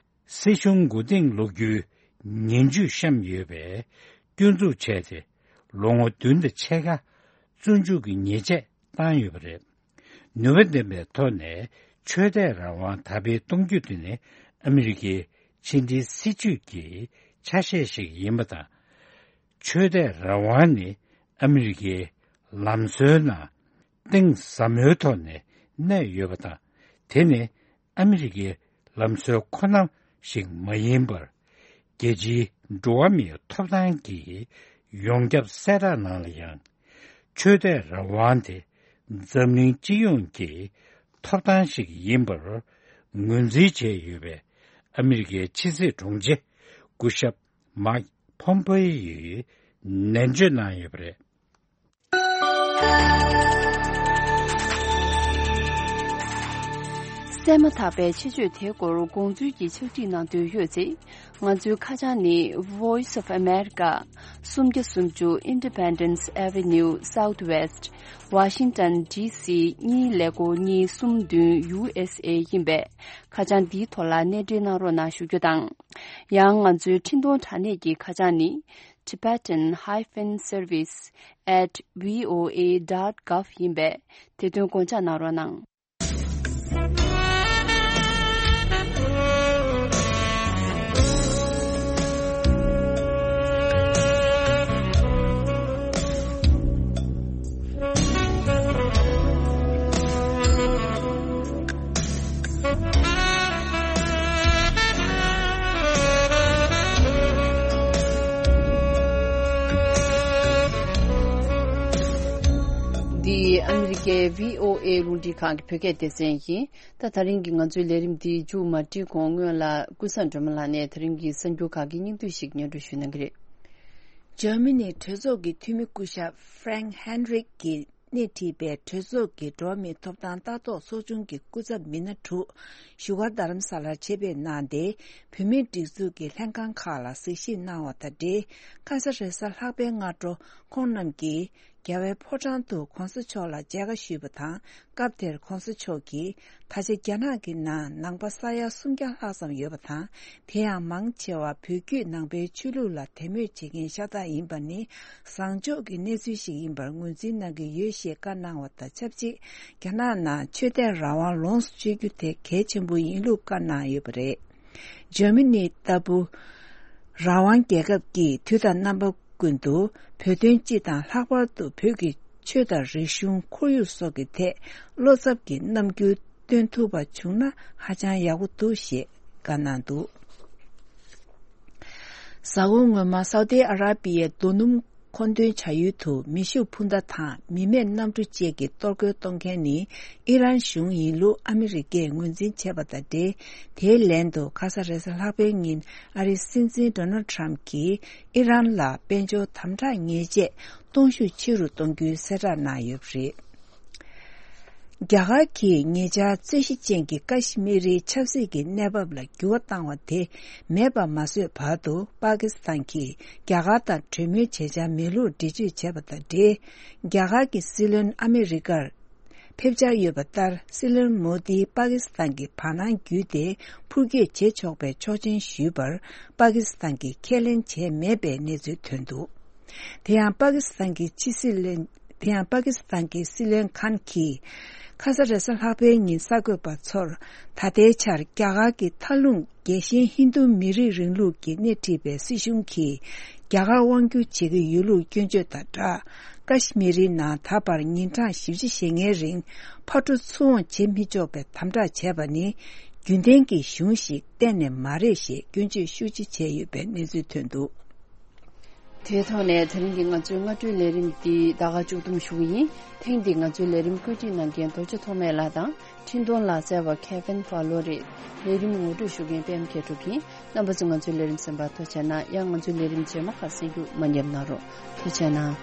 སྲིད་གཞུང་མགོ་རྟིང་སློག་རྒྱུའི་ངན་ཇུས་བཤམས་ཡོད་པའི་སྐྱོན་འཛུགས་བྱས་ཏེ། ལོ་ངོ་བདུན་དང་ཕྱེད་ཀ་བཙོན་འཇུག་གི་ཉེས་ཆད་བཏང་ཡོད་པ་རེད། ནུས་པ་ལྡན་པའི་ཐོག་ནས་ཆོས་དད་རང་དབང་དར་སྤེལ་གཏོང་རྒྱུ་དེ་ནི་ཨ་མི་རི་ཀའི་ ཕྱི་འབྲེལ་སྲིད་ཇུས་ཀྱི་ཆ་ཤས་ཤིག་ཡིན་པ་དང་། ཆོས་དད་རང་དབང་ནི་ཨ་མི་རི་ཀའི་ལམ་སྲོལ་ནང་གཏིང་ཟབ་མོའི་ཐོག་ནས་གནས་ཡོད་པ་དང་། དེ་ནི་ཨ་མི་རི་ཀའི་ལམ་སྲོལ་ཁོ་ན་ཞིག་མ་ཡིན་པར། རྒྱལ་སྤྱིའི་འགྲོ་བ་མིའི་ཐོབ་ཐང་གི་ཡོངས་ཁྱབ་གསལ་བསྒྲགས་ནང་ལ་ཡང་། ཆོས་དད་རང་དབང་དེ་འཛམ་གླིང་སྤྱི་ཡོངས་ཀྱི་ཐོབ་ཐང་ཞིག་ཡིན་པར་ངོས་འཛིན་བྱས་ཡོད་པས། ཨ་མི་རི་ཀའི་ཕྱི་སྲིད་དྲུང་ཆེ་སྐུ་ཞབས་མཱིཀ་ཕོམ་པེ་ཡིས་ནན་བརྗོད་གནང་ཡོད་པ་རེད། གསན་མ་ཐག་པའི་ཆེད་བརྗོད་དེའི་སྐོར་དགོངས་ཚུལ་གྱི་ཕྱག་བྲིས་གནང་འདོད་ཡོད་ཚེ། ང་ཚོའི་ཁ་བྱང་ནི། Voice of America། སུམ་བརྒྱ་སུམ་ཅུ་Independence Avenue Southwest། Washington D C གཉིས་ཀླད་ཀོར་གཉིས་གསུམ་བདུན། U S A ཡིན་པས། ཁ་བྱང་འདིའི་ཐོག་ལ་གནས་འབྲེལ་གནང་རོགས་གནང་ཞུ་རྒྱུ་དང་། ཡང་ང་ཚོའི་འཕྲིན་གཏོང་དྲ་གནས་ཀྱི་ཁ་བྱང་ནི། Tibetan hyphen service at V O A dot gov ཡིན་པས། དེ་དོན་དགོངས་འཇགས་གནང་རོགས་གནང་། འདི་ཨ་མི་རི་ཀའི་V O A རླུང་འཕྲིན་ཁང་གི་བོད་སྐད་སྡེ་ཚན་ཡིན། ད་ད་རིང་གི་ང་ཚོའི་ལས་རིམ་འདི་མཇུག་མ་སྒྲིལ་གོང་སྔོན་ལ་ཀུན་བཟང་སྒྲོལ་མ་ལགས་ནས་ད་རིང་གི་གསར་འགྱུར་ཁག་གི་སྙིང་བསྡུས་ཤིག་སྙན་སྒྲོན་ཞུ་གནང་གི་རེད། འཇར་མ་ནིའི་གྲོས་ཚོགས་ཀྱི་འཐུས་མི་སྐུ་ཞབས་Frank Heinrich གིས་སྣེ་ཁྲིད་པའི་གྲོས་ཚོགས་ཀྱི་འགྲོ་བ་མིའི་ཐོབ་ཐང་ལྟ་རྟོག་ཚོགས་ཆུང་གི་སྐུ་ཚབ་མི་སྣ་དྲུག་བཞུགས་སྒར་རྡ་རམ་ས་ལར་ཆེད་ཕེབས་གནང་སྟེ། བོད་མིའི་སྒྲིག་འཛུགས་ཀྱི་ལྷན་ཁང་ཁག་ལ་གཟིགས་ཞིབ་གནང་བ་དང་འབྲེལ། ཁ་ས་རེ་ས་ལྷག་པའི་སྔ་དྲོ་ཁོང་རྣམས་ཀྱིས་རྒྱལ་བའི་ཕོ་བྲང་དུ་གོང་ས་མཆོག་ལ་མཇལ་ཁ་ཞུས་པ་དང་། སྐབས་དེར་གོང་ས་མཆོག་གིས། ད་ཆ་རྒྱ་ནག་གི་ནང་ནང་པ་ས་ཡ་སུམ་བརྒྱ་ལྷག་ཙམ་ཡོད་པ་དང་། དེ་ཡང་མང་ཆེ་བ་བོད་བརྒྱུད་ནང་པའི་ཆོས་ལུགས་ལ་དད་མོས་བྱེད་མཁན་ཤ་སྟག་ཡིན་པ་ནི། བཟང་ཕྱོགས་ཀྱི་གནས་ཚུལ་ཞིག་ཡིན་པར་ངོས་འཛིན་གནང་གི་ཡོད་ཞེས་བཀའ་གནང་བ་དང་ཆབས་ཅིག་རྒྱ་ནག་ནང་ཆོས་དད་རང་དབང་ལོངས་སུ་སྤྱོད་རྒྱུ་དེ་གལ་ཆེན་པོ་ཡིན་ལུགས་བཀའ་གནང་ཡོད་པ་རེད། འཇར་མ་ནི་ལྟ་བུ་རང་དབང་རྒྱལ་ཁབ་ཀྱིས་དུས་དང་རྣམ་པ་ཀུན་ཏུ་བོད་དོན་སྤྱི་དང་ལྷག་པར་དུ་བོད་ཀྱི་ཆོས་དང་རིག་གཞུང་ཁོར་ཡུག་སོགས་ཀྱི་ཐད་བློ་འཚབ་ཀྱི་རྣམ་འགྱུར་སྟོན་ཐུབ་པ་བྱུང་ན་ཧ་ཅང་ཡག་པོ་འདུག་ཞེས་བཀའ་གནང་འདུག་གཟའ་འཁོར་སྔོན་མ་སའུ་ཏི་ཨ་ར་པི་ཡའི་རྡོ་སྣུམ་མཁོ་འདོན་བྱ་ཡུལ་དུ་མེ་ཤུགས་འཕུར་མདའ་དང་མི་མེད་གནམ་གྲུ་བཅས་ཀྱིས་གཏོར་རྒོལ་གཏོང་མཁན་ནི་ཨི་རན་གཞུང་ཡིན་ལུགས་ཨ་མི་རི་ཀས་ངོས་འཛིན་བྱས་པ་དང་འབྲེལ། དེའི་ལན་དུ་ཁ་ས་རེ་ས་ལྷག་པའི་ཉིན་ཨ་རིའི་སྲིད་འཛིན་ཌོ་ནལ་ཊམ་གྱིས་ཨི་རན་ལ་དཔལ་འབྱོར་དམ་དྲག་ཉེས་ཆད་གཏོང་ཤུགས་ཆེ་རུ་གཏོང་རྒྱུའི་གསལ་བསྒྲགས་གནང་ཡོད་པ་རེད། རྒྱ་གར་གྱིས་ཉེ་ཆར་རྩོད་གཞི་ཅན་གྱི་ཀ་ཤི་མི་རིའི་ཆབ་སྲིད་ཀྱི་གནས་བབ་ལ་འགྱུར་བ་བཏང་བ་དེ་མེད་པ་མ་བཟོས་བར་དུ། པ་ཀི་སི་ཐན་གྱིས་རྒྱ་གར་དང་གྲོས་མོལ་བྱེད་འཆར་མེད་ལུགས་འགྲེལ་བརྗོད་བྱས་པ་དང་འབྲེལ། རྒྱ་གར་གྱི་སྲིད་བློན་ཨ་མི་རི་ཀར་ཕེབས་འཆར་ཡོད་པ་ལྟར། སྲིད་བློན་མོ་དིས་པ་ཀི་སི་ཐན་གྱི་བར་སྣང་བརྒྱུད་དེ་འཕུར་སྐྱོད་བྱེད་ཆོག་པའི་ཆོག་མཆན་ཞུས་པར། པ་ཀི་སི་ཐན་གྱིས་ཁས་ལེན་བྱས་མེད་པའི་གནས་ཚུལ་ཐོན་འདུག་དེ་ཡང་པ་ཀི་སི་ཐན་གྱི་ཕྱི་སྲིད་བློན། དེ་ཡང་པ་ཀི་སི་ཐན་གྱི་སྲིད་བློན་ཁཱན་གྱིས། ཁ་ས་རེས་གཟའ་ལྷག་པའི་ཉིན་གསར་འགོད་པ་ཚོར། ད་ལྟའི་ཆར་རྒྱ་གར་གྱི་མཐའ་ལྷུང་རྒྱལ་ཞེན་ཧིན་རྡུ་མི་རིགས་རིང་ལུགས་ཀྱིས་སྣེ་ཁྲིད་པའི་སྲིད་གཞུང་གིས། རྒྱ་གར་དབང་བསྒྱུར་བྱེད་ཀྱི་ཡོད་ལུགས་སྐྱོན་བརྗོད་དང་སྦྲགས། ཀ་ཤི་མི་རིའི་ནང་ད་བར་ཉིན་གྲངས་བཞི་བཅུ་ཞེ་ལྔའི་རིང་ཕར་འགྲོ་ཚུར་འོང་བྱེད་མི་ཆོག་པའི་དམ་དྲག་བྱས་པ་ནི། རྒྱུན་ལྡན་གྱི་གཞུང་ཞིག་གཏན་ནས་མ་རེད་ཞེས་སྐྱོན་བརྗོད་ཤུགས་ཆེ་བྱས་ཡོད་པའི་གནས་ཚུལ་ཐོན་འདུག་དེའི་ཐོག་ནས་དེ་རིང་གི་ང་ཚོའི་སྔ་དྲོའི་ལས་རིམ་འདི་ད་ག་མཇུག་བསྡོམས་ཞུ་གི་ཡིན། ཐེངས་འདིའི་ང་ཚོའི་ལས་རིམ་བཀོད་སྒྲིག་གནང་མཁན་རྡོ་རྗེ་ཐོགས་མེད་ལགས་དང་། འཕྲིན་གཏོང་ལག་རྩལ་བ་Kevin Fowler རེད། ལས་རིམ་ངོ་སྤྲོད་ཞུ་མཁན་པད་མ་མཁས་གྲུབ་ཡིན། རྣམ་པ་ཚོས་ང་ཚོའི་ལས་རིམ་གསན་པར་ཐུགས་རྗེ་གནང་། ཡང་ང་ཚོའི་ལས་རིམ་རྗེས་མ་ཁག་གསན་རྒྱུ་མ་ཉེས་གནང་རོགས། ཐུགས་རྗེ་གནང་།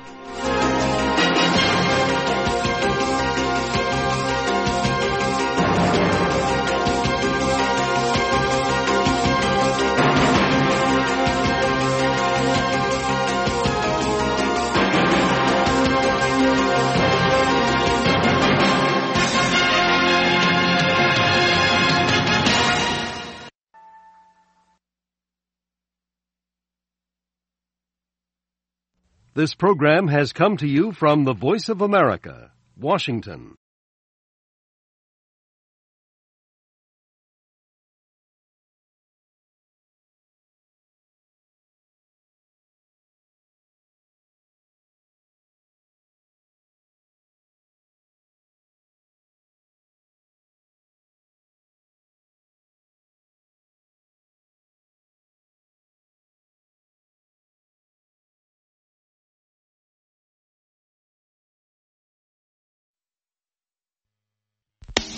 This program has come to you from the Voice of America, Washington.